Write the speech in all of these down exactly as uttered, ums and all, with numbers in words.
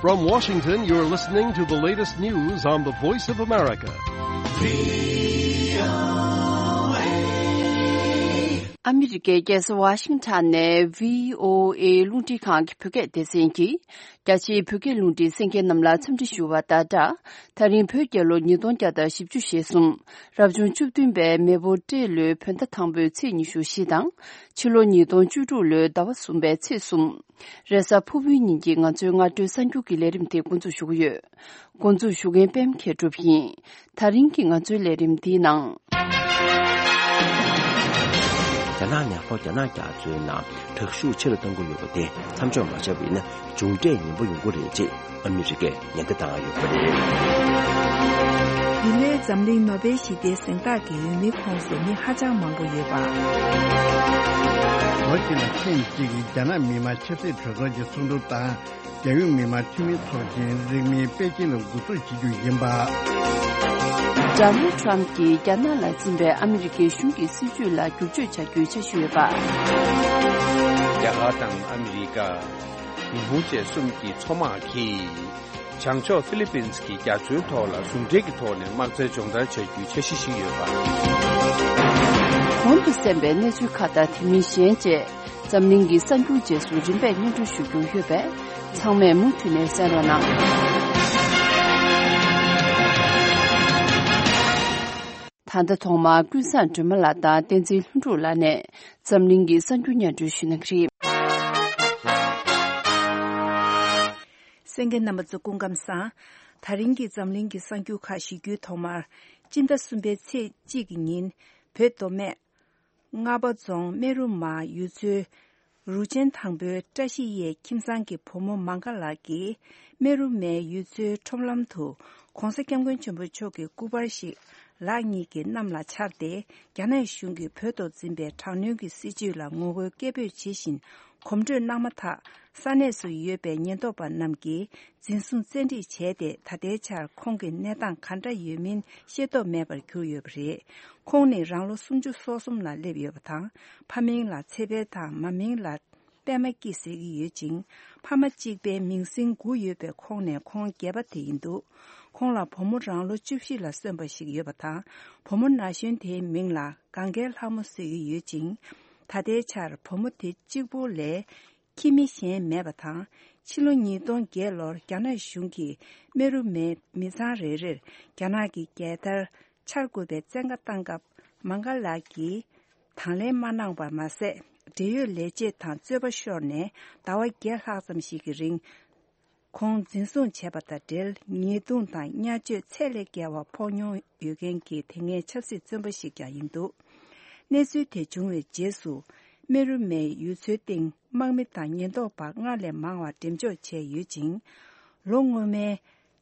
From Washington, you're listening to the latest news on the Voice of America. ཨ་མི་རི་ཀའི་རྒྱལ་ས་ཝ་ཤིང་ཊོན་ནས་བྷི་ཨོ་ཨེ་རླུང་འཕྲིན་ཁང་གི་བོད་སྐད་སྡེ་ཚན་གྱིས། རྒྱ་ཆེའི་བོད་སྐད་རླུང་འཕྲིན་གསན་མཁན་རྣམས་ལ་འཚམས་འདྲི་ཞུ་བ་དང་སྦྲགས། ད་རིང་བོད་རྒྱལ་ལོ་ཉིས་སྟོང་བརྒྱ་དང་བཞི་བཅུ་ཞེ་གསུམ། རབ་བྱུང་བཅུ་བདུན་པའི་མེ་ཕོ་སྤྲེལ་ལོའི་བོད་ཟླ་དང་པོའི་ཚེས་ཉི་ཤུ་བཞི་དང་། ཕྱི་ལོ་ཉིས་སྟོང་བཅུ་དྲུག་ལོའི་ཟླ་བ་གསུམ་པའི་ཚེས་གསུམ། རེས་གཟའ་ཕུར་བུའི་ཉིན་གྱི་ང་ཚོའི་སྔ་དྲོའི་གསར་འགྱུར་གྱི་ལས་རིམ་དེ་འགོ་འཛུགས་ཞུ་གི་ཡོད། འགོ་འཛུགས་ཞུ་མཁན་པད་མ་མཁས་གྲུབ་ཡིན། ད་རིང་གི་ང་ཚོའི་ལས་རིམ་འདིའི་ནང་། རྒྱ་ནག་ནས་ལྷོ་རྒྱ་ནག་རྒྱ་མཚོའི་ནང་དྲག་ཤུགས་ཆེ་རུ་གཏོང་གི་ཡོད་པ་དེ་མཚམས་འཇོག་མ་བྱས་པ་ཡིན་ན་མཇུག་འབྲས་ངན་པ་ཡོང་གི་རེད་ཅེས་ཨ་མི་རི་ཀས་ཉེན་བརྡ་བཏང་ཡོད་པ་རེད། འདི་ལོའི་འཛམ་གླིང་ནོ་བེལ་ཞི་བདེའི་གཟེངས་རྟགས་ཀྱི་འོས་མིའི་ཁོངས་སུ་མི་ཧ་ཅང་མང་པོ་ཡོད་པ། ལོ་གཅིག་ལ་ཐེངས་གཅིག་གི་རྒྱ་ནག་མི་དམངས་ཆབ་སྲིད་གྲོས་ཚོགས་ཀྱི་ཚོགས་འདུ་དང་། རྒྱལ་ཡོངས་མི་དམངས་འཐུས་མི་ཚོགས་ཆེན་རིང་མིན་པེ་ཅིན་ལ་འགོ་འཛུགས་བྱེད་རྒྱུ་ཡིན་པ། ཌོ་ནལ་ཌི་ཊརམ་ཕི་གྱིས་རྒྱ་ནག་ལ་འཛིན་པའི་ཨ་མི་རི་ཀའི་གཞུང་གི་སྲིད་བྱུས་ལ་བསྒྱུར་བཅོས་བྱ་རྒྱུའི་འཆར་གཞི་ཡོད་པ། རྒྱ་གར་དང་ཨ་མི་རི་ཀ། ཉི་ཧོང་བཅས་གསུམ་གྱི་མཚོ་དམག་གིས། བྱང་ཕྱོགས་ཧྥི་ལི་པིན་གྱི་རྒྱ་མཚོའི་ཐོག་ལ་ཟུང་འབྲེལ་གྱི་ཐོག་ནས་དམག་རྩལ་སྦྱོང་བརྡར་བྱ་རྒྱུའི་འཆར་གཞི་ཞིག་ཡོད་པ། གོང་དུ་གསན་པའི་གནས་ཚུལ་ཁག་དང་དེ་མིན་གཞན་བཅས། འཛམ་གླིང་གི་གསར་འགྱུར་རྗེས་སུ་རིམ་པས་སྙན་སྒྲོན་ཞུ་རྒྱུ་ཡོད་པས། ཚང་མས་མུ་མཐུད་ནས་གསན་རོགས་གནང་། ད་ལྟ་ཐོག་མར་ཀུན་བཟང་སྒྲོལ་མ་ལགས་དང་བསྟན་འཛིན་ལྷུན་གྲུབ་ལགས་ནས་འཛམ་གླིང་གི་གསར་འགྱུར་སྙན་སྒྲོན་ཞུ་གནང་གི་རེད། གསན་མཁན་རྣམ་པ་ཚོ་སྐུ་ཁམས་བཟང་། ད་རིང་གི་འཛམ་གླིང་གི་གསར་འགྱུར་ཁག་ཞུ་རྒྱུའི་ཐོག་མར། སྤྱི་ཟླ་གསུམ་པའི་ཚེས་གཅིག་གི་ཉིན། བོད་མདོ་སྨད། རྔ་པ་རྫོང་སྨད་རུ་མ་ཡུལ་ཚོའི་རུ་ཆེན་དང་པོའི་བཀྲ་ཤིས་གཡས་ཁྱིམ་ཚང་གི་བུ་མོ་མང་ག་ལགས་ཀྱིས་སྨད་རུ་མའི་ཡུལ་ཚོའི་ཁྲོམ་ལམ་དུ་༸གོང་ས་༸སྐྱབས་མགོན་ཆེན་པོ་མཆོག་གི་སྐུ་པར་ཞིག་ལག་གཉིས་ཀྱིས་གནམ་ལ་འཕྱར་ཏེ། རྒྱ་ནག་གཞུང་གིས་བོད་ཐོག་འཛིན་པའི་དྲག་གནོན་གྱི་སྲིད་བྱུས་ལ་ངོ་རྒོལ་སྐད་འབོད་བྱེད་བཞིན་གོམ་བགྲོད་གནང་མ་ཐག་ས་གནས་སུ་ཡོད་པའི་ཉེན་རྟོག་པ་རྣམས་ཀྱིས་འཛིན་བཟུང་བཙན་ཁྲིད་བྱས་ཏེ། ད་ལྟའི་ཆར་ཁོང་གི་གནས་སྟངས་ག་འདྲ་ཡོད་མིན་ཤེས་རྟོགས་མེད་པར་གྱུར་ཡོད་པ་རེད། ཁོང་ནི་རང་ལོ་སུམ་ཅུ་སོ་གསུམ་ལ་སླེབས་ཡོད་པ་དང་། ཕ་མིང་ལ་ཚེ་འཕེལ་དང་། མ་མིང་ལ་པད་མ་སྐྱིད་ཟེར་གྱི་ཡོད་ཅིང་། ཕ་མ་གཅིག་པའི་མིང་སྲིང་དགུ་ཡོད་པའི་ཁོངས་ནས་ཁོང་བརྒྱད་པ་དེ་ཡིན་འདུག་ཁོང་ལ་བུ་མོ་རང་ལོ་བཅུ་བཞི་ལ་སོན་པ་ཞིག་ཡོད་པ་དང་། བུ་མོ་ན་གཞོན་དེའི་མིང་ལ་གངྒཱའི་ལྷ་མོ་ཟེར་གྱི་ཡོད་ཅིང་། ད་ལྟའི་ཆར་བུ་མོ་དེ་གཅིག་པོ་ལས་ཁྱིམ་མི་གཞན་མེད་པ་དང་། ཕྱི་ལོ་ཉིས་སྟོང་བརྒྱད་ལོར་རྒྱ་ནག་གཞུང་གིས་སྨད་རུ་མའི་མི་ཚང་རེ་རེར་རྒྱ་ནག་གི་རྒྱལ་དར་འཕྱར་དགོས་པའི་བཙན་བཀའ་བཏང་སྐབས། མང་ག་ལགས་ཀྱིས་དང་ལེན་མ་གནང་བར་མ་ཟད། འབྲེལ་ཡོད་ལས་བྱེད་དང་རྩོད་པ་ཤོར་ནས་ཟླ་བ་བརྒྱད་ལྷག་ཙམ་ཞིག་གི་རིང་། ཁོང་འཛིན་བཟུང་བྱས་པ་དང་འབྲེལ། ཉེས་རྡུང་དང་བརྙས་བཅོས་ཚད་ལས་བརྒལ་བ་ཕོག་མྱོང་ཡོད་མཁན་གྱི་དེ་སྔའི་ཆབ་སྲིད་བཙོན་པ་ཞིག་ཀྱང་ཡིན་འདུག་གནས་ཚུལ་དེ་བྱུང་བའི་རྗེས་སུ། སྨད་རུ་མའི་ཡུལ་ཚོའི་སྟེང་དམག་མི་དང་ཉེན་རྟོག་པ་སྔར་ལས་མང་བ་འགྲེམས་འཇོག་བྱས་ཡོད་ཅིང་། ལོ་སྔོན་མའི་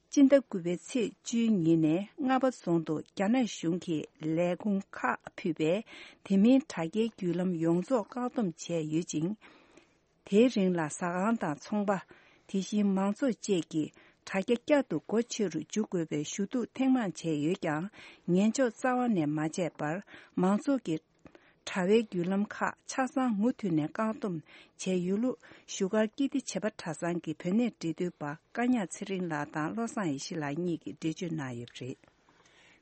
སྤྱི་ཟླ་དགུ་པའི་ཚེས་བཅུའི་ཉིན་ནས་རྔ་པ་རྫོང་དུ་རྒྱ་ནག་གཞུང་གིས་ལས་ཁུངས་ཁག་ཕུད་པས། དེ་མིན་དྲ་རྒྱའི་བརྒྱུད་ལམ་ཡོངས་རྫོགས་བཀག་སྡོམ་བྱས་ཡོད་ཅིང་། དེའི་རིང་ལ་ཟ་ཁང་དང་ཚོང་པ། དེ་བཞིན་མང་ཚོགས་བཅས་ཀྱིས་དྲ་རྒྱ་བསྐྱར་དུ་སྒོ་ཕྱེ་རུ་འཇུག་དགོས་པའི་ཞུ་གཏུག་ཐེངས་མང་བྱས་ཡོད་ཀྱང་། ཉན་འཇོག་རྩ་བ་ནས་མ་བྱས་པར། མང་ཚོགས་ཀྱི་དྲ་བའི་བརྒྱུད་ལམ་ཁག་ཆ་ཚང་མུ་མཐུད་ནས་བཀག་སྡོམ་བྱས་ཡོད་ལུགས། བཞུགས་སྒར་ཀིརྟི་བྱེས་པ་གྲྭ་ཚང་གི་བོད་གནས་འབྲེལ་མཐུད་པ་བཀའ་ཉག་ཚེ་རིང་ལགས་དང་བློ་བཟང་ཡེ་ཤེས་ལགས་གཉིས་ཀྱིས་འགྲེལ་བརྗོད་གནང་ཡོད་པ་རེད།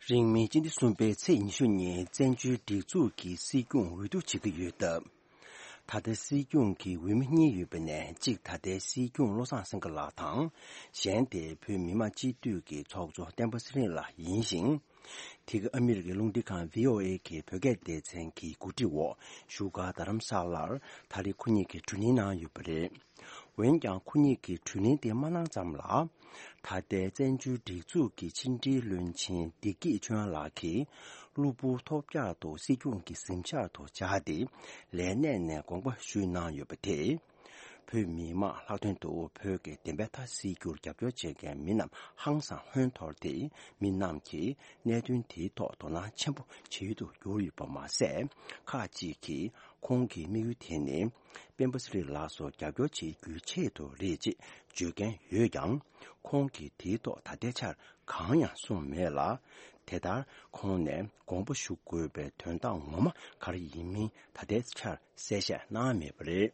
རིང་མིན་སྤྱི་ཟླ་གསུམ་པའི་ཚེས་ཉི་ཤུ་ཉིན་བཙན་བྱོལ་སྒྲིག་འཛུགས་ཀྱི་སྲིད་སྐྱོང་འོས་བསྡུ་བྱེད་ཀྱི་ཡོད་སྟབས། ད་ལྟའི་སྲིད་སྐྱོང་གི་འོས་མི་གཉིས་ཡོད་པ་ནས་གཅིག་ད་ལྟའི་སྲིད་སྐྱོང་བློ་བཟང་སེང་གེ་ལགས་དང་། གཞན་དེ་བོད་མི་མང་སྤྱི་འཐུས་ཀྱི་ཚོགས་གཙོ་བསྟན་པ་ཚེ་རིང་ལགས་ཡིན་ཞིང་། དེ་ག་ཨ་མི་རི་ཀའི་རླུང་འཕྲིན་ཁང་བྷི་ཨོ་ཨེ་གི་བོད་སྐད་སྡེ་ཚན་གྱི་གོ་སྒྲིག་འོག་བཞུགས་སྒར་རྡ་རམ་ས་ལར་ད་རེས་ཁོ་གཉིས་ཀྱིས་བགྲོ་གླེང་གནང་ཡོད་པ་རེད། འོན་ཀྱང་ཁོ་གཉིས་ཀྱིས་བགྲོ་གླེང་དེ་མ་གནང་ཙམ་ལ། ད་ལྟའི་བཙན་བྱོལ་སྒྲིག་འཛུགས་ཀྱི་ཕྱི་འབྲེལ་བློན་ཆེན་བདེ་སྐྱིད་ཆོས་དབྱངས་ལགས་ཀྱིས་གློ་བུར་ཐོལ་རྒྱག་ཏུ་སྲིད་སྐྱོང་གི་གཟིམ་ཤག་ཏུ་བཅར་ཏེ་ལས་གནས་ནས་དགོངས་པ་ཞུས་གནང་ཡོད་པ་དེས། བོད་མི་མང་ལྷག་དོན་དུ་བོད་ཀྱི་བདེན་པའི་མཐའ་གསལ་རྒྱུར་རྒྱབ་སྐྱོར་བྱེད་མཁན་མི་རྣམས་ཧང་སང་ཧོན་འཐོར་ཏེ། མི་རྣམས་ཀྱིས་གནད་དོན་དེའི་ཐོག་དོ་སྣང་ཆེན་པོ་བྱེད་ཡུལ་དུ་གྱུར་ཡོད་པ་མ་ཟད། ཁག་ཅིག་གིས་ཁོང་གི་དམིགས་ཡུལ་དེ་ནི། སྤེན་པ་ཚེ་རིང་ལགས་སུ་རྒྱབ་སྐྱོར་བྱེད་རྒྱུའི་ཆེད་དུ་རེད་ཅེས་བརྗོད་མཁན་ཡོད་ཀྱང་། ཁོང་གིས་དེའི་ཐོག་ད་ལྟའི་ཆར་གང་ཡང་གསུངས་མེད་ལ། དེ་ལྟར་ཁོང་ནས་དགོངས་པ་ཞུ་དགོས་པའི་དོན་དག་ངོ་མ་ག་རེ་ཡིན་མིན་ད་ལྟའི་ཆར་གསལ་བཤད་གནང་མེད་པ་རེད།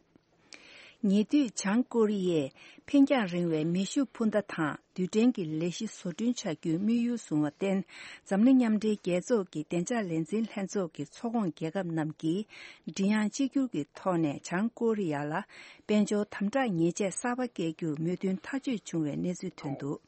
ཉེ་དུས་བྱང་ཀོ་རི་ཡས་འཕེན་རྒྱང་རིང་བའི་མེ་ཤུགས་འཕུར་མདའ་དང་རྡུལ་ཕྲན་གྱི་ལས་གཞི་བཟོ་སྐྲུན་བྱ་རྒྱུའི་དམིགས་ཡུལ་བཟུང་བར་བརྟེན། འཛམ་གླིང་མཉམ་འབྲེལ་རྒྱལ་ཚོགས་ཀྱི་བདེ་འཇགས་ལས་འཛིན་ལྷན་ཚོགས་ཀྱི་ཚོགས་ཁོངས་རྒྱལ་ཁབ་རྣམས་ཀྱིས་མགྲིན་དབྱངས་གཅིག་གྱུར་གྱི་ཐོག་ནས་བྱང་ཀོ་རི་ཡ་ལ་དཔལ་འབྱོར་དམ་དྲག་ཉེས་ཆད་གསར་པ་བཀལ་རྒྱུར་མོས་མཐུན་ཐག་གཅོད་བྱུང་བའི་གནས་ཚུལ་ཐོན་འདུག་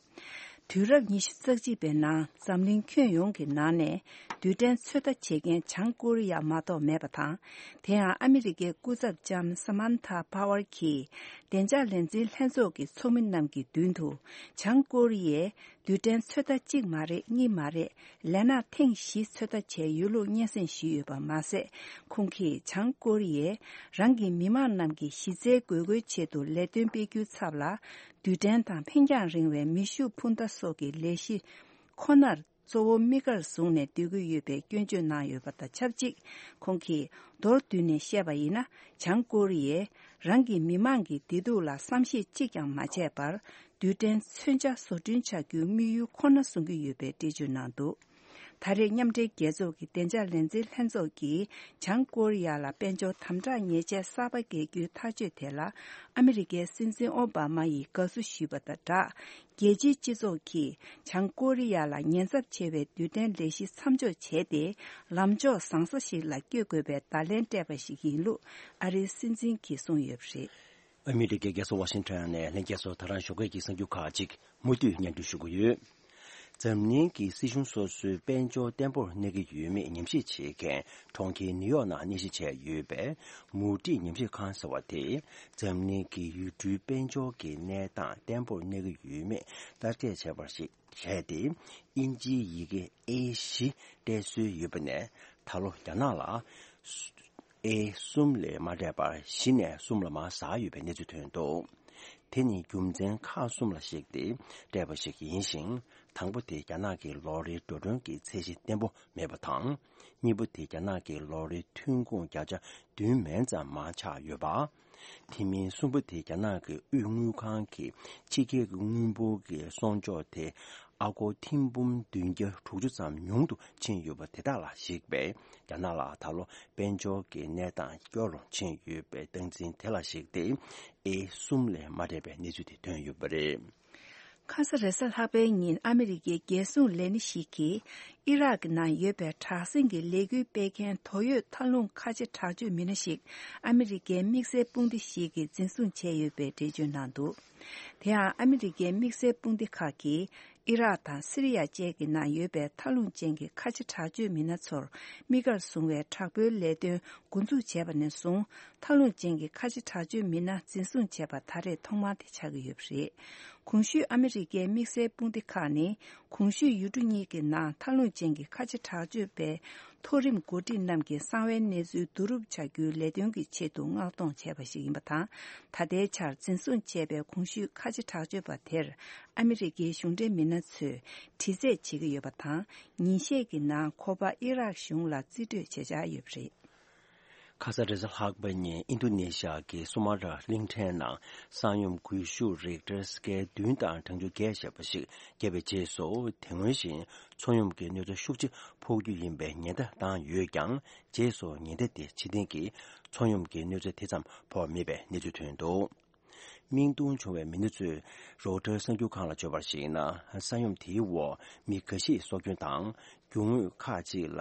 དུས་རབས་ཉི་ཤུ་རྩ་གཅིག་པའི་ནང་འཛམ་གླིང་ཁྱོན་ཡོངས་ཀྱི་ནང་ནས་རྡུལ་ཕྲན་ཚོད་ལྟ་བྱེད་མཁན་བྱང་ཀོ་རི་ཡ་མ་གཏོགས་མེད་པ་དང་། དེ་ཡང་ཨ་མི་རི་ཀའི་སྐུ་ཚབ་ལྕམ་Samantha Power གྱིས་བདེ་འཇགས་ལས་འཛིན་ལྷན་ཚོགས་ཀྱི་ཚོགས་མི་རྣམས་ཀྱི་མདུན་དུ། བྱང་ཀོ་རི་ཡས་རྡུལ་ཕྲན་ཚོད་ལྟ་གཅིག་མ་རེད། གཉིས་མ་རེད། ལས་ན་ཐེངས་བཞི་ཚོད་ལྟ་བྱས་ཡོད་ལུགས་སྙན་སེང་ཞུས་ཡོད་པ་མ་ཟད། ཁོང་གིས་བྱང་ཀོ་རི་ཡས་རང་གི་མི་མང་རྣམས་ཀྱི་གཞི་རྩའི་དགོས་མཁོའི་ཆེད་དུ་ལས་དོན་སྤེལ་རྒྱུའི་ཚབ་ལ། རྡུལ་ཕྲན་དང་འཕེན་རྒྱང་རིང་བའི་མེ་ཤུགས་འཕུར་མདའ་སོགས་ཀྱི་ལས་གཞི་ཁོ་ནར་གཙོ་བོ་དམིགས་བཀར་བཟུང་ནས་སྡོད་ཀྱི་ཡོད་པའི་སྐྱོན་བརྗོད་གནང་ཡོད་པ་དང་ཆབས་ཅིག་ཁོང་གིས་མདོར་བསྡུས་ནས་བཤད་པ་ཡིན་ན། བྱང་ཀོ་རི་ཡས་རང་གི་མི་མང་གི་བདེ་སྡུག་ལ་བསམ་ཤེས་གཅིག་ཀྱང་མ་བྱས་པར། རྡུལ་ཕྲན་མཚོན་ཆ་བཟོ་སྐྲུན་བྱ་རྒྱུའི་དམིགས་ཡུལ་ཁོ་ན་བཟུང་གི་ཡོད་པའི་འགྲེལ་བརྗོད་གནང་འདུག་ད་རེས་མཉམ་འབྲེལ་རྒྱལ་ཚོགས་ཀྱི་བདེ་འཇགས་ལས་འཛིན་ལྷན་ཚོགས་ཀྱིས་བྱང་ཀོ་རི་ཡ་ལ་དཔལ་འབྱོར་དམ་དྲག་ཉེས་ཆད་གསར་པ་འགེལ་རྒྱུའི་ཐག་གཅོད་དེ་ལ་ཨ་མི་རི་ཀའི་སྲིད་འཛིན་ཨོ་བྷ་མ་ཡིས་དགའ་བསུ་ཞུས་པ་དང་སྦྲགས། རྒྱལ་སྤྱིའི་སྤྱི་ཚོགས་ཀྱིས་བྱང་ཀོ་རི་ཡ་ལ་ཉེན་ཚབས་ཆེ་བའི་རྡུལ་ཕྲན་ལས་གཞི་མཚམས་འཇོག་བྱས་ཏེ། ལམ་ཕྱོགས་བཟང་ས་ཞིག་ལ་བསྐྱོད་དགོས་པའི་བརྡ་ལན་སྤྲད་པ་ཞིག་ཡིན་ལུགས་ཨ་རིའི་སྲིད་འཛིན་གྱིས་གསུངས་ཡོད་པ་རེད། ཨ་མི་རི་ཀའི་རྒྱལ་ས་ཝ་ཤིང་ཊོན་ནས་ལྷན་རྒྱས་ཚོ་ད་རང་ཞོགས་ཀས་ཀྱི་གསར་འགྱུར་ཁག་ཅིག་མུ་མཐུད་སྙན་སྒྲོན་ཞུ་གི་ཡོད། འཛམ་གླིང་གི་སྲིད་གཞུང་སོ་སོའི་དཔལ་འབྱོར་བརྟན་པོར་གནས་ཀྱི་ཡོད་མེད་ཉམས་ཞིབ་བྱེད་མཁན་གྲོང་ཁྱེར་ནིའུ་ཡོག་ནང་གནས་གཞི་བྱས་ཡོད་པའི་མུ་ཏིག་ཉམས་ཞིབ་ཁང་ཟེར་བ་དེས། འཛམ་གླིང་གི་ཡུལ་གྲུའི་དཔལ་འབྱོར་གྱི་གནས་སྟངས་བརྟན་པོར་གནས་ཀྱི་ཡོད་མེད་བརྟག་དཔྱད་བྱས་པར་བྱས་ཏེ། དབྱིན་ཇིའི་ཡི་གེ་ཨེ་བཞི་སྤྲད་སྲོལ་ཡོད་པ་ནས། ད་ལོ་རྒྱ་ནག་ལ་ཨེ་གསུམ་ལས་མ་སྤྲད་པར་བཞི་ནས་གསུམ་ལ་མར་ཟག་ཡོད་པའི་གནས་ཚུལ་ཐོན་འདུག་དེ་ནི་རྒྱུ་མཚན་ཁག་གསུམ་ལ་གཞིགས་ཏེ་སྤྲད་པ་ཞིག་ཡིན་ཞིང་། དང་པོ་དེ་རྒྱ་ནག་གི་ལོ་རེའི་འགྲོ་གྲོན་གྱི་ཚད་གཞི་བརྟན་པོ་མེད་པ་དང་། གཉིས་པ་དེ་རྒྱ་ནག་གི་ལོ་རེའི་ཐོན་ཁུངས་བརྒྱ་ཆ་བདུན་མན་ཙམ་མར་ཆག་ཡོད་པ། དེ་མིན་གསུམ་པ་དེ་རྒྱ་ནག་གི་དབུས་དངུལ་ཁང་གི་ཕྱི་རྒྱལ་གྱི་དངུལ་འབོར་གྱི་གསོག་འཇོག་དེ་ཨ་སྒོར་ཐེར་འབུམ་བདུན་བརྒྱ་དྲུག་ཅུ་ཙམ་ཉུང་དུ་ཕྱིན་ཡོད་པ་དེ་དག་ལ་གཞིགས་པས། རྒྱ་ནག་ལ་ད་ལོ་དཔལ་འབྱོར་གྱི་གནས་སྟངས་སྐྱོ་རུ་ཕྱིན་ཡོད་པའི་སྟངས་འཛིན་དེ་ལ་གཞིགས་ཏེ། ཨེ་གསུམ་ལས་མ་སྤྲད་པའི་གནས་ཚུལ་དེ་ཐོན་ཡོད་པ་རེད། ཁ་ས་རེས་གཟའ་ལྷག་པའི་ཉིན་ཨ་མི་རི་ཀའི་རྒྱལ་སྲུང་ལས་སྣེ་ཞིག་གིས་ཨི་རག་གི་ནང་ཡོད་པའི་དྲག་ཟིང་གི་ལས་འགུལ་སྤེལ་མཁན་དོགས་ཡོད་མཐའ་ལྷུང་ཁ་ཆེ་དྲག་སྤྱོད་མི་སྣ་ཞིག་ཨ་མི་རི་ཀའི་དམིགས་བསལ་དཔུང་སྡེ་ཞིག་གིས་འཛིན་བཟུང་བྱས་ཡོད་པའི་འགྲེལ་བརྗོད་གནང་འདུག་དེ་ཡང་ཨ་མི་རི་ཀའི་དམིགས་བསལ་དཔུང་སྡེ་ཁག་གིས་ཨི་རག་དང་སི་རི་ཡ་བཅས་ཀྱི་ནང་ཡོད་པའི་མཐའ་ལྷུང་ཅན་གྱི་ཁ་ཆེ་དྲག་སྤྱོད་མི་སྣ་ཚོར་དམིགས་བཀར་བཟུང་བའི་དྲག་པོའི་ལས་དོན་འགོ་འཛུགས་བྱས་པ་ནས་བཟུང་། མཐའ་ལྷུང་ཅན་གྱི་ཁ་ཆེ་དྲག་སྤྱོད་མི་སྣ་འཛིན་བཟུང་བྱས་པ་ད་རེས་ཐོག་མ་དེ་ཆགས་ཀྱི་ཡོད་པ་རེད། གོང་ཞུས་ཨ་མི་རི་ཀའི་དམིགས་བསལ་དཔུང་སྡེ་ཁག་ནི། གོང་ཞུས་ཡུལ་གྲུ་གཉིས་ཀྱི་ནང་མཐའ་ལྷུང་ཅན་གྱི་ཁ་ཆེ་དྲག་སྤྱོད་པའི་མཐོ་རིམ་འགོ་ཁྲིད་རྣམས་ཀྱི་གསང་བའི་གནས་ཚུལ་བསྡུ་རུབ་བྱ་རྒྱུའི་ལས་དོན་གྱི་ཆེད་དུ་མངགས་གཏོང་བྱས་པ་ཞིག་ཡིན་པ་དང་། ད་ལྟའི་ཆར་འཛིན་བཟུང་བྱས་པའི་གོང་ཞུས་ཁ་ཆེ་དྲག་སྤྱོད་པ་དེར་ཨ་མི་རི་ཀའི་གཞུང་འབྲེལ་མི་སྣ་ཚོས་དྲི་རྩད་བྱེད་ཀྱི་ཡོད་པ་དང་། ཉིན་ཤས་ཀྱི་ནང་ཁོ་པ་ཨི་རག་གཞུང་ལ་རྩིས་སྤྲོད་བྱེད་འཆར་ཡོད་པ་རེད། ཁ་ས་རེས་གཟའ་ལྷག་པ་ཉིན་ཨིན་རྡུ་ནེ་ཤི་ཡ་གི་སུ་མ་ཏྲ་གླིང་ཕྲན་ནང་ས་ཡོམ་འགུལ་ཤུགས་རིག་ཊར་སྐེལ་བདུན་དང་གྲངས་ཆུང་བརྒྱད་ཞེས་པ་ཞིག་བརྒྱབ་པའི་རྗེས་སུ། དེ་སྔོན་བཞིན་མཚོ་ཡོམ་གྱི་གནོད་འཚེ་ཤུགས་ཆེ་ཕོག་རྒྱུ་ཡིན་པའི་ཉེན་བརྡ་བཏང་ཡོད་ཀྱང་། རྗེས་སུ་ཉེན་བརྡ་དེ་ཕྱིར་འཐེན་གྱིས། མཚོ་ཡོམ་གྱི་གནོད་འཚེ་དེ་ཙམ་ཕོག་མེད་པའི་གནས་ཚུལ་ཐོན་འདུག་མིང་ཐོ་བྱུང་བའི་མི་སྣ་ཚོས་རོའི་ཊར་གསར་འགྱུར་ཁང་ལ་བརྗོད་པར་གཞིགས་ན། ས་ཡོམ་དེའི་འོག་མི་འགའ་ཤས་སྲོག་སྐྱོན་དང་། རྒྱུ་དངོས་ཁག་ཅིག་ལ་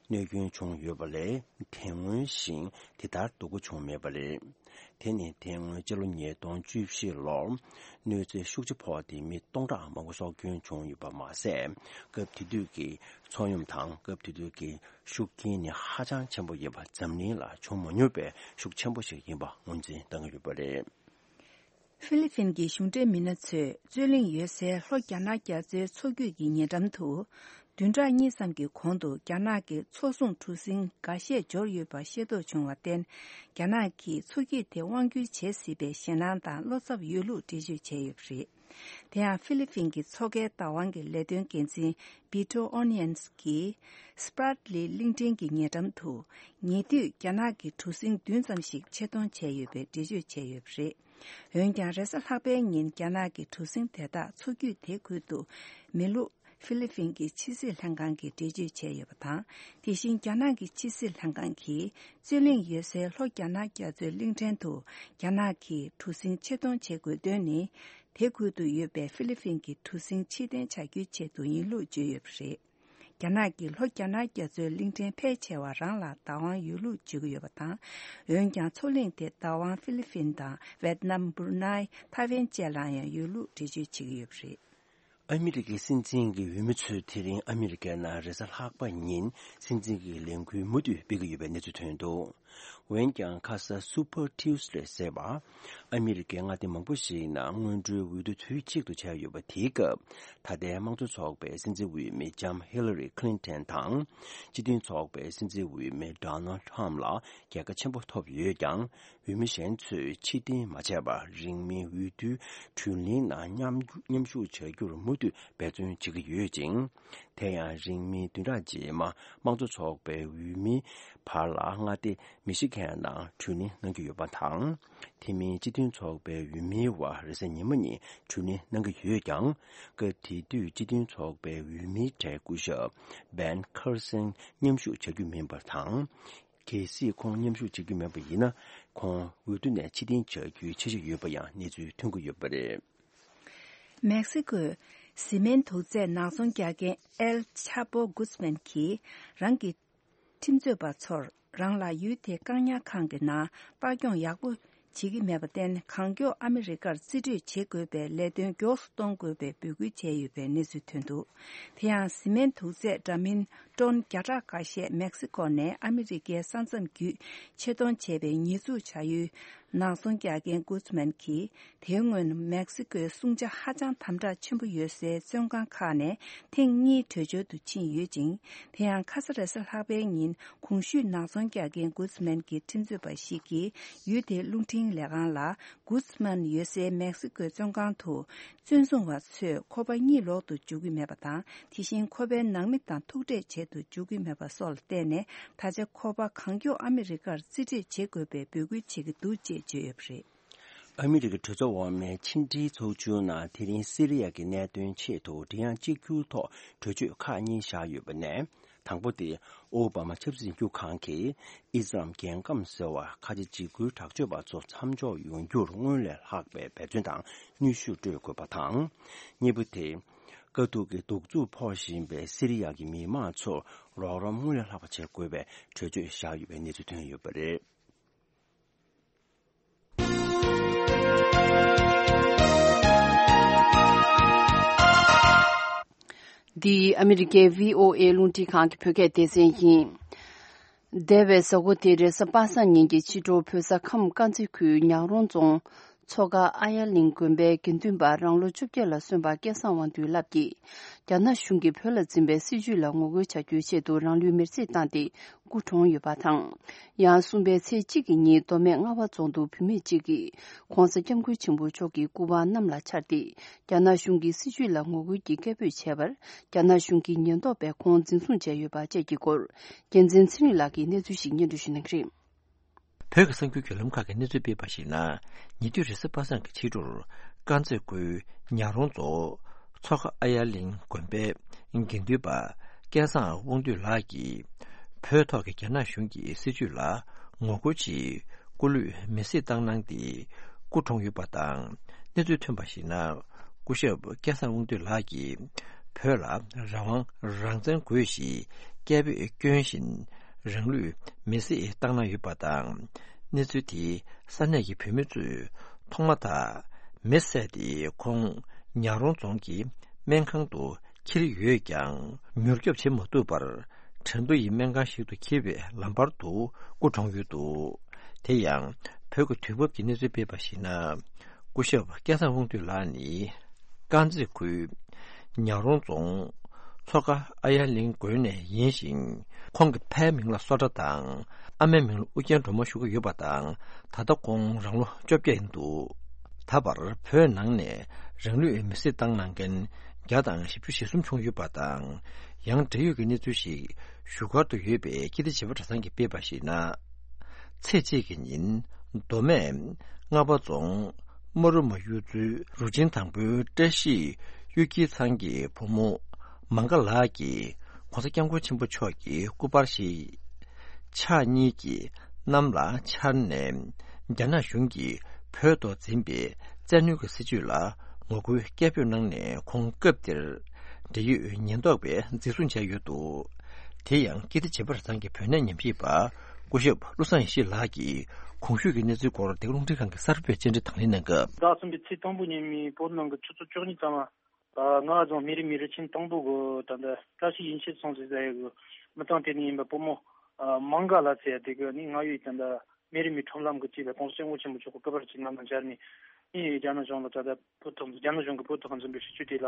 གནོད་སྐྱོན་བྱུང་ཡོད་པ་ལས། དེ་སྔོན་བཞིན་དེ་ལྟར་སྡུག་པོ་བྱུང་མེད་པ་རེད། དེ་ནི་དེ་སྔོན་སྤྱི་ལོ་ཉིས་སྟོང་བཅུ་བཞི་ལོར་གནོད་འཚེ་ཤུགས་ཆེ་ཕོག་སྟེ་མི་སྟོང་ཕྲག་མང་པོ་སྲོག་སྐྱོན་བྱུང་ཡོད་པ་མ་ཟད། སྐབས་དེ་དུས་ཀྱི་མཚོ་ཡོམ་དང་སྐབས་དེ་དུས་ཀྱི་ཤུགས་རྐྱེན་ནི་ཧ་ཅང་ཆེན་པོ་ཡིན་པ། འཛམ་གླིང་ལ་བྱུང་མ་མྱོང་བའི་ཤུགས་ཆེན་པོ་ཞིག་ཡིན་པ་ངོས་འཛིན་གནང་གི་ཡོད་པ་རེད། ཧྥི་ལི་ཕིན་གྱི་གཞུང་འབྲེལ་མི་སྣ་ཚོས་རྩོད་གླེང་ཡོད་སའི་ལྷོ་རྒྱ་ནག་རྒྱ་མཚོའི་མཚོ་རྒྱུད་ཀྱི་ཉེ་འགྲམ་དུ། བདུན་ཕྲག་གཉིས་ཙམ་གྱི་གོང་དུ་རྒྱ་ནག་གི་མཚོ་སྲུང་གྲུ་གཟིངས་འགའ་ཤས་འབྱོར་ཡོད་པ་ཤེས་རྟོགས་བྱུང་བར་བརྟེན། རྒྱ་ནག་གིས་མཚོ་སྐྱིད་དེ་དབང་བསྒྱུར་བྱེད་སྲིད་པའི་ཞེད་སྣང་དང་བློ་འཚབ་ཡོད་ལུགས་འགྲེལ་བརྗོད་བྱས་ཡོད་པ་རེད། དེ་ཡང་ཧྥི་ལི་ཕིན་གྱི་མཚོ་ཁའི་བདག་དབང་གི་ལས་དོན་འགན་འཛིན་བི་ཏོ་ཨོ་ནི་ཡན་སི་གིས། སི་པྲ་ལི་གླིང་ཕྲན་གྱི་ཉེ་འགྲམ་དུ། ཉེ་དུས་རྒྱ་ནག་གི་གྲུ་གཟིངས་བདུན་ཙམ་ཞིག་ཆེད་གཏོང་བྱས་ཡོད་པའི་འགྲེལ་བརྗོད་བྱས་ཡོད་པ་རེད། འོན་ཀྱང་། རེས་གཟའ་ལྷག་པའི་ཉིན་རྒྱ་ནག་གི་གྲུ་གཟིངས་དེ་དག་མཚོ་རྒྱུད་དེ་ཁུལ་དུ་མེ་ལུག་ ཧྥི་ལི་ཕིན་གྱི་ཕྱི་སྲིད་ལྷན་ཁང་གིས་འགྲེལ་བརྗོད་བྱས་ཡོད་པ་དང་། དེ་བཞིན་རྒྱ་ནག་གི་ཕྱི་སྲིད་ལྷན་ཁང་གིས་རྩོད་གླེང་ཡོད་སའི་ལྷོ་རྒྱ་ནག་རྒྱ་མཚོའི་གླིང་ཕྲན་དུ་རྒྱ་ནག་གིས་གྲུ་གཟིངས་ཕྱིར་གཏོང་བྱེད་དགོས་དོན་ནི། དེ་ཁུལ་དུ་ཡོད་པའི་ཧྥི་ལི་ཕིན་གྱི་གྲུ་གཟིངས་ཕྱིར་འཐེན་བྱ་རྒྱུའི་ཆེད་དུ་ཡིན་ལུགས་བརྗོད་ཡོད་པ་རེད། རྒྱ་ནག་གིས་ལྷོ་རྒྱ་ནག་རྒྱ་མཚོའི་གླིང་ཕྲན་ཕལ་ཆེ་བ་རང་ལ་བདག་དབང་ཡོད་ལུགས་བརྗོད་ཀྱི་ཡོད་པ་དང་། འོན་ཀྱང་མཚོ་གླིང་དེ་བདག་དབང་ཧྥི་ལི་ཕིན་དང་ཝེད་ནམ། འབུར་ནཱི། ཐའེ་ཝན་བཅས་ལ་ཡང་ཡོད་ལུགས་འགྲེལ་བརྗོད་བྱེད་ཀྱི་ཡོད་པ་རེད། ཨ་མི་རི་ཀའི་སྲིད་འཛིན་གྱི་འོས་མི་ཚོས་དེ་རིང་ཨ་མི་རི་ཀའི་ནང་རེས་གཟའ་ལྷག་པ་ཉིན་སྲིད་འཛིན་གྱི་ལས་འགུལ་མུ་མཐུད་སྤེལ་གྱི་ཡོད་པའི་གནས་ཚུལ་ཐོན་འདུག་འོན་ཀྱང་ཁ་ས་Super Tuesday་ཟེར་བ། ཨ་མི་རི་ཀའི་མངའ་སྡེ་མང་པོ་ཞིག་ནང་སྔོན་འགྲོའི་འོས་བསྡུ་དུས་གཅིག་ཏུ་བྱས་ཡོད་པ་དེའི་སྐབས། ད་ལྟའི་དམངས་གཙོ་ཚོགས་པའི་སྲིད་འཛིན་འོས་མི་ལྕམ་ཧི་ལ་རི་ཁི་ལིན་ཏན་དང་། སྤྱི་མཐུན་ཚོགས་པའི་སྲིད་འཛིན་འོས་མི་ཌོ་ནལ་ཁྲམ་ལ་རྒྱལ་ཁ་ཆེན་པོ་ཐོབ་ཡོད་ཀྱང་། འོས་མི་གཞན་ཚོས་ཕྱིར་འཐེན་མ་བྱས་པར་རིང་མིན་འོས་བསྡུའི་བགྲོ་གླེང་ནང་མཉམ་མཉམ་ཞུགས་བྱ་རྒྱུར་མུ་མཐུད་འབད་བརྩོན་བྱེད་ཀྱི་ཡོད་ཅིང་། དེ་ཡང་རིང་མིན་བདུན་ཕྲག་རྗེས་མ་དམངས་གཙོ་ཚོགས་པའི་འོས་མིའི་བར་ལ་མངའ་སྡེ་མི་ཤི་གན་ནང་བགྲོ་གླེང་གནང་རྒྱུ་ཡོད་པ་དང་། དེ་མིན་སྤྱི་མཐུན་ཚོགས་པའི་འོས་མིའི་བར་རེས་གཟའ་ཉི་མ་ཉིན་བགྲོ་གླེང་གནང་གི་ཡོད་ཀྱང་། སྐབས་དེ་དུས་སྤྱི་མཐུན་ཚོགས་པའི་འོས་མིའི་གྲས་སྐུ་ཞབས་བན་ཁར་སན་མཉམ་ཞུགས་བྱ་རྒྱུ་མིན་པ་དང་། གལ་སྲིད་ཁོང་མཉམ་ཞུགས་བྱེད་ཀྱི་མེད་པ་ཡིན་ན། ཁོང་འོས་བསྡུ་ནས་ཕྱིར་འཐེན་བྱ་རྒྱུའི་འཆར་གཞི་ཡོད་པ་ཡང་གནས་ཚུལ་ཐོན་གྱི་ཡོད་པ་རེད། མེག་སི་ཀོས་བཟི་སྨན་དུག་རྫས་ནག་ཚོང་རྒྱག་མཁན་ཨེལ་ཆ་པོ་གུས་མན་གྱིས་རང་གི་ཁྲིམས་རྩོད་པ་ཚོར་རང་ལ་ཡུལ་དེའི་བཀག་ཉར་ཁང་གི་ནང་ལྟ་སྐྱོང་ཡག་པོ་བྱེད་ཀྱི་མེད་པར་བརྟེན། གང་མགྱོགས་ཨ་མི་རི་ཀར་རྩིས་སྤྲོད་བྱེད་དགོས་པའི་ལས་དོན་མགྱོགས་སུ་གཏོང་དགོས་པའི་འབོད་སྐུལ་བྱས་ཡོད་པའི་གནས་ཚུལ་ཐོན་འདུག་དེ་ཡང་བཟི་སྨན་དུག་རྫས་འདྲ་མིན་ཏོན་བརྒྱ་ཕྲག་ཁ་ཤས་མེག་སི་ཀོ་ནས་ཨ་མི་རི་ཀའི་ས་མཚམས་བརྒྱུད་ཆེད་གཏོང་བྱས་པའི་ཉེས་འཛུགས་བྱ་ཡུལ་ནག་ཚོང་རྒྱག་མཁན་གུས་མན་གྱིས། དེའི་སྔོན་མེག་སི་ཀོའི་སྲུང་བྱ་ཧ་ཅང་དམ་དྲག་ཆེན་པོ་ཡོད་སའི་བཙོན་ཁང་ཁག་ནས་ཐེངས་གཉིས་བྲོས་བྱོལ་དུ་ཕྱིན་ཡོད་ཅིང་། དེ་ཡང་ཁ་ས་རེས་གཟའ་ལྷག་པའི་ཉིན་གོང་ཞུས་ནག་ཚོང་རྒྱག་མཁན་གུས་མན་གྱི་ཁྲིམས་རྩོད་པ་ཞིག་གིས་ཡུལ་དེའི་རླུང་འཕྲིན་ལས་ཁང་ལ། གུས་མན་ཡོད་སའི་མེག་སི་ཀོའི་བཙོན་ཁང་དུ་བཙོན་སྲུང་བ་ཚོས་ཁོ་པ་གཉིད་ལོག་ཏུ་འཇུག་གི་མེད་པ་དང་། དེ་བཞིན་ཁོ་པའི་ནང་མི་དང་ཐུག་འཕྲད་བྱེད་དུ་འཇུག་གི་མེད་པ་སོགས་ལ་བརྟེན་ནས། ད་ཆ་ཁོ་པ་གང་མགྱོགས་ཨ་མི་རི་ཀར་རྩིས་སྤྲོད་བྱེད་དགོས་པའི་འབོད་སྐུལ་བྱེད་ཀྱི་འདུག་ཅེས་བརྗོད་ཡོད་པ་རེད། ཨ་མི་རི་ཀའི་གྲོས་ཚོགས་འོག་མའི་ཕྱི་འབྲེལ་ཚོགས་ཆུང་ནང་དེ་རིང་སི་རི་ཡ་གི་གནད་དོན་ཆེད་དུ་མགྲིན་དབྱངས་གཅིག་གྱུར་ཐོག་གྲོས་ཆོད་ཁག་གཉིས་བཞག་ཡོད་པ་ནས། དང་པོ་དེ། ཨོ་བྷ་མ་ཆབ་སྲིད་འཛིན་སྐྱོང་ཁང་གིས་ཨི་སི་ལམ་རྒྱལ་ཁམས་ཟེར་བར་ཁ་ཆེ་འཇིགས་སྐུལ་དྲག་སྤྱོད་པ་ཚོ་མཚམས་འཇོག་ཡོང་རྒྱུར་སྔོན་ལས་ལྷག་པའི་འབད་བརྩོན་དང་ནུས་ཤུགས་སྤྲོད་དགོས་པ་དང་། གཉིས་པ་དེ། དཀའ་སྡུག་གི་གདུག་རྩུབ་ཕོག་བཞིན་པའི་སི་རི་ཡ་གི་མི་མང་ཚོར་རོགས་རམ་སྔོན་ལས་ལྷག་པ་བྱེད་དགོས་པའི་གྲོས་ཆོད་བཞག་ཡོད་པའི་གནས་ཚུལ་ཐོན་ཡོད་པ་རེད། འདི་ཨ་མི་རི་ཀའི་བྷི་ཨོ་ཨེ་རླུང་འཕྲིན་ཁང་གི་བོད་སྐད་སྡེ་ཚན་ཡིན། འདས་པའི་གཟའ་འཁོར་འདིར་རེས་གཟའ་པ་སངས་ཉིན་གྱི་ཕྱི་དྲོར་བོད་ས་ཁམས་དཀར་མཛེས་ཁུལ་ཉག་རོང་རྫོང་མཚོ་ཁ་ཨ་ཡ་གླིང་དགོན་པའི་དགེ་འདུན་པ་རང་ལོ་བཅོ་བརྒྱད་ལ་སོན་པ་སྐལ་བཟང་དབང་འདུས་ལགས་ཀྱིས། རྒྱ་ནག་གཞུང་གིས་བོད་ལ་འཛིན་པའི་སྲིད་བྱུས་ལ་ངོ་རྒོལ་བྱ་རྒྱུའི་ཆེད་དུ་རང་ལུས་མེར་སྲེག་བཏང་སྟེ། སྐུ་གྲོངས་ཡོད་པ་དང་། ཡང་གསུམ་པའི་ཚེས་གཅིག་གི་ཉིན་མདོ་སྨད་རྔ་བ་རྫོང་དུ་བུད་མེད་གཅིག་གིས་༧གོང་ས་༧སྐྱབས་མགོན་ཆེན་པོ་མཆོག་གི་སྐུ་པར་གནམ་ལ་འཕྱར་ཏེ། རྒྱ་ནག་གཞུང་གི་སྲིད་བྱུས་ལ་ངོ་རྒོལ་གྱི་སྐད་འབོད་བྱས་པར། རྒྱ་ནག་གཞུང་གིས་ཉེན་རྟོག་པས་ཁོང་འཛིན་བཟུང་བྱས་ཡོད་པ་བཅས་ཀྱི་སྐོར། རྒྱལ་མཚན་ཚེ་རིང་ལགས་ཀྱིས་གནས་ཚུལ་ཞིག་སྙན་སྒྲོན་ཞུ་གནང་གི་རེད། བོད་ཀྱི་གསར་འགྱུར་བརྒྱུད་ལམ་ཁག་གིས་གནས་ཚུལ་སྤེལ་བར་གཞིགས་ན། ཉེ་དུས་རེས་གཟའ་པ་སངས་ཀྱི་ཕྱི་དྲོར་དཀར་མཛེས་ཁུལ་ཉག་རོང་རྫོང་མཚོ་ཁ་ཨ་ཡར་གླིང་དགོན་པའི་དགེ་འདུན་པ་སྐལ་བཟང་དབང་འདུས་ལགས་ཀྱིས། བོད་ཐོག་གི་རྒྱ་ནག་གཞུང་གི་སྲིད་བྱུས་ལ་ངོ་རྒོལ་ཆེད་སྐུ་ལུས་མེར་སྲེག་བཏང་གནང་སྟེ་སྐུ་གྲོངས་ཡོད་པ་དང་། གནས་ཚུལ་ཐོན་པར་གཞིགས་ན། སྐུ་ཞབས་སྐལ་བཟང་དབང་འདུས་ལགས་ཀྱིས་བོད་ལ་རང་དབང་རང་བཙན་དགོས་ཞེས་སྐད་འབོད་བསྐྱོན་བཞིན་རང་ལུས་མེར་སྲེག་བཏང་གནང་ཡོད་པ་དང་། གནས་ཚུལ་དེ་ས་གནས་ཀྱི་བོད་མི་ཚོས་ཐོག་མ་ཐག་མེ་བསད་དེ་ཁོང་ཉག་རོང་རྫོང་གི་སྨན་ཁང་དུ་འཁྱེར་ཡོད་ཀྱང་། མྱུར་སྐྱོབ་བྱེད་མ་ཐུབ་པར་ཁྲེང་ཏུའུ་ཡི་སྨན་ཁང་ཞིག་ཏུ་འཁྱེར་བའི་ལམ་བར་དུ་སྐུ་གྲོངས་ཡོད་འདུག་དེ་ཡང་བོད་ཀྱི་དུས་བབ་ཀྱི་གནས་ཚུལ་སྤེལ་བར་གཞིགས་ན། སྐུ་ཞབས་སྐལ་བཟང་དབང་འདུས་ལགས་ནི་དཀར་མཛེས་ཁུལ་ཉག་རོང་རྫོང་མཚོ་ཁ་ཨ་ཡར་གླིང་དགོན་ནས་ཡིན་ཞིང་། ཁོང་གི་ཕའི་མིང་ལ་བསོ་སྒྲ་དང་ཨ་མའི་མིང་ལ་ཨུ་རྒྱན་སྒྲོལ་མ་ཞུ་གི་ཡོད་པ་དང་། ད་ལྟ་ཁོང་རང་ལོ་བཅོ་བརྒྱད་ཡིན་འདུག་ད་བར་བོད་ནང་ནས་རང་ལུས་མེར་སྲེག་བཏང་གནང་མཁན་བརྒྱ་དང་བཞི་བཅུ་ཞེ་གསུམ་བྱུང་ཡོད་པ་དང་། ཡང་འབྲེལ་ཡོད་ཀྱི་གནས་ཚུལ་ཞིག་བཞུགས་སྒར་དུ་ཡོད་པའི་སྐྱིད་ལྡེ་བྱེས་པ་གྲྭ་ཚང་གིས་སྤེལ་བར་གཞིགས་ན། ཚེས་གཅིག་གི་ཉིན་མདོ་སྨད་རྔ་བ་རྫོང་རྨ་རུ་མ་གཡུ་མཚོའི་རུ་ཆེན་དང་པོའི་བཀྲ་ཤིས་གཡུ་སྐྱིད་ཚང་གི་བུ་མོ་ མང་ག་ལགས་ཀྱིས་༸གོང་ས་༸སྐྱབས་མགོན་ཆེན་པོ་མཆོག་གི་སྐུ་པར་ཞིག་ཕྱག་གཉིས་ཀྱིས་གནམ་ལ་འཕྱར་ནས། རྒྱ་ནག་གཞུང་གིས་བོད་ཐོག་འཛིན་པའི་བཙན་གནོན་གྱི་སྲིད་བྱུས་ལ་ངོ་རྒོལ་སྐད་འབོད་གནང་ནས། ཁོང་སྐབས་དེར་འབྲེལ་ཡོད་ཉེན་རྟོག་པས་འཛིན་བཟུང་བྱས་ཡོད་འདུག་དེ་ཡང་ཀིརྟི་བྱེས་པ་རེ་ཟུང་གི་བོད་གནས་ཉམས་ཞིབ་པ་སྐུ་ཞབས་བློ་བཟང་ཡེ་ཤེས་ལགས་ཀྱིས་གོང་ཞུས་ཀྱི་གནས་ཚུལ་སྐོར་བདེ་སྐྱིད་རླུང་འཕྲིན་ཁང་གི་གསར་འགོད་པས་བཅར་འདྲི་དང་ལེན་གནང་སྐབས། ཟླ་གསུམ་པའི་ཚེས་དང་པོ་ཉིན་མོའི་བོད་ནང་གི་ཆུ་ཚོད་བཅུ་གཉིས་ཙམ་ལ། ཨ། ང་ཚོ་མི་རིགས་མི་རུ་ཆེན་དང་པོ་གི་ད་ལྟ་བཀྲ་ཤིས་ཡིན་ཆེད་སོང་ཟེར་ཡ་གི་མི་ཚང་དེ་ནས་ཡིན་པ་བུ་མོ། ཨ། མང་ག་ལ་ཟེར་ཡ་དེ་གི་ནི་ང་ཡོད་ད་ལྟ་མི་རིགས་མི་ཁྲོམ་ལམ་གི་ཅིག་ལ་༸གོང་ས་༸སྐྱབས་མགོན་ཆེན་པོ་མཆོག་གི་སྐུ་པར་ཅིག་ནང་ན་འབྱར་ནས། ཨེ། རྒྱ་ནག་གཞུང་ལ་ད་ལྟ་བོད་ཐོག་རྒྱ་ནག་གཞུང་གི་བོད་ཐོག་འཛིན་པའི་སྲིད་བྱུས་དེ་ལ་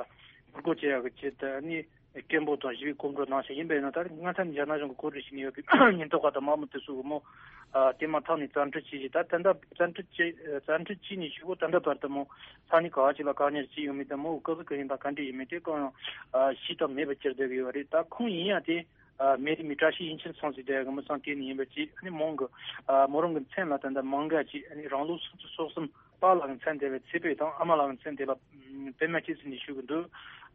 ངོ་རྒོལ་བྱེད་ཡ་གི་ཆེད་དུ་ནི་སྐད་འབོད་དང་ཞི་བའི་སྐོར་བྲོ་གནང་བཞིན་ཡིན་པ་ཡིན་ན། ད་རེས་སྔ་ས་ནས་རྒྱ་ནག་གཞུང་གི་གོ་སྒྲིག་བྱས་ནས་ཡོད་པའི་ཉེན་རྟོག་པ་དང་དམག་མི་དེ་ཚོ་གི་མོ། ཨ། དེ་མ་ཐག་ནས་བཙན་ཁྲིད་བྱས་ཤིང་། ད་ད་ལྟ་བཙན་ཁྲིད་བྱས་བཙན་ཁྲིད་བྱས་ནས་ཞུ་གོ་ད་ལྟ་བར་དུ་མོ་ས་གནས་ག་བ་ཅིག་ལ་བཀག་ཉར་བྱས་ཡོད་མེད་དང་། མོ་སྐུ་གཟུགས་ག་ཡིན་དང་ག་འདྲ་ཡིན་མིན་དེ་གང་ཡང་ཨ། ཤེས་ཐབས་མེད་པར་གྱུར་བསྡད་ཀྱི་ཡོད་རེད། ད་ཁོང་ཡིན་ཡང་དེ། ཨ། མི་རིགས་མི་བཀྲ་ཤིས་ཡིན་ཆེད་སོང་ཟེར་བསྡད་ཀྱི་མི་ཚང་དེ་ནས་ཡིན་པ་ཅིག་ཨ་ནི་མོང་གི། ཨ། མོ་རང་གི་མཚན་ལ་ད་ལྟ་མང་ག་ཅིག་ཨ་ནི་རང་ལོ་སུམ་ཅུ་སོ་གསུམ་པ་ལགས་ཀྱི་མཚན་དེ་ལ་ཚེ་འཕེལ་དང་། ཨ་མ་ལགས་ཀྱི་མཚན་དེ་ལ་པད་མ་སྐྱིད་ཟེར་ནས་ཞུ་གི་འདུག་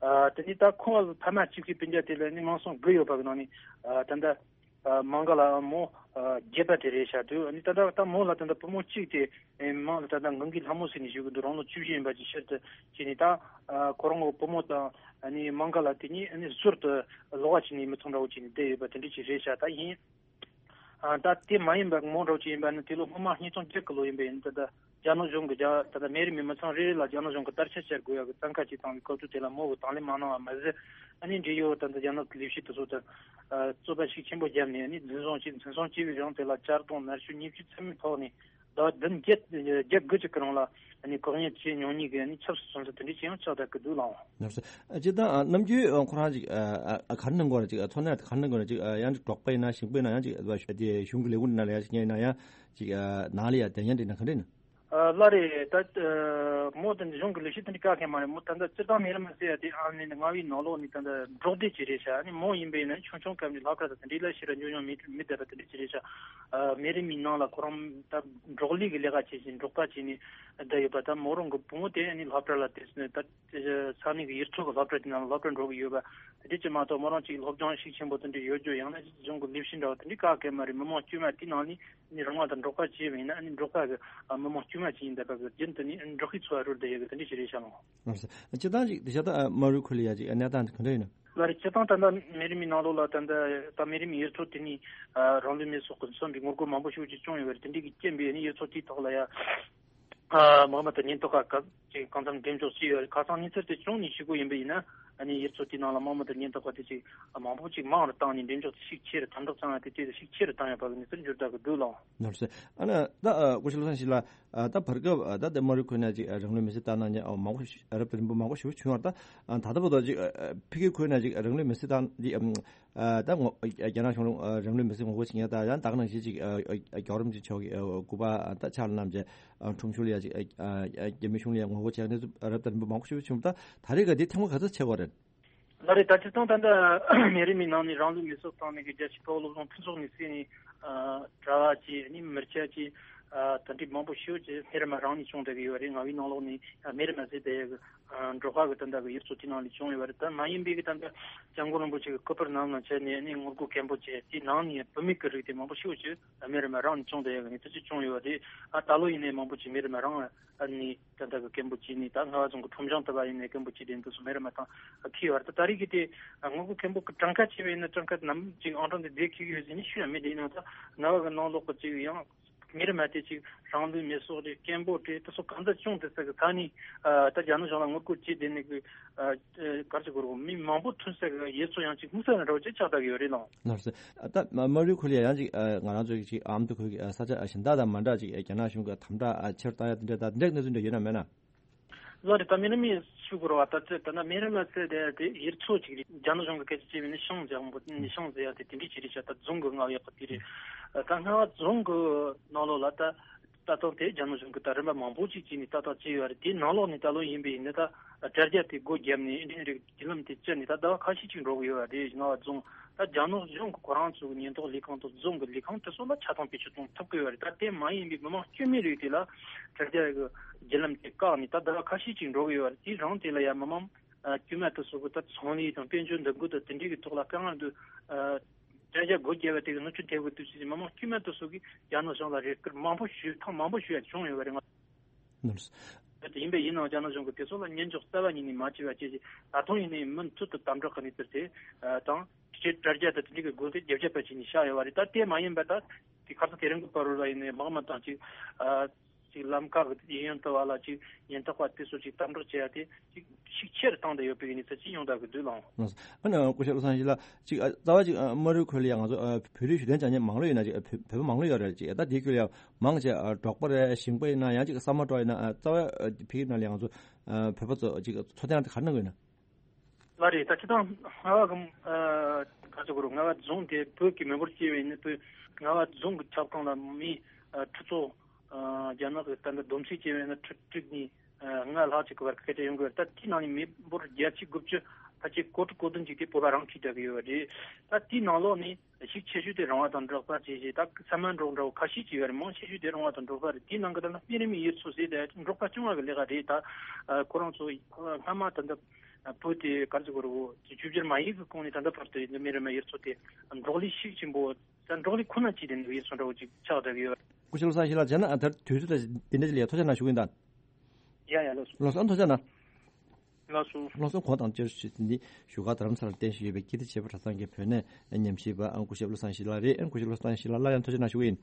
ཨ། དེ་ནི་ད་ཁོང་ཕ་མ་གཅིག་པའི་སྤུན་ཀྱག་དེ་ལ་ནི་ང་ཚོ་དགུ་ཡོད་པ་གི་ནང་ནས། ཨ། ད་ལྟ། ཨ། མང་ག་ལ་མོ། ཨ། བརྒྱད་པ་དེ་རེད་ཤག་འདུག་ཨ་ནི་ད་ལྟ་ད་མོ་ལ་ད་ལྟ་བུ་མོ་གཅིག་དེ། ཨེ། མང་ལ་ད་ལྟ་ངང་གིས་ལྷ་མོ་ཟེར་ནས་ཞུ་གི་འདུག་རང་ལོ་བཅུ་བཞི་ཡིན་པ་ཅིག་ཕྱིར་དུ་བྱས་ནས། ད། ཨ། ཁོ་རང་གི་བུ་མོ་དང་ཨ་ནི་མང་ག་ལགས་དེ་གཉིས་ཨ་ནི་ཟུར་དུ་ལོགས་ཀ་བྱས་ནས་མི་ཚང་འདྲ་བོ་བྱས་ནས་བསྡད་ཡོད་པ་དེ་འདྲ་ཅིག་རེད་ཤག་ད་ཡིན། ཨ། ད་དེ་མ་ཡིན་པ་མོ་འདྲ་བོ་ཅིག་ཡིན་པ་ནི་དེ་ལོ་སྔོན་མ་ཉིས་སྟོང་བརྒྱད་གི་ལོ་ཡིན་པ་ཡིན། ད་ལྟ་རྒྱ་ནག་གཞུང་གི་རྒྱ་ད་ལྟ་མི་རིགས་མི་ཚང་རེ་རེ་ལ་རྒྱ་ནག་གཞུང་གི་དར་ཆ་བཅད་དགོས་ཡ་གི་བཙན་བཀའ་བྱས་བཏང་བའི་སྐབས་དུས་དེ་ལ་མོ་གི་དང་ལེན་མ་གནང་བ་མ་ཟད། ཨ་ནི་འབྲེལ་ཡོད་ད་ལྟ་རྒྱ་ནག་གི་ལས་བྱེད་དེ་ཚོ་དང་། ཨ། རྩོད་པ་ཤུགས་ཆེན་པོ་བརྒྱབ་ནས་ཨ་ནི་འཛིན་བཟུང་བྱས། འཛིན་བཟུང་བྱས་པའི་རིང་དེ་ལ་གཅར་རྡུང་ནར་འཆུ་ཉེས་བཅོས་ཚད་མེད་ཕོག་ནས། ཟླ་བ་བདུན་བརྒྱད་བརྒྱད་དགུ་ཅིག་གི་རིང་ལ་ཨ་ནི་བཀག་ཉར་བྱས་མྱོང་མཁན་གྱི་ཨ་ནི་ཆབ་སྲིད་བཙོན་ཟུར་དེ་འདྲ་ཅིག་ཡང་ཆགས་བསྡད་ཀྱི་འདུག་ལགས། ལགས་སོ། སྤྱིར་བཏང་ཨ་ནམ་རྒྱུན་ཨ་ཁོ་རང་ཅིག་ཨ་ཨ་ག་རེ་གནང་དགོས་རེད། ཅིག་ཨ་ཚོར་སྣང་ག་རེ་གནང་དགོས་རེད། ཅིག་ཨ་ཡང་ཅིག་འབྲོག་པ་ཡིན་ན་ཞིང་པ་ཡིན་ན། ཡང་ཅིག་ཨ་དེ་གཞུང་གི་ལས་ཁུངས་ནང་ལ་ཡང་ཅིག་ཉན་ཡིན་ན། ཡང་ཅིག་ཨ་ནང་ལ་ཡང་དེ་ཡང་འགྲིག་ན་ག་འདྲ་ཡིན་ན། ཨ། ལགས་རེད། ད་ཨ་མོ་དེ་འདྲ་གཞུང་གི་ལས་བྱེད་དེ་འདྲ་བཀག་མཁན་མ་རེད། མོ་ད་ལྟ་སྤྱིར་བཏང་མི་རིགས་མ་ཟེར་ཡ་དེ་ཨ་ནི་རྔ་བའི་ནང་ལོགས་ནས་ད་ལྟ་འབྲོག་སྡེ་ཅིག་རེད་ཤག་ཨ་ནི་མོ་ཡིན་པ་ཡིན་ན་ཆུང་ཆུང་སྐབས་ནས་སློབ་གྲྭ་དང་དེ་འདྲའི་ལ་ཞེ་དྲག་འཇོན་མྱོང་མེད་མེད་བསྡད་པ་དེ་འདྲ་ཅིག་རེད་ཤག་ཨ། མི་རིགས་མིའི་ནང་ལ་ཁོ་རང་ད་འབྲོག་ལས་ཀྱི་ལས་ཀ་བྱེད་བཞིན་འབྲོག་པ་བྱས་ནས་བསྡད་ཡོད་པ། ད་མོ་རང་གི་བུ་མོ་དེ་ཨ་ནི་སློབ་གྲྭ་ལ་དེ་ད་ས་གནས་ཀྱི་ཡུལ་ཚོ་གི་སློབ་གྲྭ་དེ་ནང་ལ་སློབ་གྲྭ་འགྲོ་གི་ཡོད་པ་དེ་འདྲ་ཅིག་མ་གཏོགས། མོ་རང་ཅིག་སློབ་སྦྱོང་ཤུགས་ཆེན་པོ་དེ་འདྲ་ཡོད་རྒྱུ། ཡང་ན་གཞུང་གི་ལས་བྱེད་འདྲ་བ་དེ་འདྲ་བཀག་མཁན་མ་རེད། མི་མང་དཀྱུས་མ་དེ་ནང་ནས། ནི་རང་དབང་དང་འབྲོག་པ་བྱས་པ་ཡིན་ན། ནི་འབྲོག་པ་གི་ཨ་མི་མང་དཀྱུས་མ་ཅིག་ཡིན་བསྡད་པ་གི་རྒྱུན་དུ་ནི་འབྲོག་པའི་འཚོ་བ་རོལ་བསྡད་ཡོད་གི་དེ་འདྲ་ཞིག་རེད་ཤག་ལགས། ལགས་སོ། སྤྱིར་བཏང་ཅིག་དེ་ཤ་སྟག་ཨ་མ་རུ་ཁུ་ལི་ཡ་ཅིག་ཨ་གནས་སྟངས་དེ་ག་འདྲ་ཡིན་ན། ལགས་རེད། སྤྱིར་བཏང་ད་ལྟ་མི་རིགས་མི་ནང་ལོགས་ལ་ད་ལྟ་ད་མི་རིགས་མི་ཡུལ་ཚོ་དེ་ནི་ཨ་རང་ལུས་མེ་སྲོག་གི་སོན་པའི་ངོ་རྒོལ་མང་པོ་ཞིག་ཅིག་བྱུང་ཡོད་པ་རེད། དེ་འདྲ་གི་རྐྱེན་པས་ནི་ཡུལ་ཚོ་དེའི་ཐོག་ལ་ཡ། ཨ། དམག་མི་དང་ཉེན་རྟོག་པ་ག་ཅིག་གང་འཚམ་འགྲེམས་འཇོག་བྱས་ཡོད་རེད། ཁ་སང་གནས་ཚུལ་དེ་བྱུང་ནས་ཞུ་དགོས་ཡིན་པ་ཡིན་ན། ཨ་ནི་ཡུལ་ཚོ་དེའི་ནང་ལ་དམག་མི་དང་ཉེན་རྟོག་པ་དེ་ཅིག་མང་པོ་ཅིག་མང་རུ་བཏང་ནས་འགྲེམས་འཇོག་དེ་ཤུགས་ཆེ་རུ། དམ་དྲག་བཏང་ཡ་དེ་དེ་ཤུགས་ཆེ་རུ་བཏང་ཡོད་པ་གི་གནས་ཚུལ་འགྱུར་ལྡོག་གི་འདུག་ལགས། ནོར་སྲིད། ཨ་ནི་ད་ཨ་སྐུ་ཞབས་བློ་བཟང་ཡེ་ཤེས་ལགས། ཨ་ད་བར་སྐབས་ཨ་ད་དེ་མ་རུ་ཁུ་ན་ཅིག་ཨ་རང་ལུས་མེ་སྲེག་བཏང་གནང་མཁན་ཨ་མང་པོ་ཞིག་ཨ་རབ་དང་རིམ་པ་མང་པོ་ཞིག་བྱུང་བ་རེད། ད་ཨ་ད་ལྟ་བར་དུ་ཅིག་ཨ་ཨ་ཕ་གི་ཁུ་ན་ཅིག་ཨ་རང་ལུས་མེ་སྲེག་བཏང་འདི་ཨམ། ཨ་ད་ངོ་ཨ་རྒྱ་ནག་གཞུང་ལུགས་ཨ་རང་ལུས་མེ་སྲེག་ངོ་རྒོལ་བྱེད་མཁན་དང་། ཡང་ད་ག་ནང་བཞིན་ཅིག་ཨ་ཨ་རྒྱལ་བ་རིན་པོ་ཆེ་མཆོག་གི་ཨ་སྐུ་པར་ཨ་ད་ཕྱག་ལ་བསྣམས་བྱས་ཨ་ཁྲོམ་གཞུང་ལ་ཡ་ཅིག་ཨ་ཨ་རྒྱ་མི་གཞུང་ལ་ཡ་ངོ་རྒོལ་བྱེད་མཁན་དེ་ཚོ་རབ་དང་རིམ་པ་མང་པོ་ཞིག་བྱུང་། ད་ད་རེས་ཀ་དེ་ཐེངས་མ་ག་ཚོད་ཆགས་པ་རེད། ལགས་རེད། ད་སྤྱིར་བཏང་ད་ལྟ་མི་རིགས་མིའི་ནང་ནས་རང་ལུས་མེ་སྲེག་བཏང་མཁན་གྱི་རྒྱལ་སྤྱིའི་ཐོག་སློབ་སྦྱོང་ཕུན་ཚོགས་ནས་བསྲེས་ནས་ཨ་གྲྭ་བ་བྱས་ནས་མི་སྐྱ་བྱས་ཨ་དེ་འདྲའི་མང་པོ་ཞིག་ཅིག་མི་རིགས་མི་རང་ནས་བྱུང་བསྡད་ཀྱི་ཡོད་རེད། རྔ་བའི་ནང་ལོགས་ནས་ཨ་མི་རིགས་མ་ཟད་དེ་ཡ་གི་འབྲོག་པ་གི་ད་ལྟ་གི་ཡུལ་ཚོ་དེ་ནང་ལ་བྱུང་ཡོད་པ་རེད། ད་མ་ཡིན་པའི་གི་ད་ལྟ་སྐྱབས་མགོན་རིན་པོ་ཆེ་གི་སྐུ་པར་ནང་ལ་བྱས་ནས་ནི་ངོ་རྒོལ་སྐད་འབོད་བྱས། དེའི་ནང་ནས་བུད་མེད་ཀྱི་རིགས་དེ་མང་པོ་ཞིག་ཅིག་མི་རིགས་མི་རང་ནས་བྱུང་བསྡད་ཡོད་པ་ནི་དེ་ཚོ་བྱུང་ཡོད་པ་རེད། ཨ་ད་ལོ་ཡིན་ནའི་མང་པོ་ཅིག་མི་རིགས་མི་རང་ནས་ད་ལྟ་གི་སྐད་འབོད་བྱས་ནས། ད་རྔ་བ་རྫོང་གི་ཁྲོམ་བྱང་དུ་བ་ཡིན་ནའི་སྐད་འབོད་བྱས་དེ་འདུག་སོ། མི་རིགས་མི་ཐང་ཁེལ་བ་རེད། ད་ད་རེས་ཀྱི་དེ་ངོ་རྒོལ་སྐད་འབོད་ཀྱི་གྲངས་ཀ་བྱས་པ་ཡིན་ན་གྲངས་ཀ་ནམ་ཅིག་ཨང་གྲངས་དེ་བསྡད་ཁེལ་གི་ཡོད་ཟེར་ནས་ཞུ་ཡ་མེད། དེ་ཡིན་ན་ད་རྔ་བ་གི་ནང་ལོགས་ཀྱི་ཅིག་ཡང་མི་རིགས་མ་དེ་ཅིག་རང་ལུས་མེ་སྲེག་རེད། སྐད་འབོད་རེད། དེ་ཚོ་གང་འདྲ་བྱུང་དེ་ས་གི་ས་ནས་ཨ་ད་རྒྱ་ནག་གཞུང་ལ་ངོ་རྒོལ་བྱས་དེ་ནས་གི་ཨ་ག་རེ་ཟེར་དགོས་རེད། མི་མང་པོ་ཐོན་ས་གི་ཡུལ་ཚོ་ཡང་ཅིག་དམིགས་བསལ་ན་འདྲ་བོ་ཅིག་ཆགས་བསྡད་ཀྱི་ཡོད་རེད་ལགས། ལགས་སོ། ད་མ་རུ་ཁུ་ལི་ཡ་ཡང་ཅིག་ཨ་ང་རང་ཚོ་གི་ཅིག་ཨ་མདོ་ཁུལ་གྱི་ཨ་ས་ཆ་ཨ་གཞན་དག་དང་མ་འདྲ་ཅིག་ཨ་རྒྱ་ནག་གཞུང་གི་དམ་དྲག་ཨ་ཆེ་རུ་བཏང་ཡ་དེ་འདྲ་ད་དེ་འདྲའི་གནས་ཚུལ་འདྲ་ཡོད་ན་མེད་ན། ལགས་རེད། ད་མི་རིགས་མི་ཞུ་དགོས་རེད་བ། ད་ད་ད་ན་མི་རིགས་མི་ཟེར་དེ་དེ་ཡུལ་ཚོ་ཅིག་རེད། རྒྱ་ནག་གཞུང་གི་སྐད་ཆ་བྱས་པ་ཡིན་ན་ཤང་ཟེར་ཡང་པོ་ནི་ཤང་ཟེར་ཡ་དེ་དེ་འདྲའི་ཅིག་རེད་ཤག་ད་རྫོང་གི་རྔ་བ་ཡག་པོ་དེ་རེད། ད་རྔ་བ་རྫོང་གི་ནང་ལོགས་ལ་ད་ལྟ་སྟངས་དེ་རྒྱ་ནག་གཞུང་གི་ད་རིམ་པ་མང་པོ་ཅིག་བྱས་ནས་ལྟ་རྟོག་བྱས་ཡོད་རེད། དེའི་ནང་ལོགས་ནས་ད་ལོ་ཡིན་པ་ཡིན་ན་ད་དྲ་རྒྱ་དེ་སྒོ་བརྒྱབ་ནས་འཕྲིན་རིགས་བརྒྱུད་ལམ་དེ་བཅད་ནས་ད་ཟླ་བ་ཁ་ཤས་ཅིག་འགྲོ་གི་ཡོད་རེད། རྔ་བ་རྫོང་ད་རྒྱ་ནག་གཞུང་གི་ཁོ་རང་ཚོ་གི་ཉེན་རྟོག་ལས་ཁང་དང་རྫོང་གི་ལས་ཁང་དེ་ཚོ་ལ་ཆ་ཚང་བེད་སྤྱོད་གཏོང་ཐུབ་ཀྱི་ཡོད་རེད། ད་དེ་མ་ཡིན་པའི་མི་མང་དཀྱུས་མའི་རིགས་དེ་ལ་དྲ་རྒྱ་གི་བརྒྱུད་ལམ་དེ་བཀག་ནས་ད་ཟླ་བ་ཁ་ཤས་ཅིག་འགྲོ་གི་ཡོད་རེད། དེའི་རིང་དེ་ལ་ཡང་མི་མང་ དཀྱུས་མ་དེ་ཚོ་གི་ད་ཚོང་ལས་དང་དཔལ་འབྱོར་འདུ་འགོད་དང་དེ་འདྲའི་གི་ཐོག་ལ་དཀའ་ངལ་འདུག་དྲ་རྒྱ་སྒོ་བརྒྱབ་པ་དེ་གི་གནོད་སྐྱོན་ཐེབས་གི་འདུག་ཅེས་མི་མང་དཀྱུས་མ་དེ་ཚོ་གིས་རྒྱ་ནག་གཞུང་ལ་རེ་སྐུལ་མང་པོ་ཞུས་ཐེངས་མང་པོ་ཞུས་ཡ་བྱུང་ཡོད་པ་རེད། ང་ནོར། ཡིན་པས་ཡིན་ནའང་རྒྱ་ནག་གཞུང་གིས་དེ་ཚོ་ལ་ཉན་འཇོག་རྩ་བ་ཉིད་ནས་མ་བྱས་པ་བཅས་ཀྱིས་ད་དུང་ཡིན་ནའི་མུ་མཐུད་དུ་དམ་དྲག་གི་གནས་ཚུལ་དེ་དང་། སྤྱི་དྲ་རྒྱ་དང་དེ་འདྲའི་གི་སྒོ་དེ་རྒྱབ་རྒྱབ་པ་བྱས་ནས་བཞག་ཡོད་པ་རེད། ད་དེ་མ་ཡིན་པ་ད་དེ་ཁ་སང་དེ་རིང་གི་བར་ལ་ཡིན་ནའི་དམག་མི་དང་ཅིག་ཅིག་ལམ་ཁ་གི་ཡུན་ཡུན་དུ་བ་ལ་ཅིག་ཉེན་རྟོག་པ་དེ་ཚོ་ཅིག་དམ་དྲག་བྱས་ཡ་དེ་ཅིག་ཤུགས་ཆེ་རུ་བཏང་བསྡད་ཡོད་པའི་གནས་ཚུལ་ཅིག་ཡོང་བསྡད་ཀྱི་འདུག་ལགས། ཨ་ནི་སྐུ་ཞབས་བློ་བཟང་ཡེ་ཤེས་ལགས། ཅིག་ཨ་རྩ་བ་ཅིག་ཨ་དམའ་རིམ་ཁུལ་ལ་ཡང་ང་ཚོ་ཨ་བོད་རིགས་གཞོན་སྐྱེས་ཅིག་མང་ལོས་ཡོད་ན་ཅིག་ཨ་བོད་བོད་པ་མང་ལོས་ཡོད་རེད། ཅིག་ཨ་ད་དེའི་ཁུལ་ལ་ཡང་མང་ཆེ་ཨ་འབྲོག་པ་རེད། ཞིང་པ་ཡིན་ན་ཡང་ཅིག་ས་མ་འབྲོག་ཡིན་ན་ཨ་རྩ་བ་ཨ་ཕ་གིའི་ནང་ལ་ཡང་ང་ཚོ་ཨ་བོད་པ་ཚོ་ཅིག་འཚོ་རྟེན་དེ་ག་རེ་གནང་གི་ཡོད་ན། ལགས་རེད། ད་སྤྱིར་བཏང་རྔ་བ་གི་ཨ་ག་ཚོད་གོ་རུ་རྔ་བ་རྫོང་དེ་བོད་ཀྱི་མི་འབོར་བྱས་པ་ཡིན་ན་བོད་རྔ་བ་རྫོང་གི་ཁྱབ་ཁོངས་ལ་མི་ཨ་ཁྲི་ཚོ་ཨ་རྒྱ་ནག་གི་ད་ལྟ་བསྡོམས་ཚིག་བྱས་པ་ཡིན་ན་ཁྲི་དྲུག་ནས་ཨ་ལྔ་ལྷག་ཅིག་གི་བར་སྐད་ཆ་ཡོང་གི་ཡོད་རེད། ད་དེའི་ནང་ནས་མི་འབོར་བརྒྱད་ཅུ་དགུ་བཅུ་ཕལ་ཆེར་གོ་དྲུག་གོ་བདུན་ཅིག་དེ་བོད་པ་རང་ཁྱིམ་རྒྱག་གི་ཡོད་རེད། ད་དེའི་ནང་ལོགས་ནས་ཤུགས་ཆེ་ཤོས་དེ་རང་དབང་དང་འབྲོག་པ་བཅས་བྱས། ད་ས་མ་འབྲོག་འདྲ་བོ་ཁ་ཤས་ཅིག་ཡོད་རེད། མང་ཆེ་ཤོས་དེ་རང་དབང་དང་འབྲོག་པ་རེད། དེའི་ནང་གི་ད་ལྟ་སྨན་རིན་མའི་ཡུལ་ཚོ་ཟེར་ཏེ་འབྲོག་པ་སྐྱོང་བ་གི་ལས་ཀ་རེད། ད་ཁོ་རང་ཚོ་སྔ་མ་ད་ལྟ་བོད་དེ་ག་རེ་ཟེར་དགོས་རེད། བོད་ཀྱི་བཅོས་བསྒྱུར་མ་ཡིན་གི་གོང་ནས་ད་ལྟ་བར་དུ་ཡིན་ན་སྨན་རིན་མའི་ཡུལ་ཚོ་དེ་འབྲོག་ལས་ཤུགས་ཆེན་པོ་ད་འབྲོག་ལས་ཁོ་ན་བྱས་ཏེ་འདུག་ཡུལ་ཚོ་འདྲ་བོ་ཅིག་ཆགས་བསྡད་ཀྱི་ཡོད། སྐུ་ཞབས་བློ་བཟང་ཡེ་ཤེས་ལགས། བྱས་ན་ཨ་ད་དུས་ཚོད་ད་འདི་འདྲ་ཅིག་ལ་ཡ་ཐུགས་རྗེ་གནང་ཞུ་གི་ཡིན་ད། ཡ་ཡ་ལགས་སོ། ལགས་སོ། ཨ་ཐུགས་རྗེ་གནང་། ལགས་སོ། ལགས་སོ། གོང་དང་བཅར་ཞུ་འདི་བཞུགས་སྒར་རྡ་རམ་ས་ལར་རྟེན་གཞི་ཡོད་པའི་ཀིརྟི་བྱེས་པ་གྲྭ་ཚང་གི་བོད་གནས་ཉམས་ཞིབ་པ་ཨང་སྐུ་ཞབས་བློ་བཟང་ཡེ་ཤེས་ལགས་རེད། ཨང་སྐུ་ཞབས་བློ་བཟང་ཡེ་ཤེས་ལགས་སླར་ཡང་ཐུགས་རྗེ་གནང་ཞུ་གི་ཡིན།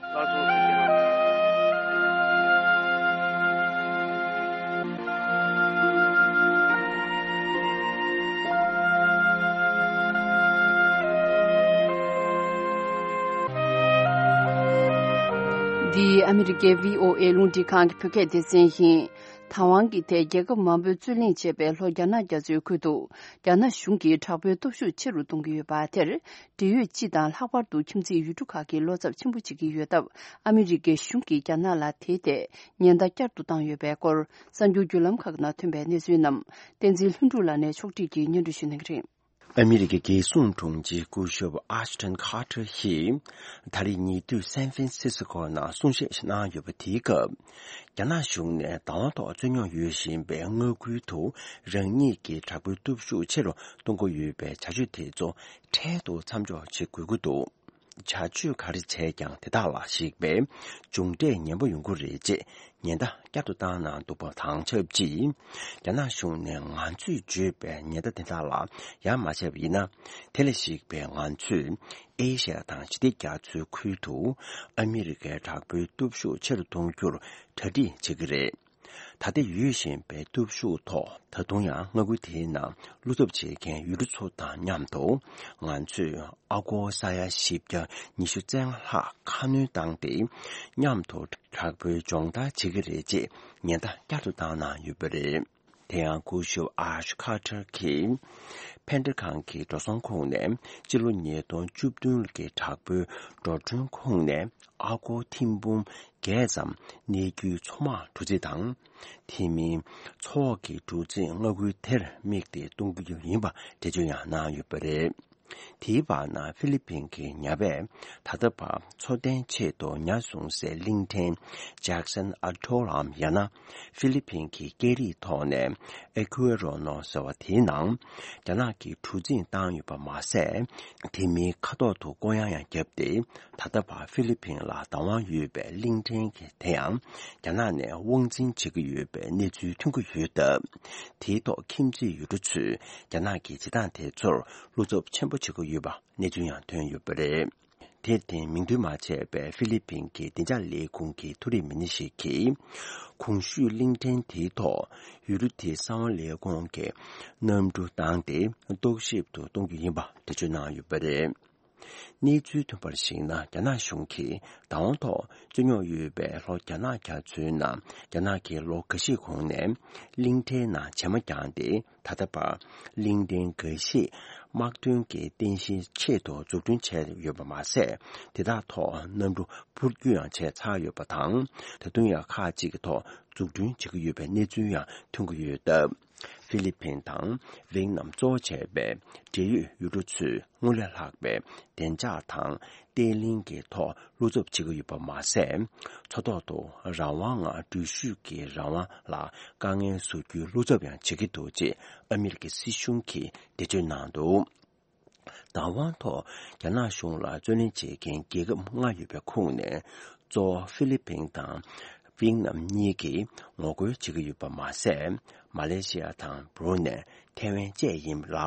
ལགས་སོ། ཐུགས་རྗེ་གནང་། འདི་ཨ་མི་རི་ཀའི་བྷི་ཨོ་ཨེ་རླུང་འཕྲིན་ཁང་གི་བོད་སྐད་སྡེ་ཚན་ཡིན། དང་དབང་གི་ཐད་རྒྱལ་ཁབ་མང་པོས་རྩོད་གླེང་བྱས་པའི་ལྷོ་རྒྱ་ནག་རྒྱ་མཚོའི་ཁུལ་དུ་རྒྱ་ནག་གཞུང་གིས་དྲག་པོའི་སྟོབས་ཤུགས་ཆེ་རུ་གཏོང་གི་ཡོད་པ་དེར། འབྲེལ་ཡོད་སྤྱི་དང་ལྷག་པར་དུ་ཁྱིམ་མཚེས་ཡུལ་གྲུ་ཁག་གིས་བློ་འཚབ་ཆེན་པོ་བྱེད་ཀྱི་ཡོད་སྟབས། ཨ་མི་རི་ཀའི་གཞུང་གིས་རྒྱ་ནག་ལ་དེའི་ཐད་ཉེན་བརྡ་བསྐྱར་དུ་བཏང་ཡོད་པའི་སྐོར། གསར་འགྱུར་བརྒྱུད་ལམ་ཁག་ནང་ཐོན་པའི་གནས་ཚུལ་རྣམས་བསྟན་འཛིན་ལྷུན་གྲུབ་ལགས་ནས་ཕྱོགས་སྒྲིག་གིས་སྙན་སྒྲོན་ཞུ་གནང་གི་རེད། ཨ་མི་རི་ཀའི་རྒྱལ་སྲུང་དྲུང་ཆེ་སྐུ་ཞབས་ཨ་ཤི་ཊོན་ཁ་ཏར་གྱིས་ད་རེས་ཉེ་དུས་སན་ཧྥན་སི་སི་ཀོ་ནང་གསུང་བཤད་གནང་ཡོད་པ། དེའི་སྐབས་རྒྱ་ནག་གཞུང་ནས་བདག་དབང་ཐོག་རྩོད་རྙོག་ཡོད་བཞིན་པའི་མངའ་ཁུལ་དུ་རང་ཉིད་ཀྱི་དྲག་པོའི་སྟོབས་ཤུགས་ཆེ་རུ་གཏོང་གི་ཡོད་པའི་བྱ་སྤྱོད་དེ་ཚོ་འཕྲལ་དུ་མཚམས་འཇོག་བྱེད་དགོས་ཀྱི་འདུག་བྱ་སྤྱོད་ག་རེ་བྱས་ཀྱང་དེ་དག་ལ་གཞིགས་པའི་མཇུག་འབྲས་ངན་པ་ཡོང་གི་རེད་ཅེས་ཉེན་བརྡ་བསྐྱར་དུ་བཏང་གནང་འདུག་པ་དང་ཆབས་ཅིག་རྒྱ་ནག་གཞུང་ནས་ང་ཚོས་བརྗོད་པའི་ཉེན་བརྡ་དེ་དག་ལ་ཡ་མ་བྱས་པ་ཡིན་ན། དེ་ལ་གཞིགས་པའི་ང་ཚོས་ཨེ་ཤ་ཡ་དང་ཞི་བདེ་རྒྱ་མཚོའི་ཁུལ་དུ་ཨ་མི་རི་ཀའི་དྲག་པོའི་སྟོབས་ཤུགས་ཆེ་རུ་གཏོང་རྒྱུར་གྲ་སྒྲིག་བྱེད་ཀྱི་རེད། ད་ལྟ་ཡོད་བཞིན་པའི་སྟོབས་ཤུགས་ཐོག་ད་དུང་ཡང་མངའ་ཁུལ་དེའི་ནང་བློ་འཚབ་བྱེད་མཁན་ཡུལ་གྲུ་ཚོ་དང་མཉམ་དུ་ང་ཚོས་ཨ་སྒོར་ས་ཡ་བཞི་བརྒྱ་ཉི་ཤུ་རྩ་ལྔ་ལྷག་ཁ་སྣོན་བཏང་སྟེ། མཉམ་དུ་དྲག་པོའི་སྦྱོང་བརྡར་བྱེད་ཀྱི་རེད་ཅེས་ཉེན་བརྡ་བསྐྱར་དུ་བཏང་གནང་ཡོད་པ་རེད། དེ་ཡང་སྐུ་ཞབས་ཨ་ཤ་ཁ་ཏར་གྱིས་ཕན་ཌ་ཁང་གི་འགྲོ་སོང་ཁོངས་ནས་སྤྱི་ལོ་ཉིས་སྟོང་བཅུ་བདུན་གྱི་དྲག་པོའི་འགྲོ་གྲོན་ཁོངས་ནས་ཨ་སྒོར་ཐེར་འབུམ་བརྒྱད་ཙམ་གནས་རྒྱུའི་མཚོ་དམག་གྲུ་གཟིངས་དང་། དེ་མིན་མཚོ་འོག་གི་གྲུ་གཟིངས་མངའ་ཁུལ་དེར་དམིགས་ཏེ་གཏོང་རྒྱུ་ཡིན་པ་འགྲེལ་བརྗོད་ཡང་གནང་ཡོད་པ་རེད། དེའི་བར་ན་ཧྥི་ལི་ཕིན་གྱི་ཉ་པས་ད་ལྟ་བར་འཚོ་རྟེན་ཆེད་དུ་ཉ་བཟུང་སའི་གླིང་ཕྲན་ཇེག་སན་ཨ་ཐོལ་ལམ་ཡང་ན་ཧྥི་ལི་ཕིན་གྱི་སྐད་རིགས་ཐོག་ནས་ཨེ་ཁུ་ཨེ་རོ་ནོ་ཟེར་བ་དེའི་ནང་རྒྱ་ནག་གིས་གྲུ་གཟིངས་བཏང་ཡོད་པ་མ་ཟད། དེ་མིན་ཁ་ཐོག་ཏུ་བསྐོར་ཡང་ཡང་བརྒྱབ་སྟེ། ད་ལྟ་བར་ཧྥི་ལི་ཕིན་ལ་བདག་དབང་ཡོད་པའི་གླིང་ཕྲན་གྱི་དེ་ཡང་རྒྱ་ནག་ནས་དབང་འཛིན་བྱེད་ཀྱི་ཡོད་པའི་གནས་ཚུལ་ཐོན་གྱི་ཡོད་སྟབས། དེའི་ཐོག་ཁྱིམ་མཚེས་ཡུལ་གྲུ་ཚོས་རྒྱ་ནག་གི་བྱེད་སྟངས་དེ་ཚོར་བློ་འཚབ་ཆེན་པོ་བྱེད་ཀྱི་ཡོད་པ་གནས་ཚུལ་ཡང་ཐོན་ཡོད་པ་རེད། དེར་བརྟེན་མིང་འདོན་མ་བྱས་པའི་ཧྥི་ལི་ཕིན་གྱི་བདེ་འཇགས་ལས་ཁུངས་ཀྱི་མཐོ་རིམ་མི་སྣ་ཞིག་གིས། གོང་ཞུས་གླིང་ཕྲན་དེའི་ཐོག་ཡུལ་གྲུ་དེའི་གསང་བ་ལས་ཁུངས་ཀྱི་གནམ་གྲུ་བཏང་སྟེ་རྟོག་ཞིབ་ཏུ་གཏོང་རྒྱུ་ཡིན་པ་འགྲེལ་བརྗོད་གནང་ཡོད་པ་རེད། གནས་ཚུལ་ཐོན་པར་གཞིགས་ན། རྒྱ་ནག་གཞུང་གིས་བདག་དབང་ཐོག་རྩོད་རྙོག་ཡོད་པའི་ལྷོ་རྒྱ་ནག་རྒྱ་མཚོའི་ནང་རྒྱ་ནག་གིས་ལོ་འགའ་ཤས་གོང་ནས་གླིང་ཕྲན་ནང་བྱེ་མ་བརྒྱངས་ཏེ། ད་ལྟ་བར་གླིང་ཕྲན་འགའ་ཤས་དམག་དོན་གྱི་རྟེན་གཞིའི་ཆེད་དུ་འཛུགས་སྐྲུན་བྱས་ཡོད་པ་མ་ཟད། དེ་དག་ཐོག་གནམ་གྲུ་འཕུར་སྐྱོད་ཡང་བྱས་ཚར་ཡོད་པ་དང་། ད་དུང་ཡང་ཁག་ཅིག་གི་ཐོག་འཛུགས་སྐྲུན་བྱེད་ཀྱི་ཡོད་པའི་གནས་ཚུལ་ཡང་ཐོན་གྱི་ཡོད་སྟབས། ཧྥི་ལི་ཕིན་དང་ཝིའེ་ནམ་གཙོ་བོ་བྱས་པའི་འབྲེལ་ཡོད་ཡུལ་གྲུ་ཚོས་སྔོན་ལས་ལྷག་པའི་བདེ་འཇགས་དང་བརྟན་ལྷིང་གི་ཐོག་བློ་འཚབ་བྱེད་ཀྱི་ཡོད་པ་མ་ཟད། མཚོ་ཐོག་ཏུ་རང་དབང་ངང་འགྲུལ་བཞུད་ཀྱི་རང་དབང་ལ་དཀའ་ངལ་བཟོ་རྒྱུའི་བློ་འཚབ་ཡང་བྱེད་ཀྱི་འདུག་ཅེས་ཨ་མི་རི་ཀའི་སྲིད་གཞུང་གིས་འགྲེལ་བརྗོད་གནང་འདུག་བདག་དབང་ཐོག་རྒྱ་ནག་གཞུང་ལ་རྩོད་ལེན་བྱེད་མཁན་རྒྱལ་ཁབ་ལྔ་ཡོད་པའི་ཁོངས་ནས་གཙོ་བོ་ཧྥི་ལི་ཕིན་དང་ཝིའེ་ནམ་གཉིས་ཀྱིས་ངོ་རྒོལ་བྱེད་ཀྱི་ཡོད་པ་མ་ཟད། མ་ལེ་ཤི་ཡ་དང་བྷུ་རུ་ནེ། ཐེ་ཝན་བཅས་ཡིན་ལ།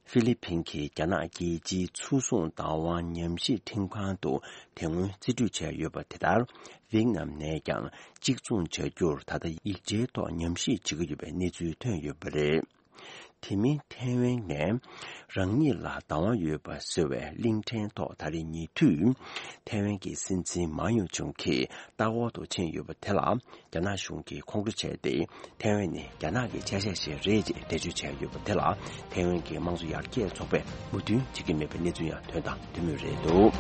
ཧྥི་ལི་ཕིན་གྱིས་རྒྱ་ནག་རྒྱལ་སྤྱིའི་ཚོང་ཟོང་བདག་དབང་ཉམས་ཞིབ་ཁྲིམས་ཁང་དུ་དེ་སྔོན་རྩིས་སྤྲོད་བྱས་ཡོད་པ་དེ་ལྟར། ཝིའེ་ནམ་ནས་ཀྱང་གཅིག་མཚུངས་བྱ་རྒྱུར་ད་ལྟ་ཡིག་ཆའི་ཐོག་ཉམས་ཞིབ་བྱེད་ཀྱི་ཡོད་པའི་གནས་ཚུལ་ཐོན་ཡོད་པ་རེད། དེ་མིན་ཐེ་ཝན་ནས་རང་ཉིད་ལ་བདག་དབང་ཡོད་པ་ཟེར་བའི་གླིང་ཕྲན་ཐོག་ད་རེས་ཉེ་དུས་ཐེ་ཝན་གྱི་སྲིད་འཛིན་མའོ་ཡང་ཅུང་གིས་ལྟ་སྐོར་དུ་ཕྱིན་ཡོད་པ་དེ་ལ་རྒྱ་ནག་གཞུང་གིས་ཁོང་ཁྲོ་བྱས་ཏེ། ཐེ་ཝན་ནི་རྒྱ་ནག་གི་ཆ་ཤས་ཤིག་རེད་ཅེས་འགྲེལ་བརྗོད་བྱས་ཡོད་པ་དེ་ལ་ཐེ་ཝན་གྱི་དམངས་གཙོ་ཡར་རྒྱས་ཚོགས་པས་མོས་མཐུན་བྱེད་ཀྱི་མེད་པའི་གནས་ཚུལ་ཡང་ཐོན་དང་ཐོན་མུས་རེད་འདུག་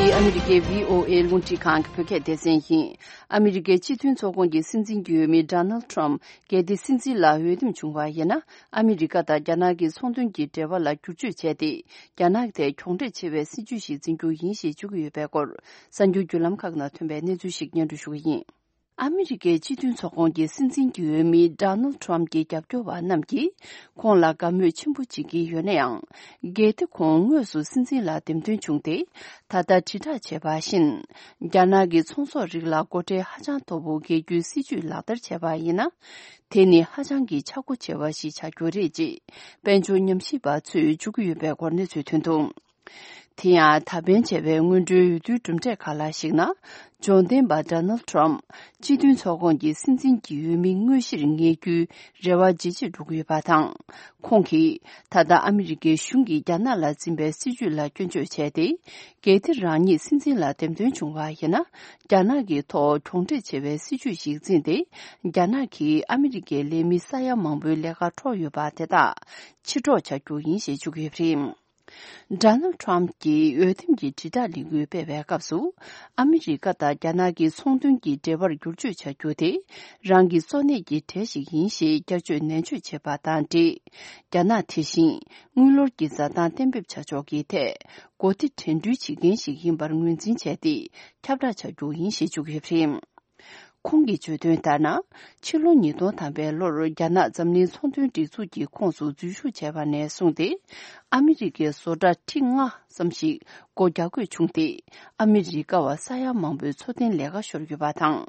འདི་ཨ་མི་རི་ཀའི་བྷི་ཨོ་ཨེ་རླུང་འཕྲིན་ཁང་གི་བོད་སྐད་སྡེ་ཚན་ཡིན། ཨ་མི་རི་ཀའི་སྤྱི་མཐུན་ཚོགས་ཁོངས་ཀྱི་སྲིད་འཛིན་གྱི་འོས་མི་ཌོ་ནལ་ཊམ་གལ་ཏེ་སྲིད་འཛིན་ལ་འོས་འདེམས་བྱུང་བ་ཡིན་ན། ཨ་མི་རི་ཀ་དང་རྒྱ་ནག་གི་ཚོང་དོན་གྱི་འབྲེལ་བ་ལ་བསྒྱུར་བཅོས་བྱས་ཏེ། རྒྱ་ནག་དེ་གྱོང་འབྲེལ་ཆེ་བའི་སྲིད་ཇུས་ཤིག་འཛིན་རྒྱུ་ཡིན་ཞེས་བརྗོད་ཀྱི་ཡོད་པའི་སྐོར། གསར་འགྱུར་བརྒྱུད་ལམ་ཁག་ནང་ཐོན་པའི་གནས་ཚུལ་ཞིག་སྙན་སྒྲོན་ཞུ་གི་ཡིན། ཨ་མི་རི་ཀའི་སྤྱི་མཐུན་ཚོགས་ཁོངས་ཀྱི་སྲིད་འཛིན་གྱི་འོས་མི་ཌོ་ནལ་ཊམ་གྱི་རྒྱབ་སྐྱོར་བ་རྣམས་ཀྱིས་ཁོང་ལ་དགའ་མོས་ཆེན་པོ་བྱེད་ཀྱི་ཡོད་ན་ཡང་། གལ་ཏེ་ཁོང་དངོས་སུ་སྲིད་འཛིན་ལ་འདེམས་ཐོན་བྱུང་སྟེ། ད་ལྟ་དྲིལ་བསྒྲགས་བྱས་པ་བཞིན། རྒྱ་ནག་གི་ཚོང་ཟོག་རིགས་ལ་སྒོ་ཁྲལ་ཧ་ཅང་མཐོ་པོ་འགེལ་རྒྱུའི་སྲིད་ཇུས་ལག་བསྟར་བྱས་པ་ཡིན་ན། དེ་ནི་ཧ་ཅང་གི་ཆག་སྒོ་ཆེ་བ་ཞིག་ཆགས་རྒྱུ་རེད་ཅེས་དཔལ་འབྱོར་ཉམས་ཞིབ་པ་ཚོས་བརྗོད་ཀྱི་ཡོད་པའི་སྐོར་གནས་ཚུལ་ཐོན་འདུག་དེ་ཡང་ད་ཕན་བྱས་པའི་སྔོན་འགྲོའི་འོས་བསྡུའི་གྲུབ་འབྲས་ཁག་ལ་གཞིགས་ན། འབྱོར་ལྡན་པ་ཌོ་ནལ་ཊམ་སྤྱི་མཐུན་ཚོགས་ཁོངས་ཀྱི་སྲིད་འཛིན་གྱི་འོས་མི་དངོས་གཞིར་ངེས་རྒྱུའི་རེ་བ་ཇེ་ཆེར་འགྲོ་གི་ཡོད་པ་དང་། ཁོང་གིས་ད་ལྟ་ཨ་མི་རི་ཀའི་གཞུང་གིས་རྒྱ་ནག་ལ་འཛིན་པའི་སྲིད་ཇུས་ལ་སྐྱོན་བརྗོད་བྱས་ཏེ། གལ་ཏེ་རང་ཉིད་སྲིད་འཛིན་ལ་འདེམས་ཐོན་བྱུང་བ་ཡིན་ན། རྒྱ་ནག་གི་ཐོག་གྱོང་འབྲེལ་ཆེ་བའི་སྲིད་ཇུས་ཤིག་འཛིན་ཏེ། རྒྱ་ནག་གིས་ཨ་མི་རི་ཀའི་ལས་མི་ས་ཡ་མང་པོའི་ལས་ཀ་འཕྲོག་ཡོད་པ་དེ་དག་ཕྱིར་སྒྲོག་བྱ་རྒྱུ་ཡིན་ཞེས་བརྗོད་ཀྱི་ཡོད་པ་རེད། ཌོ་ནལ་ཊམ་གྱིས་འོས་འདེམས་ཀྱི་དྲིལ་བསྒྲགས་ལས་འགུལ་སྤེལ་བའི་སྐབས་སུ། ཨ་མི་རི་ཀ་དང་རྒྱ་ནག་གི་ཚོང་དོན་གྱི་འབྲེལ་བར་བསྒྱུར་བཅོས་བྱ་རྒྱུ་དེ། རང་གི་གཙོ་གནད་ཀྱི་གྲས་ཤིག་ཡིན་ཞེས་བསྐྱར་བརྗོད་ནན་བརྗོད་བྱས་པ་དང་འབྲེལ། རྒྱ་ནག་དེ་བཞིན་དངུལ་ལོར་གྱི་འཛའ་ཐང་གཏན་འབེབས་བྱ་ཕྱོགས་ཀྱི་ཐད། གོ་སྒྲིག་དྲན་སྐུལ་བྱེད་མཁན་ཞིག་ཡིན་པར་ངོས་འཛིན་བྱས་ཏེ། ཁྱབ་བསྒྲགས་བྱ་རྒྱུ་ཡིན་ཞེས་བརྗོད་ཀྱི་ཡོད་པ་རེད། ཁོང་གིས་བརྗོད་དོན་ལྟར་ན། ཕྱི་ལོ་ཉིས་སྟོང་ཐམ་པའི་ལོར་རྒྱ་ནག་འཛམ་གླིང་ཚོང་དོན་སྒྲིག་འཛུགས་ཀྱི་ཁོངས་སུ་འཛུལ་ཞུགས་བྱས་པ་ནས་བཟུང་སྟེ། ཨ་མི་རི་ཀའི་བཟོ་གྲྭ་ཁྲི་ལྔ་ཙམ་ཞིག་སྒོ་རྒྱག་དགོས་བྱུང་སྟེ། ཨ་མི་རི་ཀ་བ་ས་ཡ་མང་པོའི་འཚོ་རྟེན་ལས་ཀ་ཤོར་ཡོད་པ་དང་།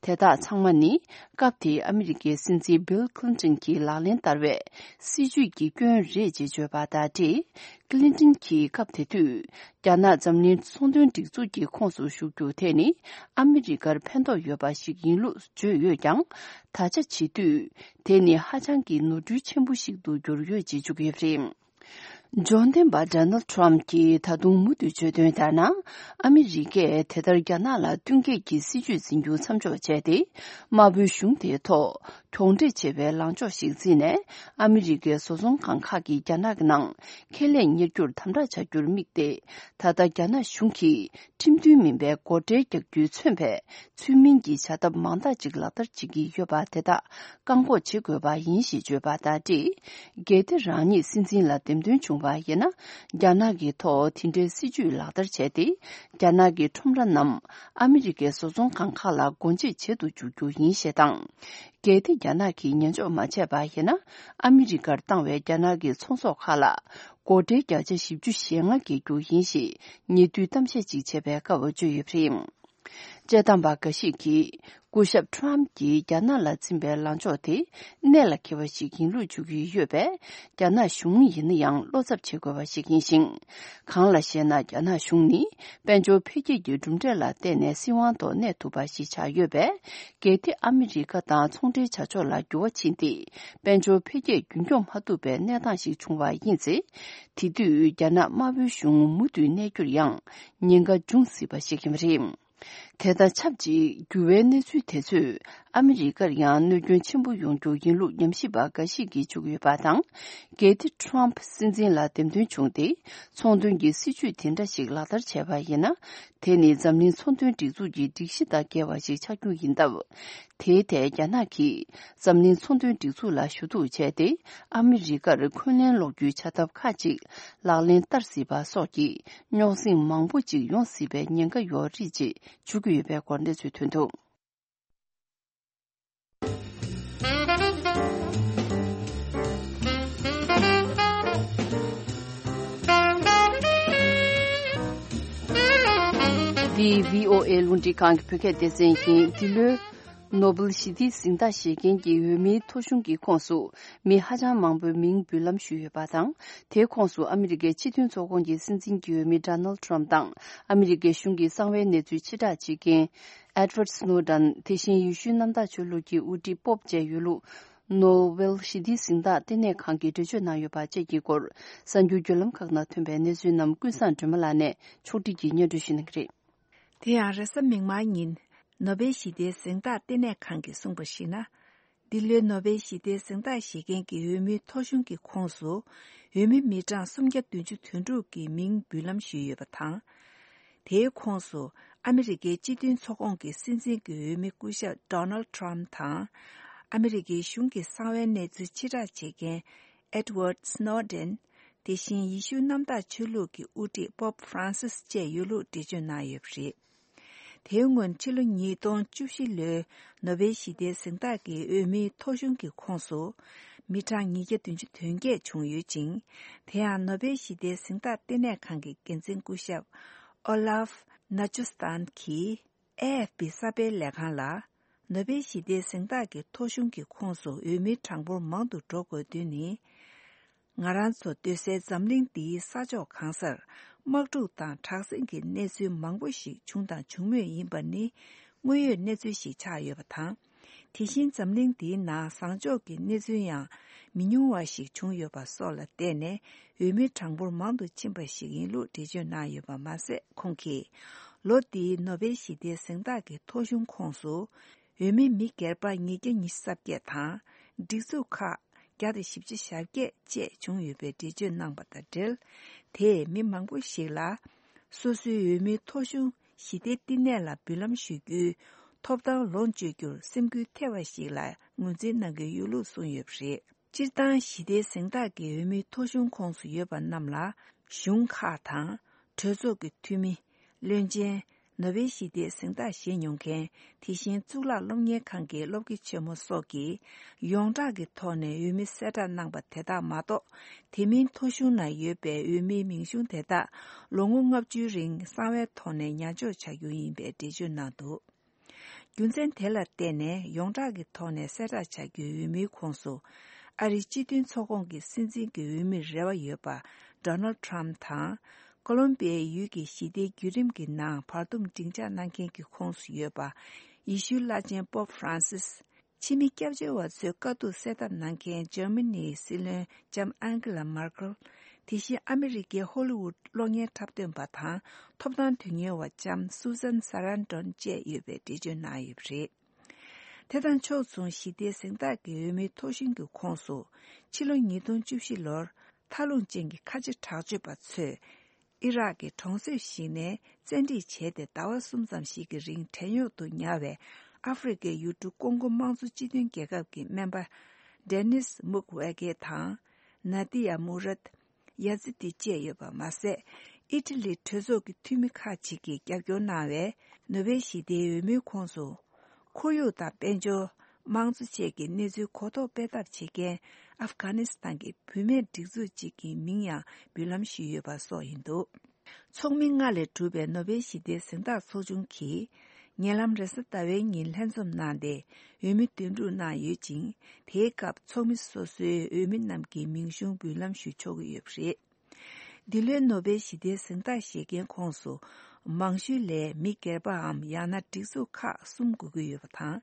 དེ་དག་ཚང་མ་ནི། སྐབས་དེའི་ཨ་མི་རི་ཀའི་སྲིད་འཛིན་བིལ་ཁི་ལིན་ཏོན་གྱིས་ལག་ལེན་བསྟར་བའི་སྲིད་ཇུས་ཀྱི་སྐྱོན་རེད་ཅེས་བརྗོད་པ་དང་འབྲེལ། ཁི་ལིན་ཏོན་གྱིས་སྐབས་དེ་དུས། རྒྱ་ནག་འཛམ་གླིང་ཚོང་དོན་སྒྲིག་འཛུགས་ཀྱི་ཁོངས་སུ་ཞུགས་རྒྱུ་དེ་ནི་ཨ་མི་རི་ཀར་ཕན་ཐོགས་ཡོད་པ་ཞིག་ཡིན་ལུགས་བརྗོད་ཡོད་ཀྱང་། ད་ཆ་བྱེད་དུས་དེ་ནི་ཧ་ཅང་གི་ནོར་འཁྲུལ་ཆེན་པོ་ཞིག་ཏུ་གྱུར་ཡོད་ཅེས་བརྗོད་ཀྱི་ཡོད་པ་རེད། འབྱོར་ལྡན་པ་ཌོ་ནལ་ཊམ་གྱིས་ད་དུང་མུ་མཐུད་བརྗོད་དོན་ལྟར་ན། ཨ་མི་རི་ཀས་དེ་ལྟར་རྒྱ་ནག་ལ་བསྟུན་མཁས་ཀྱི་སྲིད་ཇུས་འཛིན་རྒྱུ་མཚམས་འཇོག་བྱས་ཏེ། དམར་པོའི་གཞུང་དེའི་ཐོག་གྱོང་འབྲེལ་ཆེ་བའི་ལངས་ཕྱོགས་ཤིག་འཛིན་ནས། ཨ་མི་རི་ཀའི་བཟོ་ཚོང་ཁང་ཁག་གིས་རྒྱ་ནག་གི་ནང་ཁེ་ལས་གཉེར་རྒྱུར་དམ་དྲག་བྱ་རྒྱུར་དམིགས་ཏེ། ད་ལྟ་རྒྱ་ནག་གཞུང་གིས་ཁྲིམས་མཐུན་མིན་པའི་སྒོ་ཁྲལ་རྒྱག་རྒྱུས་མཚོན་པའི་ཚུལ་མིན་གྱི་བྱ་ཐབས་མང་དག་ཅིག་ལག་བསྟར་བྱེད་ཀྱི་ཡོད་པ་དེ་དག་བཀག་འགོག་བྱེད་དགོས་པ་ཡིན་ཞེས་བརྗོད་པ་དང་འབྲེལ། གལ་ཏེ་རང་ཉིད་སྲིད་འཛིན་ལ་འདེམས་ཐོན་བྱུང་བ་ཡིན་ན། རྒྱ་ནག་གི་ཐོག་དེ་འདྲའི་སྲིད་ཇུས་ལག་བསྟར་བྱས་ཏེ། རྒྱ་ནག་གི་ཁྲོམ་ར་རྣམས་ཨ་མི་རི་ཀའི་བཟོ་ཚོང་ཁང་ཁག་ལ་སྒོ་འབྱེད་བྱེད་དུ་འཇུག་རྒྱུ་ཡིན་ཞེས་དང་། གལ་ཏེ་རྒྱ་ནག་གིས་ཉན་འཇོག་མ་བྱས་པ་ཡིན་ན། ཨ་མི་རི་ཀར་བཏང་བའི་རྒྱ་ནག་གི་ཚོང་ཟོག་ཁག་ལ་སྒོ་ཁྲལ་བརྒྱ་ཆ་བཞི་བཅུ་ཞེ་ལྔ་འགེལ་རྒྱུ་ཡིན་ཞེས་ཉེ་དུས་གཏམ་བཤད་ཅིག་བྱས་པའི་སྐབས་བརྗོད་ཡོད་པ་རེད། དཔྱད་གཏམ་པ་འགའ་ཞིག་གིས། སྐུ་ཞབས་ཊམ་གྱིས་རྒྱ་ནག་ལ་འཛིན་པའི་ལངས་ཕྱོགས་དེ་གནད་ལ་འཁེལ་བ་ཞིག་ཡིན་ལུགས་བརྗོད་ཀྱི་ཡོད་པས། རྒྱ་ནག་གཞུང་ཡིན་ན་ཡང་བློ་འཚབ་བྱེད་དགོས་པ་ཞིག་ཡིན་ཞིང་། གང་ལགས་ཤེ་ན། རྒྱ་ནག་གཞུང་ནི་དཔལ་འབྱོར་འཕེལ་རྒྱས་ཀྱི་གྲུབ་འབྲས་ལ་བརྟེན་ནས་སྲིད་དབང་ཐོག་གནས་ཐུབ་པ་ཞིག་ཆགས་ཡོད་པས། གལ་ཏེ་ཨ་མི་རི་ཀ་དང་ཚོང་འབྲེལ་བྱ་ཕྱོགས་ལ་འགྱུར་བ་ཕྱིན་ཏེ། དཔལ་འབྱོར་འཕེལ་རྒྱས་རྒྱུན་འཁྱོངས་མ་ཐུབ་པའི་གནས་སྟངས་ཤིག་བྱུང་བ་ཡིན་ཚེ། དེ་དུས་རྒྱ་ནག་དམར་པོའི་གཞུང་མུ་མཐུད་གནས་རྒྱུར་ཡང་ཉེན་ཁ་འབྱུང་སྲིད་པ་ཞིག་ཡིན་པ་རེད། དེ་དང་ཆབས་ཅིག་འགྱུར་བའི་གནས་ཚུལ་དེ་ཚོས་ཨ་མི་རི་ཀར་ཡང་གནོད་སྐྱོན་ཆེན་པོ་ཡོང་རྒྱུ་ཡིན་ལུགས་ཉམས་ཞིབ་པ་འགའ་ཞིག་གིས་བརྗོད་ཀྱི་ཡོད་པ་དང་། གལ་ཏེ་ཊམ་ཕི་སྲིད་འཛིན་ལ་འདེམས་ཐོན་བྱུང་སྟེ། ཚོང་དོན་གྱི་སྲིད་ཇུས་དེ་འདྲ་ཞིག་ལག་བསྟར་བྱས་པ་ཡིན་ན། དེ་ནི་འཛམ་གླིང་ཚོང་དོན་སྒྲིག་འཛུགས་ཀྱི་སྒྲིག་གཞི་དང་འགལ་བ་ཞིག་ཆགས་རྒྱུ་ཡིན་སྟབས། དེའི་ཐད་རྒྱ་ནག་གིས་འཛམ་གླིང་ཚོང་དོན་སྒྲིག་འཛུགས་ལ་ཞུ་གཏུག་བྱས་ཏེ། ཨ་མི་རི་ཀར་འཁོན་ལན་སློག་རྒྱུའི་བྱ་ཐབས་ཁག་ཅིག་ལག་ལེན་བསྟར་སྲིད་པ་སོགས་ཀྱི་རྙོག་ཟིང་མང་པོ་ཅིག་ཡོང་སྲིད་པའི་ཉེན་ཁ་ཡོད་རེད་ཅེས་བརྗོད་ཀྱི་ཡོད་པའི་སྐོར་གནས་ཚུལ་ཐོན་འདུག། འདི་བྷི་ཨོ་ཨེ་རླུང་འཕྲིན་ཁང་གི་བོད་སྐད་སྡེ་ཚན་ཡིན། འདི་ལོའི་ནོ་བེལ་ཞི་བདེའི་གཟེངས་རྟགས་བཞེས་མཁན་གྱི་འོས་མིའི་ཐོ་གཞུང་གི་ཁོངས་སུ་མི་ཧ་ཅང་མང་པོས་མིང་འབུལ་ལམ་ཞུས་ཡོད་པ་དང་། དེའི་ཁོངས་སུ་ཨ་མི་རི་ཀའི་སྤྱི་མཐུན་ཚོགས་ཁོངས་ཀྱི་སྲིད་འཛིན་གྱི་འོས་མི་ཌོ་ནལ་ཊམ་དང་། ཨ་མི་རི་ཀའི་གཞུང་གི་གསང་བའི་གནས་ཚུལ་ཕྱིར་བསྒྲགས་བྱེད་མཁན་ཨེ་ཌི་ཝར་ཌི་སྣོ་ཌན། དེ་བཞིན་ཡེ་ཤུའི་གནམ་བདག་ཆོས་ལུགས་ཀྱི་དབུ་ཁྲིད་པོབ་བཅས་ཡོད་ལུགས། ནོ་བེལ་ཞི་བདེའི་གཟེངས་རྟགས་ལྟེ་གནས་ཁང་གིས་འགྲེལ་བརྗོད་གནང་ཡོད་པ་བཅས་ཀྱི་སྐོར། གསར་འགྱུར་བརྒྱུད་ལམ་ཁག་ནང་ཐོན་པའི་གནས་ཚུལ་རྣམས་ཀུན་བཟང་སྒྲོལ་མ་ལགས་ནས་ཕྱོགས་སྒྲིག་གིས་སྙན་སྒྲོན་ཞུ་གནང་གི་རེད། དེ་ཡང་རེས་གཟའ་མིག་དམར་ཉིན་ནོ་བེལ་ཞི་བདེའི་གཟེངས་རྟགས་ལྟེ་གནས་ཁང་གིས་གསུངས་པར་གཞིགས་ན། འདི་ལོའི་ནོ་བེལ་ཞི་བདེའི་གཟེངས་རྟགས་བཞེས་མཁན་གྱི་འོས་མིའི་ཐོ་གཞུང་གི་ཁོངས་སུ་འོས་མི་མི་གྲངས་སུམ་བརྒྱ་བདུན་ཅུ་དོན་དྲུག་གིས་མིང་འབུལ་ལམ་ཞུས་ཡོད་པ་དང་། དེའི་ཁོངས་སུ་ཨ་མི་རི་ཀའི་སྤྱི་མཐུན་ཚོགས་ཁོངས་ཀྱི་སྲིད་འཛིན་གྱི་འོས་མི་སྐུ་ཞབས་ཌོ་ནལ་ཊམ་དང་། ཨ་མི་རི་ཀའི་གཞུང་གི་གསང་བའི་གནས་ཚུལ་ཕྱིར་བསྒྲགས་བྱེད་མཁན་ཨེ་ཌི་ཝར་ཌི་སྣོ་ཌེན། དེ་བཞིན་ཡེ་ཤུ་གནམ་བདག་ཆོས་ལུགས་ཀྱི་དབུ་ཁྲིད་པོབ་ཧྥ་རན་སིས་བཅས་ཡོད་ལུགས་འགྲེལ་བརྗོད་གནང་ཡོད་པ་རེད། དེའི་སྔོན་ཕྱི་ལོ་ཉིས་སྟོང་བཅུ་བཞི་ལོའི་ནོ་བེལ་ཞི་བདེའི་གཟེངས་རྟགས་ཀྱི་འོས་མིའི་ཐོ་གཞུང་གི་ཁོངས་སུ་མི་གྲངས་ཉིས་བརྒྱ་བདུན་ཅུ་དོན་བརྒྱད་བྱུང་ཡོད་ཅིང་། དེ་ཡང་ནོ་བེལ་ཞི་བདེའི་གཟེངས་རྟགས་ལྟེ་གནས་ཁང་གི་འགན་འཛིན་སྐུ་ཞབས་ཨོ་ལཱབ་ནཱ་ཅོ་སྟན་གྱིས་ཨེ་ཨེཕ་པི་གསར་སྤེལ་ལས་ཁང་ལ། ནོ་བེལ་ཞི་བདེའི་གཟེངས་རྟགས་ཀྱི་ཐོ་གཞུང་གི་ཁོངས་སུ་འོས་མིའི་གྲངས་འབོར་མང་དུ་འགྲོ་དགོས་དོན་ནི། ང་རང་ཚོ་སྡོད་སའི་འཛམ་གླིང་འདིའི་ས་ཕྱོགས་གང་སར་དམག་འཁྲུག་དང་དྲག་ཟིང་གི་གནས་ཚུལ་མང་པོ་ཞིག་བྱུང་དང་འབྱུང་མུས་ཡིན་པ་ནི་དངོས་ཡོད་གནས་ཚུལ་ཞིག་ཆགས་ཡོད་པ་དང་། དེ་བཞིན་འཛམ་གླིང་འདིའི་ནང་བཟང་ཕྱོགས་ཀྱི་གནས་ཚུལ་ཡང་མི་ཉུང་བ་ཞིག་བྱུང་ཡོད་པ་སོགས་ལ་བརྟེན་ནས་འོས་མིའི་གྲངས་འབོར་མང་དུ་ཕྱིན་པ་ཞིག་ཡིན་ལུགས་འགྲེལ་བརྗོད་གནང་ཡོད་པ་མ་ཟད། ཁོང་གིས་ལོ་འདིའི་ནོ་བེལ་ཞི་བདེའི་གཟེངས་རྟགས་ཀྱི་ཐོ་གཞུང་ཁོངས་སུ། འོས་མི་མི་སྒེར་པ་ཉིས་བརྒྱ་ཉི་ཤུ་རྩ་བརྒྱད་དང་། སྒྲིག་འཛུགས་ཁག་བརྒྱ་དང་བཞི་བཅུ་ཞེ་བརྒྱད་བཅས་བྱུང་ཡོད་པའི་འགྲེལ་བརྗོད་གནང་པ་དང་འབྲེལ། དེས་མི་མང་པོ་ཞིག་ལ། སོ་སོའི་འོས་མིའི་ཐོ་གཞུང་ཞི་བདེའི་བསྟི་གནས་ལ་འབུལ་ལམ་ཞུ་རྒྱུའི་ཐོབ་ཐང་ལོངས་སྤྱོད་རྒྱུར་སེམས་འགུལ་ཐེབས་པ་ཞིག་ལ་ངོས་འཛིན་གནང་གི་ཡོད་ལུགས་གསུངས་ཡོད་པ་རེད། སྤྱིར་བཏང་ཞི་བདེའི་གཟེངས་རྟགས་ཀྱི་འོས་མིའི་ཐོ་གཞུང་ཁོངས་སུ་ཡོད་པ་རྣམས་ལ་གཞུང་ཁག་དང་། གྲོས་ཚོགས་ཀྱི་འཐུས་མི། བློན་ཆེན། ནོ་བེལ་ཞི་བདེའི་གཟེངས་རྟགས་བཞེས་མྱོང་མཁན། དེ་བཞིན་གཙུག་ལག་སློབ་གཉེར་ཁང་གི་སློབ་དགེ་ཆེན་མོ་སོགས་ཀྱིས་ཡོངས་གྲགས་ཀྱི་ཐོག་ནས་འོས་མི་གསལ་བསྒྲགས་གནང་པ་དེ་དག་མ་གཏོགས། དེ་མིན་ཐོ་གཞུང་ནང་ཡོད་པའི་འོས་མིའི་མིང་གཞུང་དེ་དག་ལོ་ངོ་ལྔ་བཅུའི་རིང་གསང་བའི་ཐོག་ནས་ཉར་འཇོག་བྱ་རྒྱུ་ཡིན་པའི་འགྲེལ་བརྗོད་གནང་འདུག། རྒྱུ་མཚན་དེ་ལ་བརྟེན་ནས་ཡོངས་གྲགས་ཀྱི་ཐོག་ནས་གསལ་བསྒྲགས་བྱ་རྒྱུའི་འོས་མིའི་ཁོངས་སུ། ཨ་རིའི་སྤྱི་མཐུན་ཚོགས་ཁོངས་ཀྱི་སྲིད་འཛིན་གྱི་འོས་མིར་རེ་བ་ཡོད་པ་ཌོ་ནལ་ཊམ་དང་། ཀོ་ལོམ་པི་ཡའི་ཡུལ་གྱི་ཞི་བདེའི་བརྒྱུད་རིམ་གྱི་ནང་བར་འདུམ་སྒྲིག་འཇགས་གནང་མཁན་གྱི་ཁོངས་སུ་ཡོད་པ། ཡེ་ཤུའི་བླ་ཆེན་པོབ་ཧྥ་རན་སིས། ཕྱི་མི་སྐྱབས་བཅོལ་བ་ཚོའི་དཀའ་སྡུག་སེལ་ཐབས་གནང་མཁན་འཇར་མ་ནིའི་སྲིད་བློན་ལྕམ་ཨན་ཀེ་ལ་མར་ཀལ། དེ་བཞིན་ཨ་མི་རི་ཀའི་ཧོ་ལི་ཝུད་གློག་བརྙན་འཁྲབ་སྟོན་པ་དང་ཐོབ་ཐང་དོན་གཉེར་བ་ལྕམ་སུ་ཟན་ས་རན་ཏོན་བཅས་ཡོད་པའི་འགྲེལ་བརྗོད་གནང་ཡོད་པ་རེད། དེ་དང་ཕྱོགས་མཚུངས་ཞི་བདེའི་གཟེངས་རྟགས་ཀྱི་འོས་མིའི་ཐོ་གཞུང་གི་ཁོངས་སུ། ཕྱི་ལོ་ཉིས་སྟོང་བཅུ་བཞི་ལོར་མཐའ་ལྷུང་ཅན་གྱི་ཁ་ཆེ་དྲག་སྤྱོད་པ་ཚོས་ཨི་རག་གི་གྲོང་གསེབ་ཞིག་ནས་བཙན་ཁྲིད་བྱས་ཏེ་ཟླ་བ་གསུམ་ཙམ་ཞིག་གི་རིང་བྲན་གཡོག་ཏུ་ཉར་བའི་ཨ་ཧྥེ་རི་ཁའི་ཡུལ་གྲུ་ཀོང་གོ་དམངས་གཙོ་སྤྱི་མཐུན་རྒྱལ་ཁབ་ཀྱི་སྨན་པ་ཌེ་ནིས་མུག་ཝེ་གེ་དང་ན་ཏི་ཡ་མུ་རད། ཡ་ཛི་ཏི་བཅས་ཡོད་པ་མ་ཟད། ཨི་ཊ་ལིའི་གྲོས་ཚོགས་ཀྱི་འཐུས་མི་ཁག་ཅིག་གིས་རྒྱབ་སྐྱོར་གནང་བའི་ནོ་བེལ་ཞི་བདེའི་འོས་མིའི་ཁོངས་སུ། ཁོར་ཡུག་དང་དཔལ་འབྱོར། དམངས་གཙོ་བཅས་ཀྱི་གནས་ཚུལ་གོ་རྟོགས་སྤེལ་ཐབས་བྱེད་མཁན་ཨབ་གྷ་ནི་སི་ཐན་གྱི་བུད་མེད་སྒྲིག་འཛུགས་ཅིག་གི་མིང་ཡང་འབུལ་ལམ་ཞུས་ཡོད་པ་སོགས་ཡིན་འདུག། ཚོགས་མི་ལྔ་ལས་གྲུབ་པའི་ནོ་བེལ་ཞི་བདེའི་གཟེངས་རྟགས་ཚོགས་ཆུང་གིས། ཉེ་ལམ་རེས་གཟའ་ཟླ་བའི་ཉིན་ལྷན་འཛོམས་གནང་སྟེ། འོས་མི་འདེམས་སྒྲུག་གནང་ཡོད་ཅིང་། དེའི་སྐབས་ཚོགས་མི་སོ་སོའི་འོས་མི་རྣམས་ཀྱི་མིང་གཞུང་འབུལ་ལམ་ཞུ་ཆོག་གི་ཡོད་པ་རེད། འདི་ལོའི་ནོ་བེལ་ཞི་བདེའི་གཟེངས་རྟགས་བཞེས་མཁན་ཁོངས་སུ། མང་ཤོས་ལས་མི་སྒེར་པའམ་ཡང་ན་སྒྲིག་འཛུགས་ཁག་གསུམ་དགོས་ཀྱི་ཡོད་པ་དང་།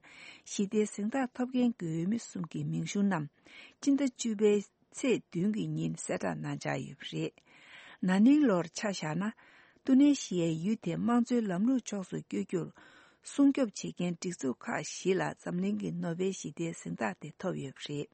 ཞི་བདེའི་གཟེངས་རྟགས་ཐོབ་མཁན་གྱི་འོས་མི་གསུམ་གྱི་མིང་གཞུང་རྣམས། སྤྱི་ཟླ་བཅུ་པའི་ཚེས་བདུན་གྱི་ཉིན་གསལ་བསྒྲགས་གནང་འཆར་ཡོད་པ་རེད། ན་ནིང་ལོར་ཆ་བཞག་ན། ཏུ་ནེ་ཤི་ཡའི་ཡུལ་དེ་དམངས་གཙོའི་ལམ་ལུགས་ཕྱོགས་སུ་བསྐྱོད་རྒྱུར། སྲུང་སྐྱོབ་བྱེད་མཁན་སྒྲིག་འཛུགས་ཁག་བཞི་ལ་འཛམ་གླིང་གི་ནོ་བེལ་ཞི་བདེའི་གཟེངས་རྟགས་དེ་ཐོབ་ཡོད་པ་རེད།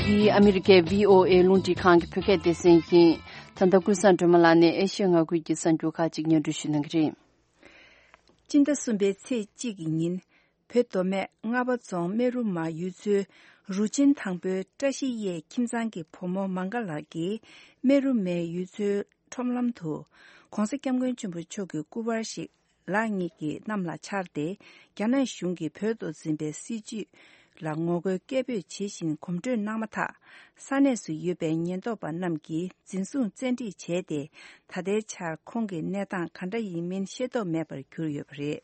འདི་ཨ་མི་རི་ཀའི་བྷི་ཨོ་ཨེ་རླུང་འཕྲིན་ཁང་གི་བོད་སྐད་སྡེ་ཚན་ཡིན། ད་ལྟ་ཀུན་བཟང་སྒྲོལ་མ་ལགས་ནས་ཨེ་ཤི་ཡ་མངའ་ཁུལ་གྱི་གསར་འགྱུར་ཁག་ཅིག་སྙན་སྒྲོན་ཞུ་གནང་གི་རེད། སྤྱི་ཟླ་གསུམ་པའི་ཚེས་གཅིག་གི་ཉིན། བོད་མདོ་སྨད་རྔ་པ་རྫོང་སྨད་རུ་མ་ཡུལ་ཚོའི་རུ་ཆེན་དང་པོའི་བཀྲ་ཤིས་གཡས་ཁྱིམ་ཚང་གི་བུ་མོ་མང་ག་ལགས་ཀྱིས་སྨད་རུ་མའི་ཡུལ་ཚོའི་ཁྲོམ་ལམ་དུ། ྋགོང་ས་ྋསྐྱབས་མགོན་ཆེན་པོ་མཆོག་གི་སྐུ་པར་ཞིག་ལག་གཉིས་ཀྱི་གནམ་ལ་འཕྱར་ཏེ། རྒྱ་ནག་གཞུང་གིས་བོད་དུ་འཛིན་པའི་སྲིད་བྱུས་ལ་ངོ་རྒོལ་སྐད་འབོད་བྱེད་བཞིན་གོམ་བགྲོད་གནང་མ་ཐག་ས་གནས་སུ་ཡོད་པའི་ཉེན་རྟོག་པ་རྣམས་ཀྱིས་འཛིན་བཟུང་བཙན་ཁྲིད་བྱས་ཏེ། ད་ལྟའི་ཆར་ཁོང་གི་གནས་སྟངས་ག་འདྲ་ཡིན་མིན་ཤེས་རྟོགས་མེད་པར་གྱུར་ཡོད་པ་རེད།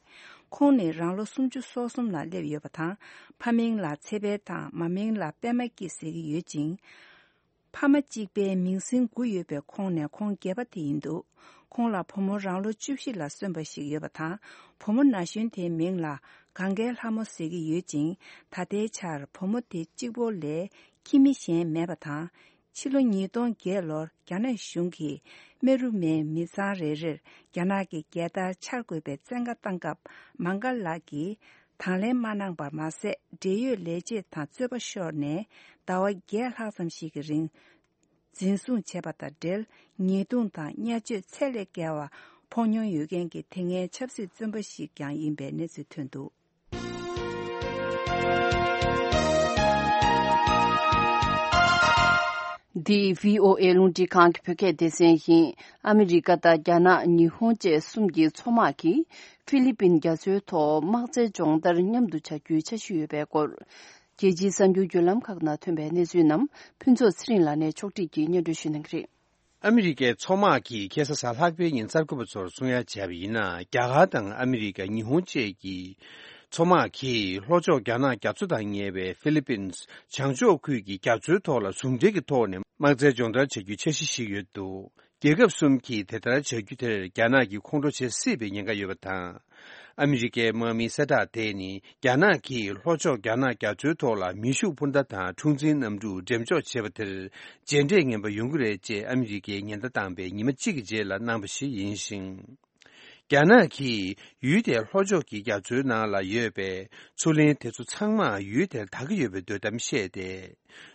ཁོང་ནི་རང་ལོ་སུམ་ཅུ་སོ་གསུམ་ལ་སླེབས་ཡོད་པ་དང་། ཕ་མིང་ལ་ཚེ་འཕེལ་དང་མ་མིང་ལ་པད་མ་སྐྱིད་ཟེར་གྱི་ཡོད་ཅིང་། ཕ་མ་གཅིག་པའི་མིང་སྲིང་དགུ་ཡོད་པའི་ཁོང་ནས་ཁོང་བརྒྱད་པ་དེ་ཡིན་འདུག་ཁོང་ལ་བུ་མོ་རང་ལོ་བཅུ་བཞི་ལ་སོན་པ་ཞིག་ཡོད་པ་དང་། བུ་མོ་ན་གཞོན་དེའི་མིང་ལ་གངྒཱའི་ལྷ་མོ་ཟེར་གྱི་ཡོད་ཅིང་། ད་ལྟའི་ཆར་བུ་མོ་དེ་གཅིག་པོ་ལས་ཁྱིམ་མི་གཞན་མེད་པ་དང་། ཕྱི་ལོ་ཉིས་སྟོང་བརྒྱད་ལོར་རྒྱ་ནག་གཞུང་གིས་སྨད་རུ་མའི་མི་ཚང་རེ་རེར་རྒྱ་ནག་གི་རྒྱལ་དར་འཕྱར་དགོས་པའི་བཙན་བཀའ་བཏང་སྐབས། མང་ག་ལགས་ཀྱིས། དང་ལེན་མ་གནང་པར་མ་ཟད། འབྲེལ་ཡོད་ལས་བྱེད་དང་རྩོད་པ་ཤོར་ནས་ཟླ་བ་བརྒྱད་ལྷག་ཙམ་ཞིག་གི་རིང་འཛིན་བཟུང་བྱས་པ་དང་འབྲེལ། ཉེས་རྡུང་དང་བརྙས་བཅོས་ཚད་ལས་བརྒལ་བ་ཕོག་མྱོང་ཡོད་མཁན་གྱི་དེ་སྔའི་ཆབ་སྲིད་བཙོན་པ་ཞིག་ཀྱང་ཡིན་པའི་གནས་ཚུལ་ཐོན་འདུག་འདི་བྷི་ཨོ་ཨེ་རླུང་འཕྲིན་ཁང་གི་བོད་སྐད་སྡེ་ཚན་ཡིན། ཨ་མི་རི་ཀ་དང་རྒྱ་ནག་ཉི་ཧོང་བཅས་གསུམ་གྱི་མཚོ་དམག་གིས་ཧྥི་ལི་པིན་རྒྱ་མཚོའི་ཐོག་དམག་རྩལ་སྦྱོང་བརྡར་མཉམ་དུ་བྱ་རྒྱུའི་འཆར་གཞི་ཡོད་པའི་སྐོར། རྒྱལ་སྤྱིའི་གསར་འགྱུར་བརྒྱུད་ལམ་ཁག་ནང་ཐོན་པའི་གནས་ཚུལ་རྣམས་ཕུན་ཚོགས་ཚེ་རིང་ལགས་ནས་ཕྱོགས་སྒྲིག་གིས་སྙན་སྒྲོན་ཞུ་གནང་གི་རེད། ཨ་མི་རི་ཀའི་མཚོ་དམག་གིས་ཁ་སང་གཟའ་ལྷག་པའི་ཉིན་གསར་འགོད་པ་ཚོར་གསུང་ཡ་བྱས་པ་ཡིན་ན། རྒྱ་གར་དང་ཨ་མི་རི་ཀ། ཉི་ཧོང་བཅས་ཀྱི་མཚོ་དམག་གིས་ལྷོ་ཕྱོགས་རྒྱ་ནག་རྒྱ་མཚོ་དང་ཉེ་བའི་ཧྥི་ལི་པིན་བྱང་ཕྱོགས་ཁུལ་གྱི་རྒྱ་མཚོའི་ཐོག་ལ་ཟུང་འབྲེལ་གྱི་ཐོག་ནས་དམག་རྩལ་སྦྱོང་བརྡར་བྱ་རྒྱུའི་འཆར་གཞི་ཞིག་ཡོད་འདུག་རྒྱལ་ཁབ་གསུམ་གྱིས་དེ་ལྟར་བྱ་རྒྱུ་དེར་རྒྱ་ནག་གིས་ཁོང་ཁྲོ་བྱེད་སྲིད་པའི་ཉེན་ཁ་ཡོད་པ་དང་། ཨ་མི་རི་ཀའི་དམག་མིའི་གསལ་བསྒྲགས་དེ་ནི། རྒྱ་ནག་གིས་ལྷོ་ཕྱོགས་རྒྱ་ནག་རྒྱ་མཚོའི་ཐོག་ལ་མེ་ཤུགས་འཕུར་མདའ་དང་འཁྲུག་འཛིང་གནམ་གྲུ་འགྲེམས་འཇོག་བྱས་པ་དེར་རྗེས་འབྲས་ངན་པ་ཡོང་གི་རེད་ཅེས་ཨ་མི་རི་ཀས་ཉེན་བརྡ་བཏང་པའི་ཉི་མ་གཅིག་གི་རྗེས་ལ་གནང་བ་ཞིག་ཡིན་ཞིང་། རྒྱ་ནག་གིས་ཡུལ་དེའི་ལྷོ་ཕྱོགས་ཀྱི་རྒྱ་མཚོའི་ནང་ལ་ཡོད་པའི་མཚོ་གླིང་དེ་ཚོ་ཚང་མ་ཡུལ་དེར་དག་གི་ཡོད་པའི་འདོད་གཏམ་བཤད་དེ།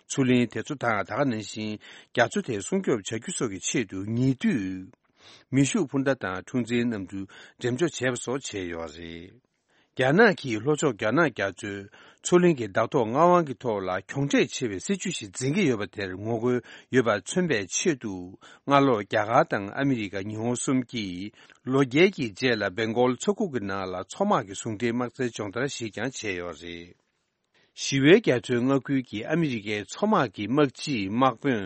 མཚོ་གླིང་དེ་ཚོ་དང་ད་ག་ནང་བཞིན་རྒྱ་མཚོ་དེ་སྲུང་སྐྱོབ་བྱ་རྒྱུ་སོགས་ཀྱི་ཆེད་དུ་ཉེ་དུས། མེ་ཤུགས་འཕུར་མདའ་དང་འཁྲུག་འཛིང་གནམ་གྲུ་འགྲེམས་འཇོག་བྱས་པ་སོགས་བྱས་ཡོད་རེད། རྒྱ་ནག་གིས་ལྷོ་ཕྱོགས་རྒྱ་ནག་རྒྱ་མཚོའི་མཚོ་གླིང་གི་བདག་ཐོག་མངའ་དབང་གི་ཐོག་ལ་གྱོང་ཁྲལ་ཆེ་བའི་སྲིད་ཇུས་ཤིག་འཛིན་གྱི་ཡོད་པ་དེར་ངོ་རྒོལ་ཡོད་པ་མཚོན་པའི་ཆེད་དུ། སྔ་ལོ་རྒྱ་གར་དང་ཨ་མི་རི་ཀ། ཉི་ཧོང་གསུམ་གྱིས་ལོ་བརྒྱད་ཀྱི་རྗེས་ལ་སྦེང་གོལ་མཚོ་ཁུག་གི་ནང་ལ་མཚོ་དམག་གི་ཟུང་འབྲེལ་དམག་རྩལ་སྦྱོང་བརྡར་ཞིག་ཀྱང་བྱས་ཡོད་རེད། ཞི་བའི་རྒྱ་མཚོའི་མངའ་ཁུལ་གྱི་ཨ་མི་རི་ཀའི་མཚོ་དམག་གི་དམག་སྤྱིའི་དམག་དཔོན་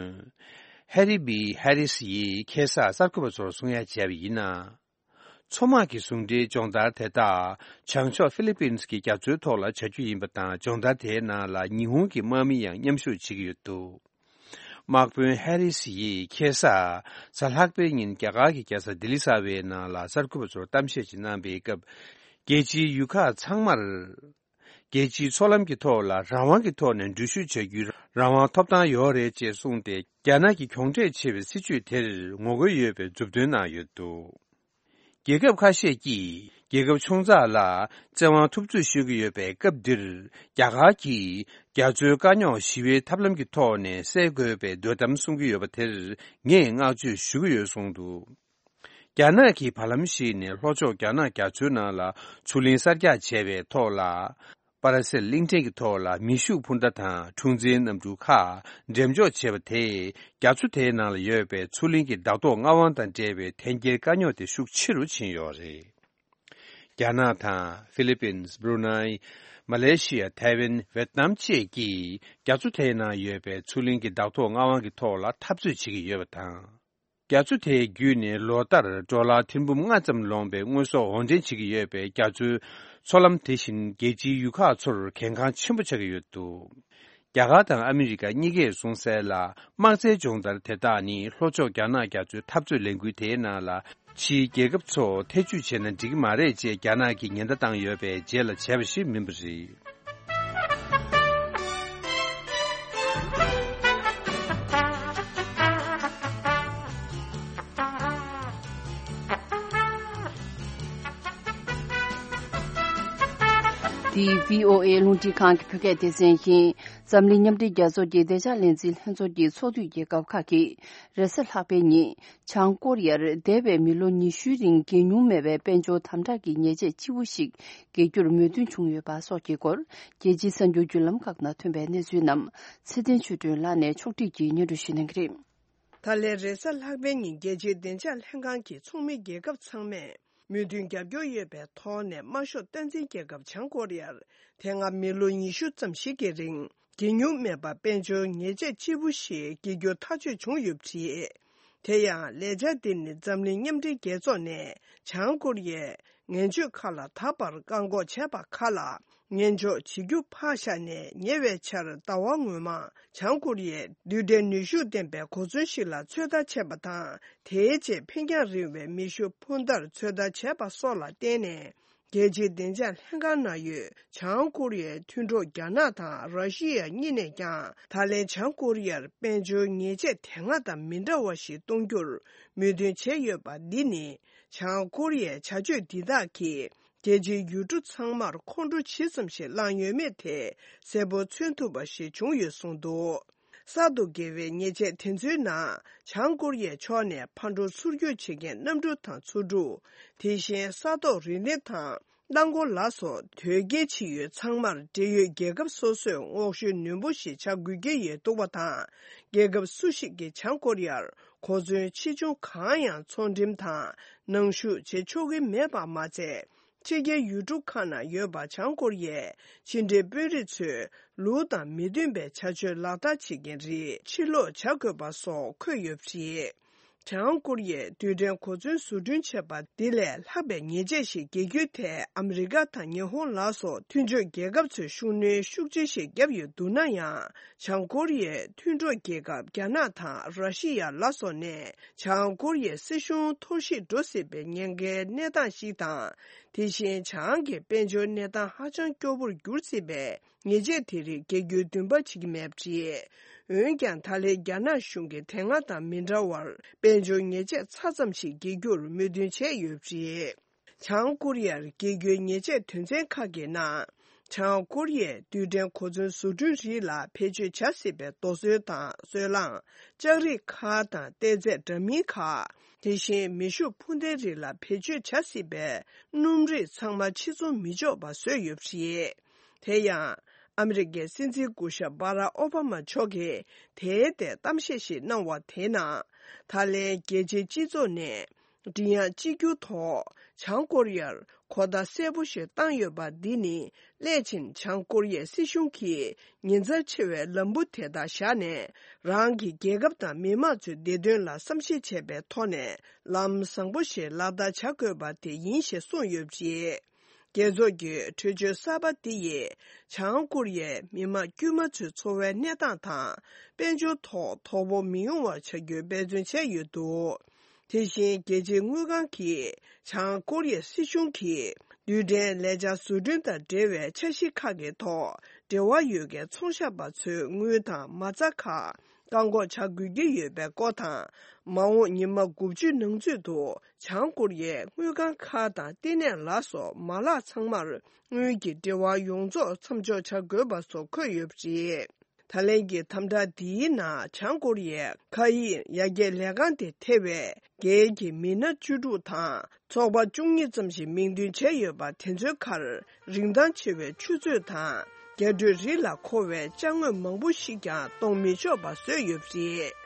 ཧེ་རི་བི་ཧེ་རི་སི་ཡིས་ཁ་སང་གསར་འགོད་པ་ཚོར་གསུང་ཡ་བྱས་པ་ཡིན་ན། མཚོ་དམག་གི་ཟུང་འབྲེལ་སྦྱོང་བརྡར་དེ་དག་བྱང་ཕྱོགས་ཧྥི་ལི་པིན་གྱི་རྒྱ་མཚོའི་ཐོག་ལ་བྱ་རྒྱུ་ཡིན་པ་དང་། སྦྱོང་བརྡར་དེའི་ནང་ལ་ཉི་ཧོང་གི་དམག་མི་ཡང་མཉམ་ཞུགས་བྱེད་ཀྱི་ཡོད་འདུག་དམག་དཔོན་ཧེ་རི་སི་ཡིས་ཁ་སང་གཟའ་ལྷག་པའི་ཉིན་རྒྱ་གར་གྱི་རྒྱལ་ས་ལྡི་ལི་གསར་པའི་ནང་ལ་གསར་འགོད་པ་ཚོར་གཏམ་བཤད་ཅིག་གནང་པའི་སྐབས། རྒྱལ་སྤྱིའི་ཡུལ་ཁག་ཚང་མར། རྒྱལ་སྤྱིའི་མཚོ་ལམ་གྱི་ཐོག་ལ་རང་དབང་གི་ཐོག་ནས་འགྲུལ་བཞུད་བྱ་རྒྱུའི་རང་དབང་ཐོབ་ཐང་ཡོད་རེད་ཅེས་གསུངས་ཏེ། རྒྱ་ནག་གི་གྱོང་ཁྲལ་ཆེ་བའི་སྲིད་ཇུས་དེར་ངོ་རྒོལ་ཡོད་པའི་མཛུབ་སྟོན་གནང་ཡོད་འདུག་རྒྱལ་ཁབ་ཁ་ཤས་ཀྱིས་རྒྱལ་ཁབ་ཆུང་ཙག་ལ་བཙན་དབང་ཐུབ་ཚོད་ཞུ་གི་ཡོད་པའི་སྐབས་འདིར། རྒྱ་གར་གྱིས་རྒྱ་མཚོའི་དཀའ་རྙོག་ཞི་བའི་ཐབས་ལམ་གྱི་ཐོག་ནས་སེལ་དགོས་པའི་འདོད་གཏམ་གསུང་གི་ཡོད་པ་དེར་ངས་བསྔགས་བརྗོད་ཞུ་གི་ཡོད་གསུངས་འདུག་རྒྱ་ནག་གིས་བར་ལམ་ཞིག་ནས་ལྷོ་ཕྱོགས་རྒྱ་ནག་རྒྱ་མཚོའི་ནང་ལ་མཚོ་གླིང་གསར་རྒྱག་བྱས་པའི་ཐོག་ལ། པ་ར་སེལ་གླིང་ཕྲན་གྱི་ཐོག་ལ་མེ་ཤུགས་འཕུར་མདའ་དང་འཁྲུག་འཛིང་གནམ་གྲུ་ཁག་འགྲེམས་འཇོག་བྱས་པ་དེས་རྒྱ་མཚོ་དེའི་ནང་ལ་ཡོད་པའི་མཚོ་གླིང་གི་བདག་ཐོག་མངའ་དབང་དང་འབྲེལ་བའི་འཐེན་འཁྱེར་དཀའ་རྙོག་དེ་ཤུགས་ཆེ་རུ་ཕྱིན་ཡོད་རེད། རྒྱ་ནག་དང་ཧྥི་ལི་པིན། སྦྲུ་ནའི། མ་ལེ་ཤི་ཡ། ཐའེ་ཝན། ཝེད་ནམ་བཅས་ཀྱིས་རྒྱ་མཚོ་དེའི་ནང་ཡོད་པའི་མཚོ་གླིང་གི་བདག་ཐོག་མངའ་དབང་གི་ཐོག་ལ་འཐབ་རྩོད་བྱེད་ཀྱི་ཡོད་པ་དང་། རྒྱ་མཚོ་དེའི་བརྒྱུད་ནས་ལོ་ལྟར་ཌོ་ལར་ཐེར་འབུམ་ལྔ་ཙམ་ལོངས་པའི་དངོས་ཟོག་འོར་འདྲེན་བྱེད་ཀྱི་ཡོད་པའི་རྒྱ་མཚོའི་མཚོ་ལམ་དེ་བཞིན་རྒྱལ་སྤྱིའི་ཡུལ་ཁག་ཚོར་གལ་འགངས་ཆེན་པོ་ཆགས་ཀྱི་ཡོད་འདུག་རྒྱ་གར་དང་ཨ་མི་རི་ཀ་གཉིས་ཀས་གསུངས་གསལ་ལ། དམག་རྩལ་སྦྱོང་བརྡར་དེ་དག་ནི་ལྷོ་ཕྱོགས་རྒྱ་ནག་རྒྱ་མཚོའི་འཐབ་རྩོད་ལས་འགུལ་དེའི་ནང་ལ་ཕྱིའི་རྒྱལ་ཁབ་ཚོ་ཐེ་ཇུས་བྱས་ན་འགྲིག་གི་མ་རེད་ཅེས་རྒྱ་ནག་གིས་ཉེན་བརྡ་བཏང་ཡོད་པའི་རྗེས་ལ་བྱས་པ་ཞིག་མིན་པ་རེད། འདི་བྷི་ཨོ་ཨེ་རླུང་འཕྲིན་ཁང་གི་བོད་སྐད་སྡེ་ཚན་ཡིན། འཛམ་གླིང་མཉམ་འབྲེལ་རྒྱལ་ཚོགས་ཀྱི་བདེ་འཇགས་ལས་འཛིན་ལྷན་ཚོགས་ཀྱི་ཚོགས་འདུས་རྒྱལ་ཁབ་ཁག་གིས་རེས་གཟའ་ལྷག་པའི་ཉིན། བྱང་ཀོ་རི་ཡར་འདས་པའི་མི་ལོ་ཉི་ཤུའི་རིང་བརྒལ་མྱོང་མེད་པའི་དཔལ་འབྱོར་དམ་དྲག་གི་ཉེས་ཆད་ལྕི་པོ་ཞིག་འགེལ་རྒྱུར་མོས་མཐུན་བྱུང་ཡོད་པ་སོགས་ཀྱི་སྐོར། རྒྱལ་སྤྱིའི་གསར་འགྱུར་བརྒྱུད་ལམ་ཁག་ནང་ཐོན་པའི་གནས་ཚུལ་རྣམས་ཚེ་བརྟན་ཆོས་སྒྲོན་ལགས་ནས་ཕྱོགས་སྒྲིག་གིས་སྙན་སྒྲོན་ཞུ་གནང་གི་རེད། ད་ལན་རེས་གཟའ་ལྷག་པའི་ཉིན་རྒྱལ་སྤྱིའི་བདེ་འཇགས་ལྷན་ཁང་གི་ཚོགས་མི་རྒྱལ་ཁབ་ཚང་མས་མོས་མཐུན་རྒྱབ་སྐྱོར་ཡོད་པའི་ཐོག་ནས་དམར་ཤོག་སྟངས་འཛིན་རྒྱལ་ཁབ་བྱང་ཀོ་རི་ཡར་དེ་སྔ་མི་ལོ་ཉི་ཤུ་ཙམ་ཞིག་གི་རིང་བརྒལ་མྱོང་མེད་པ་དཔལ་འབྱོར་ཉེས་ཆད་ལྕི་པོ་ཞིག་འགེལ་རྒྱུ་ཐག་གཅོད་བྱུང་ཡོད་པ་རེད། དེ་ཡང་ལས་འཆར་འདི་ནི་འཛམ་གླིང་མཉམ་འབྲེལ་རྒྱལ་ཚོགས་ནས་བྱང་ཀོ་རི་ཡའི་ངན་སྤྱོད་ཁག་ལ་ད་བར་བཀག་འགོག་བྱས་པ་ཁག་ལ་ངན་ཕྱོགས་བྱེད་རྒྱུ་ཕར་བཞག་ནས། ཉེ་བའི་ཆར་ཟླ་བ་སྔོན་མ་བྱང་ཀོ་རི་ཡས་རྡུལ་ཕྲན་ནུས་ཤུགས་ལྡན་པའི་གོ་མཚོན་ཞིག་ལ་ཚོད་ལྟ་བྱས་པ་དང་། དེའི་རྗེས་འཕེན་རྒྱང་རིང་བའི་མེ་ཤུགས་འཕུར་མདའ་ཚོད་ལྟ་བྱས་པ་སོགས་ལ་བརྟེན་ནས། རྒྱལ་སྤྱིའི་བདེ་འཇགས་ལྷན་ཁང་ནང་ཡོད་བྱང་ཀོ་རི་ཡའི་མཐུན་གྲོགས་རྒྱ་ནག་དང་ར་ཤི་ཡ་གཉིས་ནས་ཀྱང་། ད་ལན་བྱང་ཀོ་རི་ཡར་དཔལ་འབྱོར་ཉེས་ཆད་དེ་སྔ་དང་མི་འདྲ་བ་ཞིག་གཏོང་རྒྱུར་མོས་མཐུན་བྱས་ཡོད་པ་འདི་ནི། བྱང་ཀོ་རི་ཡའི་བྱ་སྤྱོད་འདི་དག་གིས་རྒྱལ་སྤྱིའི་ཡུལ་གྲུ་ཚང་མར་ཁོང་ཁྲོ་ཇི་ཙམ་ཞིག་བསླངས་ཡོད་མེད་དེ་གསལ་པོ་མཚོན་ཐུབ་པ་ཞིག་བྱུང་ཡོད་གསུངས་འདུག། གསར་དུ་འགེལ་བའི་ཉེས་ཆད་དེ་ཚོའི་ནང་། བྱང་ཀོ་རི་ཡའི་ཕྱོགས་ནས་ཕར་འགྲོ་ཚུར་སྐྱོད་བྱེད་མཁན་གནམ་གྲུ་དང་མཚོ་གྲུ། དེ་བཞིན་ས་ཐོག་རི་གླིང་དང་རླངས་འཁོར་ལ་སོགས་དོས་སྐྱེལ་བྱེད་ཡུལ་ཚང་མར་འབྲེལ་ཡོད་རྒྱལ་ཁབ་སོ་སོས་སྔོག་བཤེར་ནན་པོ་ཞིག་བྱ་དགོས་ཀྱི་ཡོད་འདུག་པ་དང་། རྒྱལ་ཁབ་སུ་ཞིག་གིས་བྱང་ཀོ་རི་ཡར་གོ་མཚོན་ཆེ་ཆུང་གང་ཡང་ཚོང་འགྲེམས་དང་ནང་ཞུགས་བྱེད་ཆོག་གི་མེད་པ་མ་ཚད། ཕྱི་རྒྱལ་ཡུལ་གྲུ་ཁག་ནང་ཡོད་པ་བྱང་ཀོ་རི་ཡའི་ཕྱི་འབྲེལ་དཔོན་རིགས་ཚོས་ལུགས་དང་མི་མཐུན་པའི་བྱ་སྤྱོད་ལག་བསྟར་བྱེད་མཁན་རིགས་ཕྱིར་སློག་བྱ་དགོས་པ་སོགས་འཁོད་ཡོད་པ་རེད། བྱང་ཀོ་རི་ཡས་རྡུལ་ཕྲན་གོ་མཚོན་བཟོ་སྐྲུན་བྱས་པ་འདི་ལས་ལྷག་པའི་ཉེས་ཆད་ཞིག་འགེལ་རྒྱུའི་ཐད་ཨ་མི་རི་ཀ་དང་ཉི་ཧོང་ལ་སོགས་མཐུན་ཕྱོགས་རྒྱལ་ཁབ་ཚོས་ཤུགས་སྣོན་ཤུགས་ཆེ་ཞིག་བརྒྱབ་ཡོད་འདུག་ན་ཡང་། བྱང་ཀོ་རི་ཡའི་མཐུན་གྲོགས་རྒྱལ་ཁབ་རྒྱ་ནག་དང་ར་ཤི་ཡ་ལ་སོགས་ནས་བྱང་ཀོ་རི་ཡའི་སྲིད་གཞུང་འཐོར་ཞིག་འགྲོ་སྲིད་པའི་ཉེན་ཁའི་གནས་སྟངས་ཤིག་དང་། དེ་བཞིན་བྱང་གི་དཔལ་འབྱོར་གནས་སྟངས་ཧ་ཅང་སྐྱོ་པོར་འགྱུར་སྲིད་པས། ཉེས་ཆད་དེ་རིགས་འགེལ་རྒྱུའི་འདུན་པ་བྱེད་ཀྱི་མེད་པ་རེད། འོན་ཀྱང་ད་ལན་རྒྱ་ནག་གཞུང་གིས་དེ་སྔ་དང་མི་འདྲ་བར་དཔལ་འབྱོར་ཉེས་ཆད་ཆ་ཙམ་ཞིག་འགེལ་རྒྱུར་མོས་མཐུན་བྱས་ཡོད་པ་རེད། བྱང་ཀོ་རི་ཡར་འགེལ་རྒྱུའི་ཉེས་ཆད་དོན་ཚན་ཁག་གི་ནང་། བྱང་ཀོ་རི་ཡས་རྡུལ་ཕྲན་གོ་མཚོན་བཟོ་སྐྲུན་རིགས་ལ་བེད་སྤྱོད་བྱ་སྲིད་པའི་རྡོ་སོལ་དང་སོལ་རླངས། ལྕགས་རིགས་ཁག་དང་གཏེར་རྫས་འདྲ་མིན་ཁག་དེ་བཞིན་མེ་ཤུགས་འཕུར་མདའི་རིགས་ལ་བེད་སྤྱོད་བྱ་སྲིད་པའི་སྣུམ་རིགས་ཚང་མ་ཕྱིར་ཚོང་མི་ཆོག་པ་བཟོས་ཡོད་པ་རེད། དེ་ཡང་། ཨ་མི་རི་ཀའི་སྲིད་འཛིན་སྐུ་ཞབས་སྦ་རག་ཨོ་བྷ་མ་མཆོག་གིས་དེའི་ཐད་གཏམ་བཤད་ཞིག་གནང་བ་དེའི་ནང་། ད་ལན་རྒྱལ་སྤྱིའི་སྤྱི་ཚོགས་ནས་མགྲིན་དབྱངས་གཅིག་གྱུར་ཐོག་བྱང་ཀོ་རི་ཡར་གོ་བརྡ་གསལ་པོ་ཞིག་བཏང་ཡོད་པ་འདི་ནི། སླད་ཕྱིན་བྱང་ཀོ་རི་ཡའི་སྲིད་གཞུང་གིས་ཉེན་ཚབས་ཆེ་བའི་ལམ་བུ་དེ་དག་བཞག་ནས། རང་གི་རྒྱལ་ཁབ་དང་མི་དམངས་ཚོའི་བདེ་དོན་ལ་བསམ་ཤེས་བྱས་པའི་ཐོག་ནས་ལམ་བཟང་པོ་ཞིག་ལག་བསྟར་བྱ་དགོས་པ་དེ་ཡིན་ཞེས་གསུངས་ཡོད་པ་རེད། རྒྱལ་ཚོགས་ཀྱི་གྲོས་ཆོད་གསར་པ་འདི་ཡིས་བྱང་ཀོ་རི་ཡའི་མི་དམངས་དཀྱུས་མ་ཚོའི་འཚོ་བའི་གནས་སྟངས་དང་། དཔལ་འབྱོར་ཐོག་དོ་ཕོག་མི་ཡོང་བར་བྱ་རྒྱུའི་འབད་བརྩོན་བྱས་ཡོད་འདུག། དེ་བཞིན་རྒྱལ་སྤྱིའི་དངུལ་ཁང་གིས་བྱང་ཀོ་རི་ཡའི་སྲིད་གཞུང་གིས་རྡུལ་ཕྲན་ལས་འཆར་བཟོ་སྐྲུན་དང་འབྲེལ་བའི་འཆར་གཞི་ཁག་གི་ཐོག་འབྲེལ་བ་ཡོད་མཁན་ཚོང་ཞབས་པ་ཚོའི་དངུལ་དང་མ་རྩ་ཁག་བཀག་འགོག་བྱ་དགོས་ཀྱི་ཡོད་པའི་སྐོར་དང་། མ་འོངས་ཉི་མ་དགུ་བཅུའི་ནང་ཚུད་དུ་བྱང་ཀོ་རི་ཡའི་དངུལ་ཁང་ཁག་དང་ལྟེ་གནས་ལ་སོགས་མ་ལག་ཚང་མར་དངུལ་གྱི་འབྲེལ་བ་ཡོངས་རྫོགས་མཚམས་འཇོག་བྱ་དགོས་པ་སོགས་འཁོད་ཡོད་པ་རེད། ད་ལན་གྱི་དམ་དྲག་འདིའི་ནང་བྱང་ཀོ་རི་ཡའི་མཁའ་དབྱིངས་ཡར་རྒྱས་ལས་ཁང་དེ་ཐེ་བའི་སྒེར་གྱི་མི་སྣ་བཅུ་དྲུག་དང་ཚོགས་པ་བཅུ་གཉིས་ཙམ་ཞིག་མིང་འདོན་བྱས་ཡོད་པ་དེ་ཚོའི་ཁར། རིན་ཐང་ཆེ་བའི་ཆུ་ཚོད་དང་རྒྱ་སྤྲོད་རིགས་ལ་མཁོ་བའི་ཅ་དངོས་མང་པོ་ཞིག་ཀྱང་གཏོང་མི་ཆོག་པ་བཟོས་ཡོད་པ་རེད།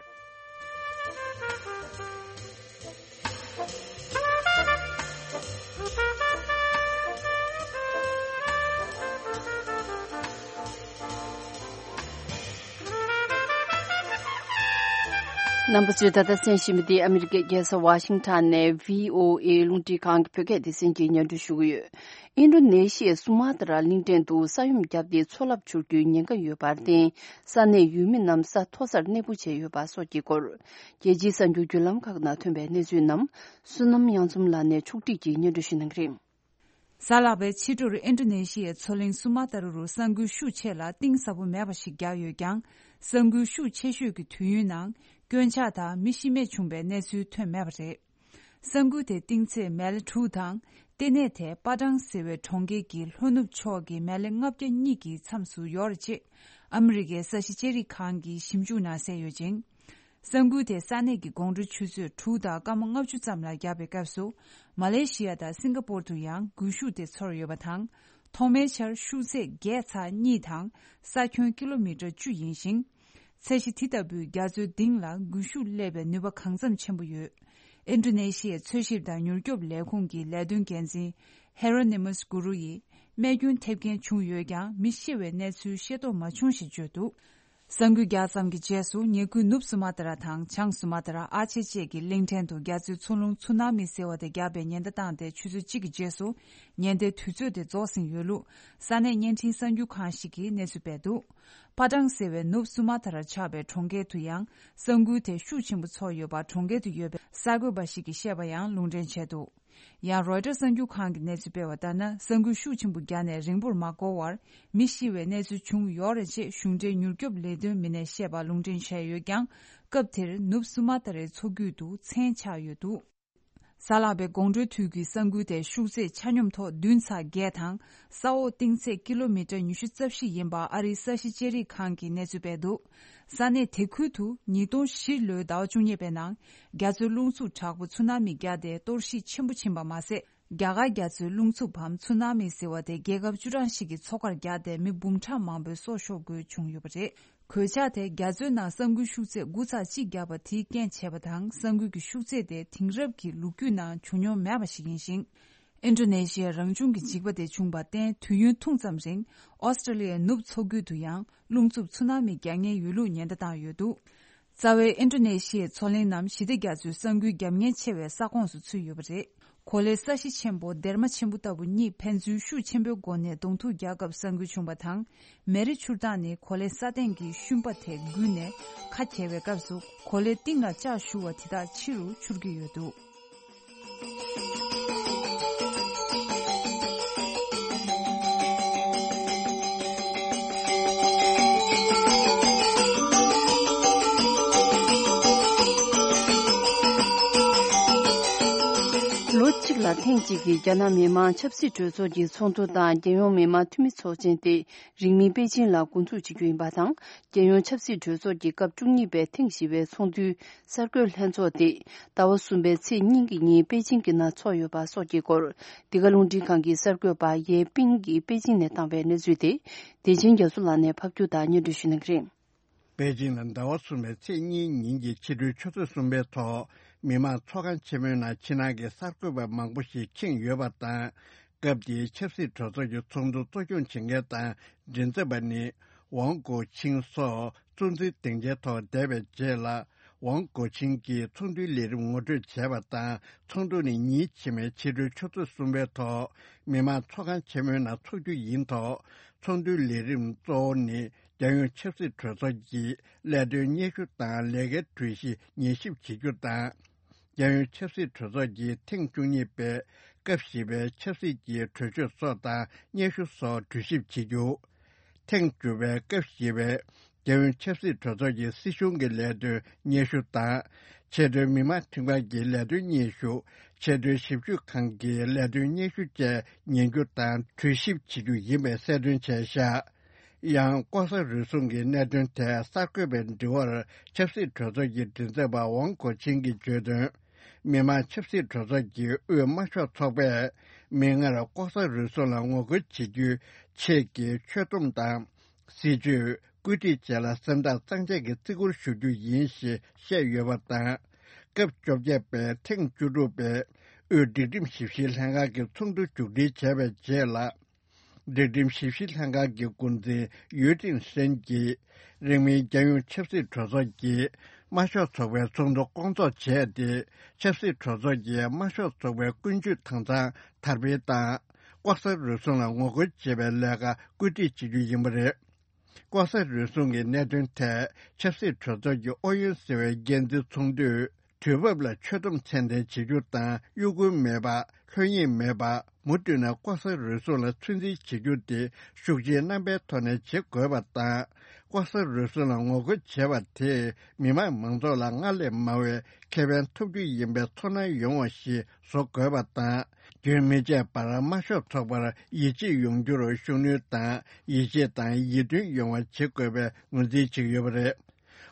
རྣམ་པ་ཚོས་ད་ལྟ་གསན་བཞིན་པ་འདི་ཨ་མི་རི་ཀའི་རྒྱལ་ས་ཝ་ཤིང་ཊོན་ནས་བྷི་ཨོ་ཨེ་རླུང་འཕྲིན་ཁང་གི་བོད་སྐད་སྡེ་ཚན་གྱིས་སྙན་སྒྲོན་ཞུ་གི་ཡོད། ཨིན་ཌོ་ནེ་ཤི་ཡའི་སུ་མ་ཏྲ་གླིང་ཕྲན་དུ་ས་ཡོམ་བརྒྱབ་སྟེ་མཚོ་རླབས་འཕྱུར་རྒྱུའི་ཉེན་ཁ་ཡོད་པར་བརྟེན། ས་གནས་ཡུལ་མི་རྣམས་ས་མཐོ་སར་གནས་སྤོ་བྱས་ཡོད་པ་སོགས་ཀྱི་སྐོར། རྒྱལ་སྤྱིའི་གསར་འགྱུར་བརྒྱུད་ལམ་ཁག་ནང་ཐོན་པའི་གནས་ཚུལ་རྣམས་བསོད་ནམས་དབྱངས་འཛོམས་ལགས་ནས་ཕྱོགས་སྒྲིག་གིས་སྙན་སྒྲོན་ཞུ་གནང་གི་རེད། གཟའ་ལྷག་པའི་ཕྱི་དྲོར་ཨིན་ཌོ་ནེ་ཤི་ཡའི་མཚོ་གླིང་སུ་མ་ཏྲ་རུ་ས་འགུལ་ཤུགས་ཆེ་ལ་གཏིང་ཟབ་པོ་མེད་པ་ཞིག་བརྒྱབ་ཡོད་ཀྱང་། ས་འགུལ་ཤུགས་ཆེ་ཤོས་ཀྱི་དུས་ཡུན་ནང་སྐྱོན་ཆག་དང་མི་ཤི་རྨས་བྱུང་བའི་གནས་ཚུལ་ཐོན་མེད་པ་རེད། ས་འགུལ་དེ་གཏིང་ཚད་མལ་དྲུག་དང་ ལྟེ་གནས་དེ་པ་ཀྲང་ཟེར་བའི་གྲོང་ཁྱེར་གྱི་ལྷོ་ནུབ་ཕྱོགས་ཀྱི་མེ་ལེ་ལྔ་བརྒྱ་གཉིས་ཀྱི་མཚམས་སུ་ཡོད་རེད་ཅེས་ཨ་མི་རི་ཀའི་ས་གཞི་ལྕགས་རིག་ཁང་གི་ཞིབ་འཇུག་ནང་གསལ་ཡོད་ཅིང་། ས་འགུལ་དེ་ས་གནས་ཀྱི་དགོང་དྲོ་ཆུ་ཚོད་དྲུག་དང་སྐར་མ་ལྔ་བཅུ་ཙམ་ལ་བརྒྱབ་པའི་སྐབས་སུ། མ་ལེ་ཤི་ཡ་དང་སིང་ག་པོར་དུ་ཡང་སྒུལ་ཤུགས་དེ་ཚོར་ཡོད་པ་དང་། ཐོག་མའི་ཆར་ཤུགས་ཚད་བརྒྱད་ཚེག་གཉིས་དང་ས་ཁྱོན་ཀི་ལོ་མི་ཊར་བཅུ་ཡིན་ཞིང་། ཚད་གཞི་དེ་ལྟ་བུའི་རྒྱ་མཚོའི་ལྡིང་ལ་སྒུལ་ཤུགས་སླེབས་པའི་ནུས་པ་གང་འཚམ་ཆེན་པོ་ཡོད། ཨིན་ཌོ་ནེ་ཤི་ཡའི་འཚོལ་ཞིབ་དང་མྱུར་སྐྱོབ་ལས་ཁུངས་ཀྱི་ལས་དོན་འགན་འཛིན་ཧེ་རོ་ནི་མོ་སི་གུ་རུ་ཡིས། རྨས་སྐྱོན་ཐེབས་མཁན་བྱུང་ཡོད་ཀྱང་། མི་ཤི་བའི་གནས་ཚུལ་ཤེས་རྟོགས་མ་བྱུང་ཞེས་བརྗོད་འདུག། ས་འགུལ་རྒྱག་ཙམ་གྱི་རྗེས་སུ། ཉེ་ཁུལ་ནུབ་སུ་མ་ཏྲ་དང་བྱང་སུ་མ་ཏྲ། ཨ་ཆེ་བཅས་ཀྱི་གླིང་ཕྲན་དུ་རྒྱ་མཚོའི་འཚོ་རླུང་ཚུ་ན་མི་ཟེར་བ་དེ་བརྒྱབ་པའི་ཉེན་བརྡ་བཏང་སྟེ། ཆུ་ཚོད་གཅིག་གི་རྗེས་སུ་ཉེན་བརྡའི་དུས་ཚོད་དེ་རྫོགས་ཟིན་ཡོད་ལུགས། ས་གནས་བརྙན་འཕྲིན་གསར་འགྱུར་ཁང་ཞིག་གིས་གནས་ཚུལ་སྤེལ་འདུག། པ་ཀྲང་ཟེར་བའི་ནུབ་སུ་མ་ཏྲར་ཆགས་པའི་གྲོང་ཁྱེར་དུ་ཡང་། ས་འགུལ་དེ་ཤུགས་ཆེན་པོ་ཚོར་ཡོད་པ། གྲོང་ཁྱེར་དུ་ཡོད་པའི་གསར་འགོད་པ་ཞིག་གིས་བཤད་པ་ཡང་ལུང་འདྲེན་བྱས་འདུག། ཡང་རོའི་ཊར་གསར་འགྱུར་ཁང་གིས་གནས་ཚུལ་སྤེལ་བ་ལྟར་ན། ས་འགུལ་ཤུགས་ཆེན་པོ་བརྒྱབ་ནས་རིང་པོར་མ་འགོར་བར་མི་ཤི་བའི་གནས་ཚུལ་བྱུང་ཡོད་རེད་ཅེས་གཞུང་འབྲེལ་མྱུར་སྐྱོབ་ལས་དོན་མི་སྣས་བཤད་པ་ལུང་འདྲེན་བྱས་ཡོད་ཀྱང་། སྐབས་དེར་ནུབ་སུ་མ་ཏ་རའི་མཚོ་རྒྱུད་དུ་མཚན་ཆགས་ཡོད་འདུག། གཟའ་ལྷག་པའི་དགོང་དྲོའི་དུས་ཀྱི་ས་འགུལ་དེ་ཤུགས་ཚད་ཆ་སྙོམས་ཐོག་བདུན་ཚེག་བརྒྱད་དང་། ས་འོག་གཏིང་ཚད་ཀི་ལོ་མི་ཊར་ཉི་ཤུ་རྩ་བཞི་ཡིན་པ་ཨ་རིའི་ས་གཞི་ལྕགས་རིག་ཁང་གིས་གནས་ཚུལ་སྤེལ་འདུག། ས་གནས་དེ་ཁུལ་དུ་ཉིས་སྟོང་བཞི་ལོའི་ཟླ་བ་བཅུ་གཉིས་པའི་ནང་རྒྱ་མཚོའི་རླུང་འཚུབ་དྲག་པོ་ཚུ་ན་མི་བརྒྱབ་སྟེ་གཏོར་བཤིག་ཆེན་པོ་ཕྱིན་པ་མ་ཟད། རྒྱ་གར་རྒྱ་མཚོའི་རླུང་འཚུབ་བམ་ཚུ་ན་མི་ཟེར་བ་དེ་རྒྱལ་ཁབ་བཅུ་གྲངས་ཤིག་གི་མཚོ་ཁར་བརྒྱབ་སྟེ་མི་འབུམ་ཕྲག་མང་པོའི་སྲོག་ཤོར་དགོས་བྱུང་ཡོད་པ་རེད། གོད་ཆག་དེ་རྒྱ་མཚོའི་ནང་ས་འགུལ་ཤུགས་ཚད་དགུ་ཚེག་གཅིག་བརྒྱབ་པ་དེས་རྐྱེན་བྱས་པ་དང་། ས་འགུལ་གྱི་ཤུགས་ཚད་དེ་དེང་རབས་ཀྱི་ལོ་རྒྱུས་ནང་བྱུང་མྱོང་མེད་པ་ཞིག་ཡིན་ཞིང་། ཨིན་ཌོ་ནེ་ཤི་ཡའི་རང་བྱུང་གི་འཇིགས་པ་དེ་བྱུང་བར་བརྟེན། དུས་ཡུན་ཐུང་ཙམ་རིང་ཨོ་སི་ཀྲོ་ལི་ཡའི་ནུབ་མཚོ་ཁུལ་དུ་ཡང་རླུང་འཚུབ་ཚུ་ན་མི་རྒྱག་ཉེན་ཡོད་ལུགས་ཉེན་བརྡ་བཏང་ཡོད་འདུག། རྩ་བའི་ཨིན་ཌོ་ནེ་ཤི་ཡའི་མཚོ་གླིང་རྣམས་ཞི་བདེ་རྒྱ་མཚོའི་ས་འགུལ་རྒྱབ་ཉེན་ཆེ་བའི་ས་ཁོངས་སུ་ཚུད་ཡོད་པ་རེད། གོ་ལའི་ས་གཞི་ཆེན་པོ་སྡེར་མ་ཆེན་པོ་ལྟ་བུ་གཉིས་ཕན་ཚུན་ཤུགས་ཆེན་པོའི་སྒོ་ནས་གདོང་ཐུག་རྒྱག་སྐབས་ས་འགུལ་བྱུང་བ་དང་། མེ་རི་འཕྱུར་སྟངས་ནི་གོ་ལའི་ས་སྟེང་གི་ཤུན་པ་དེ་འགུལ་ནས་ཁ་གྱེས་པའི་སྐབས་སུ་གོ་ལའི་གཏིང་ལ་ལྕགས་ཞུ་བ་དེ་དག་ཕྱི་རུ་འཕྱུར་གྱི་ཡོད་འདུག། ལོ་གཅིག་ལ་ཐེངས་གཅིག་གི་རྒྱ་ནག་མི་དམངས་ཆབ་སྲིད་གྲོས་ཚོགས་ཀྱི་ཚོགས་འདུ་དང་། རྒྱལ་ཡོངས་མི་དམངས་འཐུས་མི་ཚོགས་ཆེན་དེ་རིང་མིན་པེ་ཅིང་ལ་འགོ་འཛུགས་བྱེད་རྒྱུ་ཡིན་པ་དང་། རྒྱལ་ཡོངས་ཆབ་སྲིད་གྲོས་ཚོགས་ཀྱི་སྐབས་བཅུ་གཉིས་པའི་ཐེངས་བཞི་པའི་ཚོགས་འདུའི་གསར་འགོད་ལྷན་ཚོགས་དེ་ཟླ་བ་གསུམ་པའི་ཚེས་གཉིས་ཀྱི་ཉིན་པེ་ཅིང་གི་ནང་འཚོགས་ཡོད་པ་སོགས་ཀྱི་སྐོར། འདི་ག་རླུང་འཕྲིན་ཁང་གི་གསར་འགོད་པ་ཡེ་པིང་གིས་པེ་ཅིང་ནས་བཏང་བའི་གནས་ཚུལ་དེ། བདེ་ཆེན་རྒྱ་མཚོ་ལགས་ནས་ཕབ་སྒྱུར་དང་སྙན་སྒྲོན་ཞུ་གནང་གི་རེད། པེ་ཅིང་ལ་ཟླ་བ་གསུམ་པའི་ཚེས་གཉིས་ཉིན་གྱི་ཕྱི་དྲོའི་ཆུ་ཚོད་གསུམ་པའི་ཐོག་མི་དམངས་ཚོགས་ཁང་ཆེན་མོའི་ནང་ཕྱི་ནང་གི་གསར་འགོད་པ་མང་པོ་ཞིག་ཁེངས་ཡོད་པ་དང་། སྐབས་དེའི་ཆབ་སྲིད་གྲོས་ཚོགས་ཀྱི་ཚོགས་འདུ་གཙོ་སྐྱོང་བྱེད་མཁན་དང་མགྲིན་ཚབ་པ་ནི་ཝང་གོ་ཆིང་སོགས་གཙོ་འཛིན་སྡིངས་ཆའི་ཐོག་བསྡད་པའི་རྗེས་ལ། ཝང་གོ་ཆིང་གིས་ཚོགས་འདུའི་ལས་རིམ་ངོ་སྤྲོད་བྱས་པ་དང་། ཚོགས་འདུ་ནི་ཉིན་ཕྱི་མའི་ཕྱི་དྲོའི་ཆུ་ཚོད་གསུམ་པའི་ཐོག་མི་དམངས་ཚོགས་ཁང་ཆེན་མོའི་ནང་འཚོགས་རྒྱུ་ཡིན་ཐོག། ཚོགས་འདུའི་ལས་རིམ་གཙོ་བོ་ནི། རྒྱལ་ཡོངས་ཆབ་སྲིད་གྲོས་ཚོགས་ཀྱི་ལས་དོན་སྙན་ཞུ་དང་ལས་ཀའི་གྲོས་གཞི་ཉན་ཞིབ་བྱེད་རྒྱུ་དང་། རྒྱལ་ཡོངས་ཆབ་སྲིད་གྲོས་ཚོགས་ཀྱི་ཐེངས་བཅུ་གཉིས་པའི་སྐབས་བཞི་པའི་ཆབ་སྲིད་ཀྱི་གྲོས་ཆོད་སོགས་དང་སྙན་ཞུ་སོགས་གྲོས་ཞིབ་བྱེད་རྒྱུ། ཐེངས་བཅུ་པའི་སྐབས་བཞི་པའི་རྒྱལ་ཡོངས་ཆབ་སྲིད་གྲོས་ཚོགས་ཀྱི་སྲིད་གཞུང་གི་ལས་དོན་སྙན་ཞུ་དང་། ཆེས་མཐོའི་མི་དམངས་ཁྲིམས་ཁང་གི་ལས་དོན་སྙན་ཞུ། ཆེས་མཐོའི་ཞིབ་དཔྱོད་ཁང་གི་ལས་དོན་སྙན་ཞུ་བཅས་ཉན་རྒྱུ་དང་གྲོས་ཞིབ་བྱེད་རྒྱུ་ཡིན་པའི་གསལ་སྟོན་བྱས་བཞག། ཡང་ལྐོག་ཟ་རུལ་སུངས་ཀྱི་གནད་དོན་ཐད་གསར་འགོད་པའི་དྲི་བར་ཆབ་སྲིད་གྲོས་ཚོགས་ཀྱི་མགྲིན་ཚབ་པ་ཝང་གོ་ཆིང་གིས་བརྗོད་དོན། མི་དམངས་ཆབ་སྲིད་གྲོས་ཚོགས་ཀྱི་དབུས་དམར་ཤོག་ཚོགས་པས་མིག་སྔར་ལྐོག་ཟ་རུལ་སུངས་ལ་ངོ་རྒོལ་བྱེད་རྒྱུའི་ཆེད་ཀྱི་ཆོད་སྡོམ་དང་། སྲིད་ཇུས། བཀོད་སྒྲིག་བཅས་ལ་སེམས་ཐག་གཙང་བཅད་ཀྱིས་བརྩི་བཀུར་ཞུ་རྒྱུ་ཡིན་ཞེས་བཤད་ཡོད་པ་དང་། སྐབས་བཅོ་བརྒྱད་པའི་ཐེངས་བཅུ་དྲུག་པའི་དབུས་སྒྲིག་ཁྲིམས་ཞིབ་བཤེར་ལྷན་ཁང་གི་ཚོགས་འདུ་མཇུག་སྒྲིལ་བྱས་པའི་རྗེས་ལ། སྒྲིག་ཁྲིམས་ཞིབ་བཤེར་ལྷན་ཁང་གི་འགོ་འཛིན་ཡུས་ཀྲིན་ཧྲེན་གྱིས། རིང་མིན་རྒྱལ་ཡོངས་ཆབ་སྲིད་གྲོས་ཚོགས་ཀྱིས་དམར་ཤོག་ཚོགས་པའི་ཚོགས་འདུ་སྐོང་ཚོགས་བྱས་ཏེ། ཆབ་སྲིད་གྲོས་ཚོགས་ཀྱིས་དམར་ཤོག་ཚོགས་པའི་ཀུན་སྤྱོད་དྭངས་གཙང་དར་སྤེལ་དང་། ལྐོག་ཟ་རུལ་སུངས་ལ་ངོ་རྒོལ་བྱེད་པའི་ལས་ཀ་བཀོད་སྒྲིག་བྱེད་རྒྱུ་ཡིན་པ་རེད། ལྐོག་ཟ་རུལ་སུངས་ཀྱི་གནད་དོན་ཐད་ཆབ་སྲིད་གྲོས་ཚོགས་ཀྱི་ཨོ་ཡོན་ཟེར་བའི་འགན་འཛིན་ཚོགས་འདུས་དུས་བབ་ལ་ཆོད་སྡོམ་ཚད་ལྡན་བྱེད་རྒྱུ་དང་གཡོ་འགུལ་མེད་པ། ལྷོད་གཡེང་མེད་པ། མུ་མཐུད་ནས་ལྐོག་ཟ་རུལ་སུངས་ལ་ཚོད་འཛིན་བྱེད་རྒྱུ་དེ་ཤུགས་ཆེའི་རྣམ་པའི་ཐོག་ནས་བྱེད་དགོས་པ་དང་། ལྐོག་ཟ་རུལ་སུངས་ལ་ངོ་རྒོལ་བྱས་པ་དེས་མི་དམངས་མང་ཚོགས་ལ་སྔར་ལས་མང་བའི་ཁེ་ཕན་ཐོབ་རྒྱུ་ཡིན་པའི་ཚོར་སྣང་ཡོང་བ་ཞིག་བཟོ་དགོས་པ་དང་། རྒྱུན་མི་ཆད་པར་དམར་ཤོག་ཚོགས་པར་ཡིད་ཆེས་ཡོང་རྒྱུར་ཤུགས་སྣོན་དང་། ཡིད་ཆེས་དང་ཡིད་མཐུན་ཡོང་བ་བྱེད་དགོས་པའི་ངོས་འཛིན་བྱེད་ཀྱི་ཡོད་པ་རེད།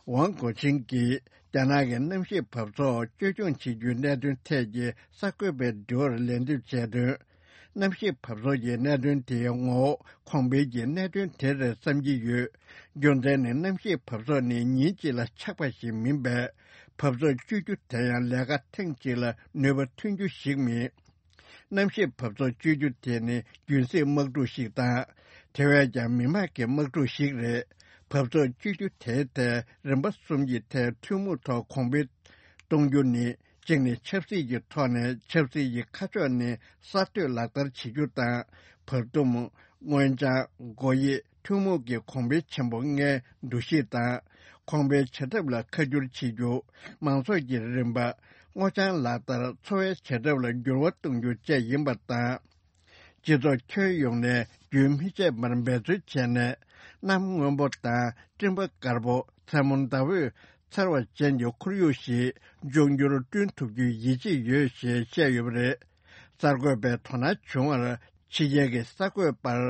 ཝང་གོ་ཆིང་གིས་རྒྱ་ནག་གི་གནམ་གཤིས་འབབ་ཚོགས་བཅོས་སྐྱོང་བྱེད་རྒྱུའི་གནད་དོན་ཐད་ཀྱི་གསར་འགོད་པའི་དྲི་བར་ལན་འདེབས་བྱས་དོན། གནམ་གཤིས་འབབ་ཚོགས་ཀྱི་གནད་དོན་དེའི་ངོ་བོ་གོང་འཕེལ་གྱི་གནད་དོན་དེ་རེད་བསམ་གྱི་ཡོད། རྒྱུ་མཚན་ནི་གནམ་གཤིས་འབབ་ཚོགས་ནི་ཉིན་གཅིག་ལ་ཆགས་པ་ཞིག་མིན་པས། འབབ་ཚོགས་བཅོས་རྒྱུ་དེ་ཡང་ལས་ཀ་ཐེངས་གཅིག་ལ་ནུས་པ་ཐོན་རྒྱུ་ཞིག་མིན། གནམ་གཤིས་འབབ་ཚོགས་བཅོས་རྒྱུ་དེ་ནི་རྒྱུན་སྲིང་དམག་འཁྲུག་ཞིག་དང་། དེ་བས་ཀྱང་མི་དམངས་ཀྱི་དམག་འཁྲུག་ཞིག་རེད། འབབ་ཚོགས་བཅོས་རྒྱུ་དེའི་ཐད་རིམ་པ་གསུམ་གྱི་ཐད་ཐུན་མོང་ཐོག་གོང་འཕེལ་གཏོང་རྒྱུ་ནི། གཅིག་ནི་ཆབ་སྲིད་ཀྱི་ཐོག་ནས་ཆབ་སྲིད་ཀྱི་ཁ་ཕྱོགས་ནི་གསར་གཏོད་ལག་བསྟར་བྱེད་རྒྱུ་དང་། བར་འདུམ། སྔོན་བྱང་། སྒོ་དབྱེ། ཐུན་མོང་གི་གོང་འཕེལ་ཆེན་པོ་ལྔའི་འདུ་ཤེས་དང་། གོང་འཕེལ་བྱ་ཐབས་ལ་ཁ་བསྒྱུར་བྱེད་རྒྱུ། མང་ཚོགས་ཀྱི་རིམ་པ། སྔོ་ལྗང་ལག་བསྟར། འཚོ་བའི་བྱ་ཐབས་ལ་འགྱུར་བ་གཏོང་རྒྱུ་བཅས་ཡིན་པ་དང་། སྤྱི་ཚོགས་ཁྱོན་ཡོངས་ནས་རྒྱུན་མི་ཆད་པར་འབད་བརྩོན་བྱས་ནས། གནམ་སྔོན་པོ་དང་སྤྲིན་པ་དཀར་པོ། མཚན་མོ་ཟླ་འོད་འཚེར་བ་ཅན་གྱི་ཁོར་ཡུག་ཞིག་འབྱུང་འགྱུར་བསྐྲུན་ཐུབ་རྒྱུའི་ཡིད་ཆེས་ཡོད་ཞེས་བཤད་ཡོད་པ་རེད། གསར་འགོད་པས་དོ་སྣང་བྱུང་བར། ཕྱི་རྒྱལ་གྱི་གསར་འགོད་པར་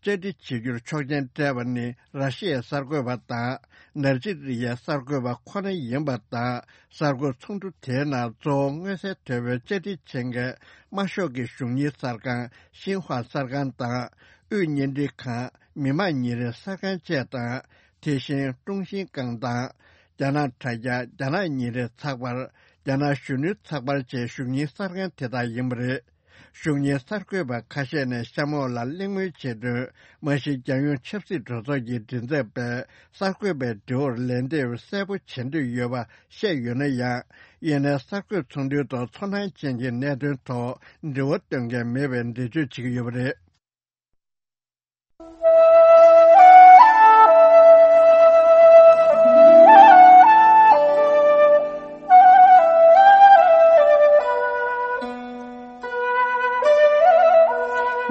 བཅར་འདྲི་བྱེད་རྒྱུར་ཆོག་མཆན་སྤྲད་པ་ནི་ར་ཤི་ཡའི་གསར་འགོད་པ་དང་། ནཱི་ཇི་རི་ཡའི་གསར་འགོད་པ་ཁོ་ན་ཡིན་པ་དང་། གསར་འགོད་ཚོགས་འདུ་དེའི་ནང་གཙོ་བོ་མངོན་གསལ་དོད་པའི་བཅར་འདྲི་བྱེད་མཁན་དམར་ཤོག་གི་གཞུང་གཉེར་གསར་ཁང་། ཤིན་ཧྭ་གསར་ཁང་དང་། དབུས་བརྙན་འཕྲིན་ཁང་། མི་དམངས་ཉིན་རེའི་གསར་ཁང་བཅས་དང་། དེ་བཞིན་ཀྲུང་ཤིན་ཀང་དང་། རྒྱ་ནག་དྲ་རྒྱ། རྒྱ་ནག་ཉིན་རེའི་ཚགས་པར། རྒྱ་ནག་གཞོན་ནུའི་ཚགས་པར་བཅས་གཞུང་གཉེར་གསར་ཁང་དེ་དག་ཡིན་པ་རེད། གཞུང་གཉེར་གསར་འགོད་པ་ཁ་ཤས་ནས་གཤམ་འོག་ལ་གླེང་མོལ་བྱས་དོན། མ་གཞི་རྒྱལ་ཡོངས་ཆབ་སྲིད་གྲོས་ཚོགས་ཀྱི་མགྲིན་ཚབ་པས་གསར་འགོད་པའི་དྲི་བར་ལན་འདེབས་གསལ་པོ་བྱེད་འདོད་ཡོད་པ་བཤད་ཡོད་ན་ཡང་། ཡིན་ནའི་གསར་འགོད་ཚོགས་འདུའི་ཐོག་ཚོར་སྣང་ཅན་གྱི་གནད་དོན་ཐོག་འདྲི་བ་བཏོན་མཁན་མེད་པའི་འགྲེལ་བརྗོད་བྱེད་ཀྱི་ཡོད་པ་རེད།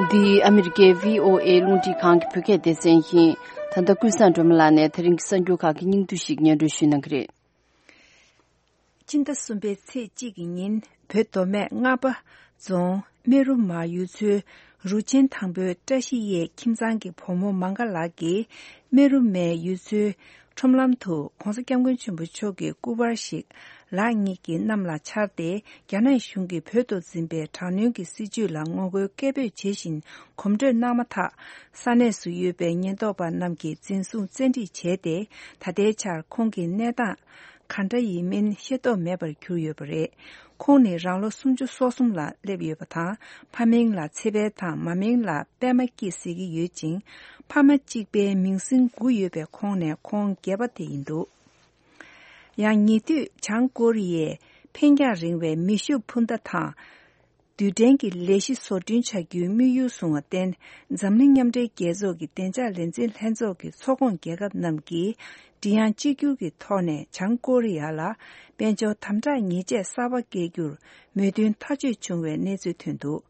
འདི་ཨ་མི་རི་ཀའི་བྷི་ཨོ་ཨེ་རླུང་འཕྲིན་ཁང་གི་བོད་སྐད་སྡེ་ཚན་ཡིན། ད་ལྟ་ཀུན་བཟང་སྒྲོལ་མ་ལགས་ནས་དེ་རིང་གི་གསར་འགྱུར་ཁག་གི་སྙིང་བསྡུས་ཤིག་སྙན་སྒྲོན་ཞུ་གནང་གི་རེད། སྤྱི་ཟླ་གསུམ་པའི་ཚེས་གཅིག་གི་ཉིན་བོད་མདོ་སྨད་རྔ་པ་རྫོང་སྨན་རུ་མ་ཡུལ་ཚོའི་རུ་ཆེན་དང་པོའི་བཀྲ་ཤིས་གཡས་ཁྱིམ་ཚང་གི་བུ་མོ་མང་ག་ལགས་ཀྱིས་སྨན་རུ་མའི་ཡུལ་ཚོའི་ཁྲོམ་ལམ་དུ་༸གོང་ས་༸སྐྱབས་མགོན་ཆེན་པོ་མཆོག་གི་སྐུ་པར་ཞིག་ལག་གཉིས་ཀྱིས་གནམ་ལ་འཕྱར་ཏེ། རྒྱ་ནག་གཞུང་གིས་བོད་དུ་འཛིན་པའི་དྲག་གནོན་གྱི་སྲིད་བྱུས་ལ་ངོ་རྒོལ་སྐད་འབོད་བྱེད་བཞིན་གོམ་བགྲོད་གནང་མ་ཐག་ས་གནས་སུ་ཡོད་པའི་ཉེན་རྟོག་པ་རྣམས་ཀྱིས་འཛིན་བཟུང་བཙན་ཁྲིད་བྱས་ཏེ། ད་ལྟའི་ཆར་ཁོང་གི་གནས་སྟངས་ག་འདྲ་ཡིན་མིན་ཤེས་རྟོགས་མེད་པར་གྱུར་ཡོད་པ་རེད། ཁོང་ནི་རང་ལོ་སུམ་ཅུ་སོ་གསུམ་ལ་སླེབས་ཡོད་པ་དང་། ཕ་མིང་ལ་ཚེ་འཕེལ་དང་། མ་མིང་ལ་པད་མ་སྐྱིད་ཟེར་གྱི་ཡོད་ཅིང་། ཕ་མ་གཅིག་པའི་མིང་སྲིང་དགུ་ཡོད་པའི་ཁོངས་ནས་ཁོང་བརྒྱད་པ་དེ་ཡིན་འདུག་ཡང་ཉེ་དུས་བྱང་ཀོ་རི་ཡས་འཕེན་རྒྱང་རིང་བའི་མེ་ཤུགས་འཕུར་མདའ་དང་། རྡུལ་ཕྲན་གྱི་ལས་གཞི་བཟོ་སྐྲུན་བྱ་རྒྱུའི་དམིགས་ཡུལ་བཟུང་བར་བརྟེན། འཛམ་གླིང་མཉམ་འབྲེལ་རྒྱལ་ཚོགས་ཀྱི་བདེ་འཇགས་ལས་འཛིན་ལྷན་ཚོགས་ཀྱི་ཚོགས་ཁོངས་རྒྱལ་ཁབ་རྣམས་ཀྱིས་མགྲིན་དབྱངས་གཅིག་གྱུར་གྱི་ཐོག་ནས་བྱང་ཀོ་རི་ཡ་ལ་དཔལ་འབྱོར་དམ་དྲག་ཉེས་ཆད་གསར་པ་བཀལ་རྒྱུར་མོས་མཐུན་ཐག་གཅོད་བྱུང་བའི་གནས་ཚུལ་ཐོན་འདུག་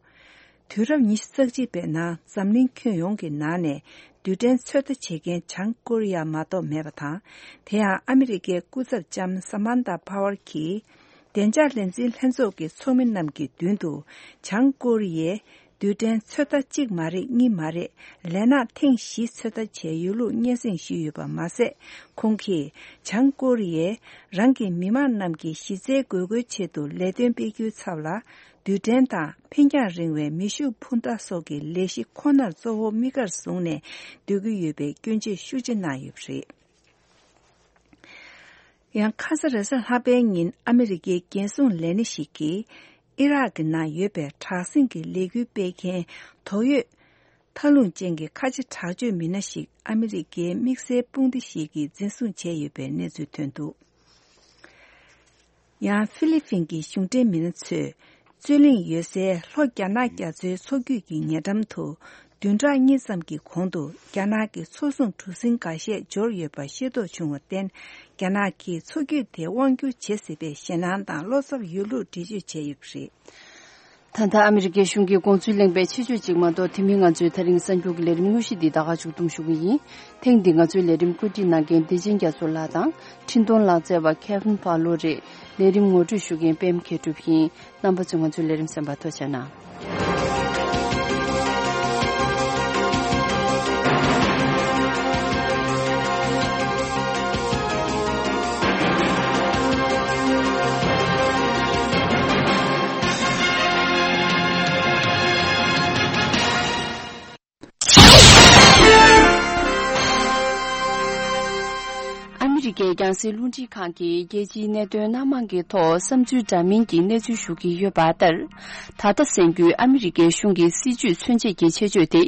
དུས་རབས་ཉི་ཤུ་རྩ་གཅིག་པའི་ནང་འཛམ་གླིང་ཁྱོན་ཡོངས་ཀྱི་ནང་ནས་རྡུལ་ཕྲན་ཚོད་ལྟ་བྱེད་མཁན་བྱང་ཀོ་རི་ཡ་མ་གཏོགས་མེད་པ་དང་། དེ་ཡང་ཨ་མི་རི་ཀའི་སྐུ་ཚབ་ལྕམ་ས་མན་ཐ་པ་ཝར་གྱིས། བདེ་འཇགས་ལས་འཛིན་ལྷན་ཚོགས་ཀྱི་ཚོགས་མི་རྣམས་ཀྱི་མདུན་དུ། བྱང་ཀོ་རི་ཡས་རྡུལ་ཕྲན་ཚོད་ལྟ་གཅིག་མ་རེད། གཉིས་མ་རེད། ལས་ནག་ཐེངས་བཞི་ཚོད་ལྟ་བྱས་ཡོད་ལུགས་སྙན་སེང་ཞུས་ཡོད་པ་མ་ཟད། ཁོང་གིས་བྱང་ཀོ་རི་ཡས་རང་གི་མི་མང་རྣམས་ཀྱི་གཞི་རྩའི་དགོས་མཁོའི་ཆེད་དུ་ལས་དོན་སྤེལ་རྒྱུའི་ཚབ་ལ། རྡུལ་ཕྲན་དང་འཕེན་རྒྱང་རིང་བའི་མེ་ཤུགས་འཕུར་མདའ་སོགས་ཀྱི་ལས་གཞི་ཁོ་ནར་གཙོ་བོ་དམིགས་ཀར་བཟུང་ནས་སྡོད་ཀྱི་ཡོད་པའི་སྐྱོན་བརྗོད་ཤུགས་ཆེ་གནང་ཡོད་པ་རེད། ཡང་ཁ་ས་རེས་གཟའ་ལྷག་པའི་ཉིན་ཨ་མི་རི་ཀའི་རྒྱལ་སྲུང་ལས་སྣེ་ཞིག་གིས་ཨི་རག་གི་ནང་ཡོད་པའི་དྲག་ཟིང་གི་ལས་འགུལ་སྤེལ་མཁན་དོགས་ཡོད་མཐའ་ལྷུང་ཅན་གྱི་ཁ་ཆེ་དྲག་སྤྱོད་མི་སྣ་ཞིག་ཨ་མི་རི་ཀའི་དམིགས་བསལ་དཔུང་སྡེ་ཞིག་གིས་འཛིན་བཟུང་བྱས་ཡོད་པའི་གནས་ཚུལ་ཐོན་འདུག་ཡང་ཧྥི་ལི་ཕིན་གྱི་གཞུང་འབྲེལ་མི་སྣ་ཚོས་རྩོད་གླེང་ཡོད་སའི་ལྷོ་རྒྱ་ནག་རྒྱ་མཚོའི་མཚོ་རྒྱུད་ཀྱི་ཉེ་འགྲམ་དུ་བདུན་ཕྲག་གཉིས་ཙམ་གྱི་གོང་དུ་རྒྱ་ནག་གི་མཚོ་སྲུང་གྲུ་གཟིངས་འགའ་ཤས་འབྱོར་ཡོད་པ་ཤེས་རྟོགས་བྱུང་བར་བརྟེན། རྒྱ་ནག་གིས་མཚོ་རྒྱུད་དེ་དབང་བསྒྱུར་བྱེད་སྲིད་པའི་ཞེད་སྣང་དང་བློ་འཚབ་ཡོད་ལུགས་འགྲེལ་བརྗོད་བྱས་ཡོད་པ་རེད། ད་ལྟ་ཨ་མི་རི་ཀའི་གཞུང་གིས་དགོངས་ཚུལ་གླེང་བའི་ཆེད་བརྗོད་ཅིག་མ་གཏོགས། དེ་མིན་ང་ཚོའི་ད་རིང་གསར་འགྱུར་གྱི་ལས་རིམ་དངོས་གཞི་འདི་ད་ག་མཇུག་བསྡོམས་ཞུ་གི་ཡིན། ཐེངས་འདི་ང་ཚོའི་ལས་རིམ་བཀོད་སྒྲིག་གནང་མཁན་བདེ་ཆེན་རྒྱ་མཚོ་ལགས་དང་། འཕྲིན་གཏོང་ལག་རྩལ་བ་ཁེ་ཝིན་ཕ་ལོ་རེད། ལས་རིམ་ངོ་སྤྲོད་ཞུ་མཁན་པད་མ་མཁས་གྲུབ་ཡིན། རྣམ་པ་ཚོས་ང་ཚོའི་ལས་རིམ་གསན་པར་ཐུགས་རྗེ་གནང་། ཨ་མི་རི་ཀའི་རྒྱང་སྲིང་རླུང་འཕྲིན་ཁང་གིས་རྒྱལ་སྤྱིའི་གནད་དོན་སྣ་མང་གི་ཐོག་བསམ་ཚུལ་འདྲ་མིན་གྱི་གནས་ཚུལ་ཞུ་གི་ཡོད་པ་ལྟར། ད་ལྟ་གསན་རྒྱུའི་ཨ་མི་རི་ཀའི་གཞུང་གི་སྲིད་བྱུས་མཚོན་བྱེད་ཀྱི་ཆེད་བརྗོད་དེ།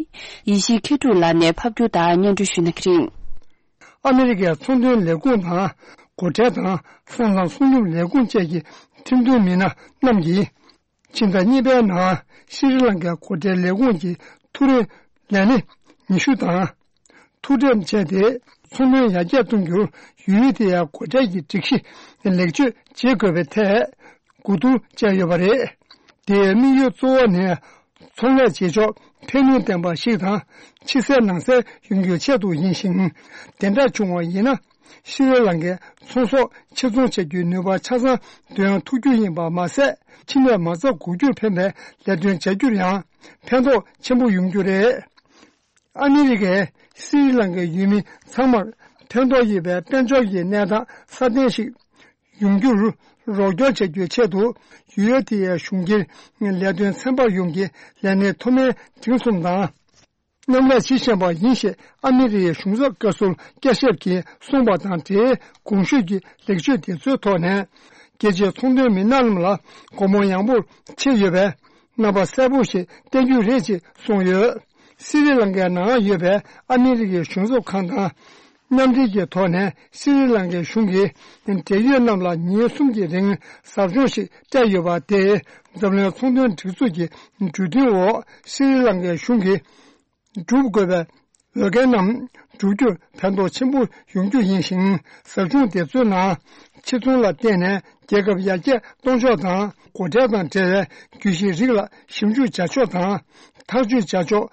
ཡེ་ཤེས་མཁས་གྲུབ་ལགས་ནས་ཕབ་སྒྱུར་དང་སྙན་སྒྲོན་ཞུ་གནང་གི་རེད། ཨ་མི་རི་ཀའི་ཚོང་དོན་ལས་ཁུངས་དང་། སྒོ་ཁྲལ་དང་ས་མཚམས་སྲུང་སྐྱོབ་ལས་ཁུངས་བཅས་ཀྱི་ཁྲིམས་དོན་མི་སྣ་རྣམས་ཀྱིས། ཕྱི་ཟླ་གཉིས་པའི་ནང་ཤྲི་ལང་ཀའི་སྒོ་ཁྲལ་ལས་ཁུངས་ཀྱི་ཐུགས་རེ་ལས་སྣེ་ཉི་ཤུ་དང་། ཐུགས་འགྲེམས་བྱས་ཏེ། ཚོང་དོན་ཡར་རྒྱས་གཏོང་རྒྱུར་ཡུལ་དེ་ཡང་སྒོ་ཁྲལ་གྱི་སྒྲིག་གཞི་ལེགས་བཅོས་བྱེད་དགོས་པའི་ཐད་གོ་བསྡུར་བྱས་ཡོད་པ་རེད། དེའི་དམིགས་ཡུལ་གཙོ་བོ་ནི། ཚོང་ལས་བྱེད་ཕྱོགས་ཕན་ནུས་ལྡན་པ་ཞིག་དང་། ཕྱི་གསལ་ནང་གསལ་ཡོང་རྒྱུའི་ཆེད་དུ་ཡིན་ཞིང་། དེ་འདྲ་བྱུང་བ་ཡིན་ན། ཤྲི་ལང་ཀའི་ཚོང་ཟོག་ཕྱིར་ཚོང་བྱ་རྒྱུའི་ནུས་པ་ཆ་ཚང་འདོན་ཐུབ་རྒྱུ་ཡིན་པ་མ་ཟད། ཕྱི་ནས་མ་རྩ་འགུག་རྒྱུར་ཕན་པའི་ལས་དོན་བྱ་རྒྱུར་ཡང་ཕན་ཐོགས་ཆེན་པོ་ཡོང་རྒྱུ་རེད། ཨ་མི་རི་ཀས་ཤྲི་ལང་ཀའི་ཡུལ་མི་ཚང་མར་ཕན་ཐོགས་ཡོད་པའི་དཔལ་འབྱོར་གྱི་གནས་སྟངས་སྲ་བརྟན་ཞིག་ཡོང་རྒྱུར་རོགས་སྐྱོར་བྱ་རྒྱུའི་ཆེད་དུ། ཡུལ་དེའི་གཞུང་སྒེར་ལས་དོན་ཚན་པ་ཡོངས་ཀྱི་ལས་སྣེ་མཐོ་དམན་འབྲིང་གསུམ་དང་། མཉམ་ལས་བྱེད་བཞིན་པ་ཡིན་ཞེས་ཨ་མི་རི་ཡའི་གཞུང་ཚབ་བཀའ་ཟུར་ཀེ་ཤེབ་ཀྱིས་གསུངས་པ་དང་འབྲེལ། གོང་ཞུས་ཀྱི་ལེགས་བཅོས་དེ་ཚོའི་ཐོག་ནས། རྒྱལ་སྤྱིའི་ཚོང་དོན་མི་སྣ་རྣམས་ལ་སྒོ་མོ་ཡངས་པོར་ཕྱེ་ཡོད་པས། རྣམ་པ་གསལ་པོ་ཞིག་བསྟན་རྒྱུ་རེད་ཅེས་གསུངས་ཡོད། སི་རི་ལང་ཀའི་ནང་ཡོད་པའི་ཨ་མི་རི་ཀའི་གཞུང་ཚབ་ཁང་དང་། མཉམ་འབྲེལ་གྱི་ཐོག་ནས་སི་རི་ལང་ཀའི་གཞུང་གིས་འབྲེལ་ཡོད་རྣམས་ལ་ཉིན་གསུམ་གྱི་རིང་ཟབ་སྦྱོང་ཞིག་སྤྲད་ཡོད་པ་དེ། འཛམ་གླིང་ཚོང་དོན་སྒྲིག་འཛུགས་ཀྱི་གྲོས་མཐུན་འོག་སི་རི་ལང་ཀའི་གཞུང་གིས་སྒྲུབ་དགོས་པའི་འོས་འགན་རྣམས་བསྒྲུབ་རྒྱུར་ཕན་ཐོགས་ཆེན་པོ་ཡོང་རྒྱུ་ཡིན་ཞིང་། ཟབ་སྦྱོང་དེ་ཚོའི་ནང་ཕྱིར་ཚོང་ལ་བརྟེན་ནས་རྒྱལ་ཁབ་ཡར་རྒྱས་གཏོང་ཕྱོགས་དང་། སྒོ་ཁྲལ་དང་འབྲེལ་བའི་གྱོད་གཞི་རིགས་ལ་ཞིབ་འཇུག་བྱ་ཕྱོགས་དང་། ཐག་གཅོད་བྱ་ཕྱོགས།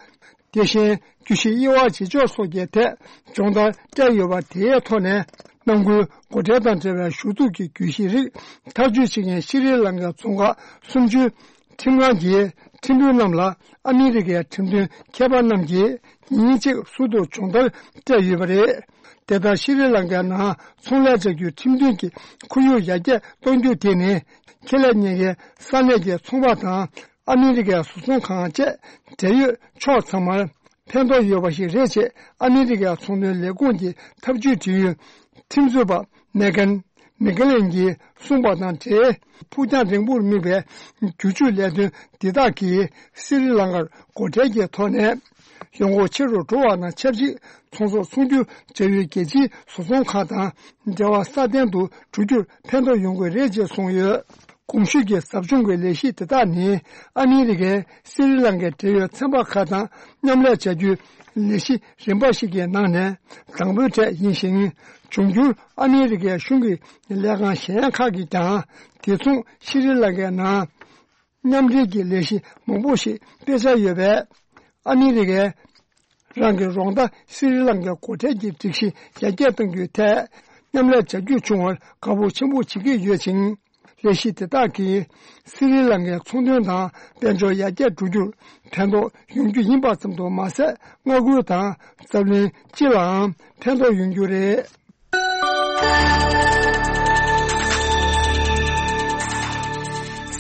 དེ་བཞིན་གྱོད་གཞི་དབྱེ་བ་འབྱེད་ཕྱོགས་སོགས་ཀྱི་ཐད་སྦྱོང་བརྡར་སྤྲད་ཡོད་པ་དེའི་ཐོག་ནས། ནང་ཁུལ་སྒོ་ཁྲལ་དང་འབྲེལ་བའི་ཞུ་གཏུག་གི་གྱོད་གཞི་རིགས་ཐག་གཅོད་བྱེད་མཁན་ཤྲི་ལང་ཀའི་རྫོང་ཁག་སུམ་ཅུའི་ཁྲིམས་ཁང་གི་ཁྲིམས་དཔོན་རྣམས་ལ་ཨ་མི་རི་ཀའི་ཁྲིམས་དོན་མཁས་པ་རྣམས་ཀྱིས་ཉིན་གཅིག་ཟུར་དུ་སྦྱོང་བརྡར་སྤྲད་ཡོད་པ་རེད། དེ་ལྟར་ཤྲི་ལང་ཀའི་ནང་ཚོང་ལས་བྱ་རྒྱུའི་ཁྲིམས་མཐུན་གྱི་ཁོར་ཡུག་ཡར་རྒྱས་གཏོང་རྒྱུ་དེ་ནི། ཁེ་ལས་གཉེར་མཁན་ས་གནས་ཀྱི་ཚོང་པ་དང་། ཨ་མི་རི་ཀའི་བཟོ་ཚོང་ཁང་བཅས་འབྲེལ་ཡོད་ཕྱོགས་ཚང་མར་ཕན་ཐོགས་ཡོད་པ་ཞིག་རེད་ཅེས། ཨ་མི་རི་ཀའི་ཚོང་དོན་ལས་ཁུངས་ཀྱི་ཐབས་ཇུས་འབྲེལ་ཡོད་ཁྲིམས་རྩོད་པ་མེ་གན་མེ་ག་ལན་གྱིས་གསུངས་པ་དང་འབྲེལ། ཕུགས་རྒྱང་རིང་པོར་དམིགས་པའི་བསྒྱུར་བཅོས་ལས་དོན་འདི་དག་གིས་སི་རི་ལང་ཀར་སྒོ་ཁྲལ་གྱི་ཐོག་ནས་ཡོང་སྒོ་ཆེ་རུ་འགྲོ་བ་དང་ཆབས་ཅིག་ཚོང་ཟོག་ཚོང་སྒྱུར་བྱ་ཡུལ་རྒྱལ་སྤྱིའི་བཟོ་ཚོང་ཁང་དང་འབྲེལ་བ་སྲ་བརྟན་དུ་འགྲོ་རྒྱུར་ཕན་ཐོགས་ཡོང་གི་རེད་ཅེས་གསུངས་ཡོད། གོང་ཞུས་ཀྱི་ཟབ་སྦྱོང་གི་ལས་གཞི་དེ་དག་ནི། ཨ་མི་རི་ཀས་སི་རི་ལང་ཀའི་འབྲེལ་ཡོད་ཚན་པ་ཁག་དང་མཉམ་ལས་བྱ་རྒྱུའི་ལས་གཞི་རིམ་པ་ཞིག་གི་ནང་ནས་དང་པོའི་གྲས་ཡིན་ཞིང་། འབྱུང་འགྱུར་ཨ་མི་རི་ཀའི་གཞུང་གི་ལས་ཁང་གཞན་ཁག་གིས་ཀྱང་དེ་མཚུངས་ཤྲི་ལང་ཀའི་ནང་མཉམ་འབྲེལ་གྱི་ལས་གཞི་མང་པོ་ཞིག་སྤེལ་འཆར་ཡོད་པས། ཨ་མི་རི་ཀས་རང་གི་རོགས་ཟླ་སི་རི་ལང་ཀའི་སྒོ་ཁྲལ་གྱི་སྒྲིག་གཞི་ཡར་རྒྱས་གཏང་རྒྱུའི་ཐད་མཉམ་ལས་བྱ་རྒྱུ་བྱུང་བར་དགའ་པོ་ཆེན་པོ་བྱེད་ཀྱི་ཡོད་ཅིང་། ལས་གཞི་དེ་དག་གིས་སི་རི་ལང་ཀའི་ཚོང་དོན་དང་དཔལ་འབྱོར་ཡར་རྒྱས་འགྲོ་རྒྱུར་ཕན་ཐོགས་ཡོང་རྒྱུ་ཡིན་པ་ཙམ་དུ་མ་ཟད། མངའ་ཁུལ་དང་འཛམ་གླིང་སྤྱི་ལའང་ཕན་ཐོགས་ཡོང་རྒྱུ་རེད།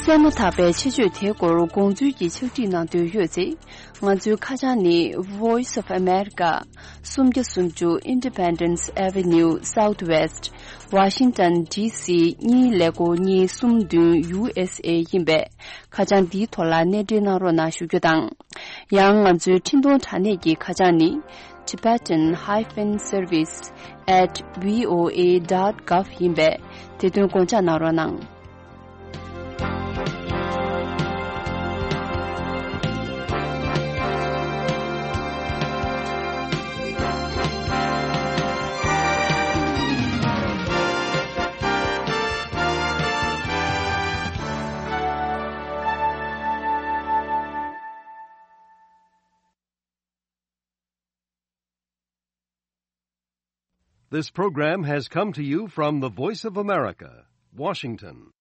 གསན་མ་ཐག་པའི་ཆེད་བརྗོད་དེའི་སྐོར་དགོངས་ཚུལ་གྱི་ཕྱག་བྲིས་གནང་འདོད་ཡོད་ཚེ། ང་ཚོའི་ཁ་བྱང་ནི། Voice of America། སུམ་བརྒྱ་སུམ་ཅུ་Independence Avenue Southwest། Washington D C གཉིས་ཀླད་ཀོར་གཉིས་གསུམ་བདུན། U S A ཡིན་པས། ཁ་བྱང་འདིའི་ཐོག་ལ་གནས་འབྲེལ་གནང་རོགས་གནང་ཞུ་རྒྱུ་དང་། ཡང་ང་ཚོའི་འཕྲིན་གཏོང་དྲ་གནས་ཀྱི་ཁ་བྱང་ནི། Tibetan hyphen service at V O A dot gov ཡིན་པས། དེ་དོན་དགོངས་འཇགས་གནང་རོགས་གནང་། This program has come to you from the Voice of America, Washington.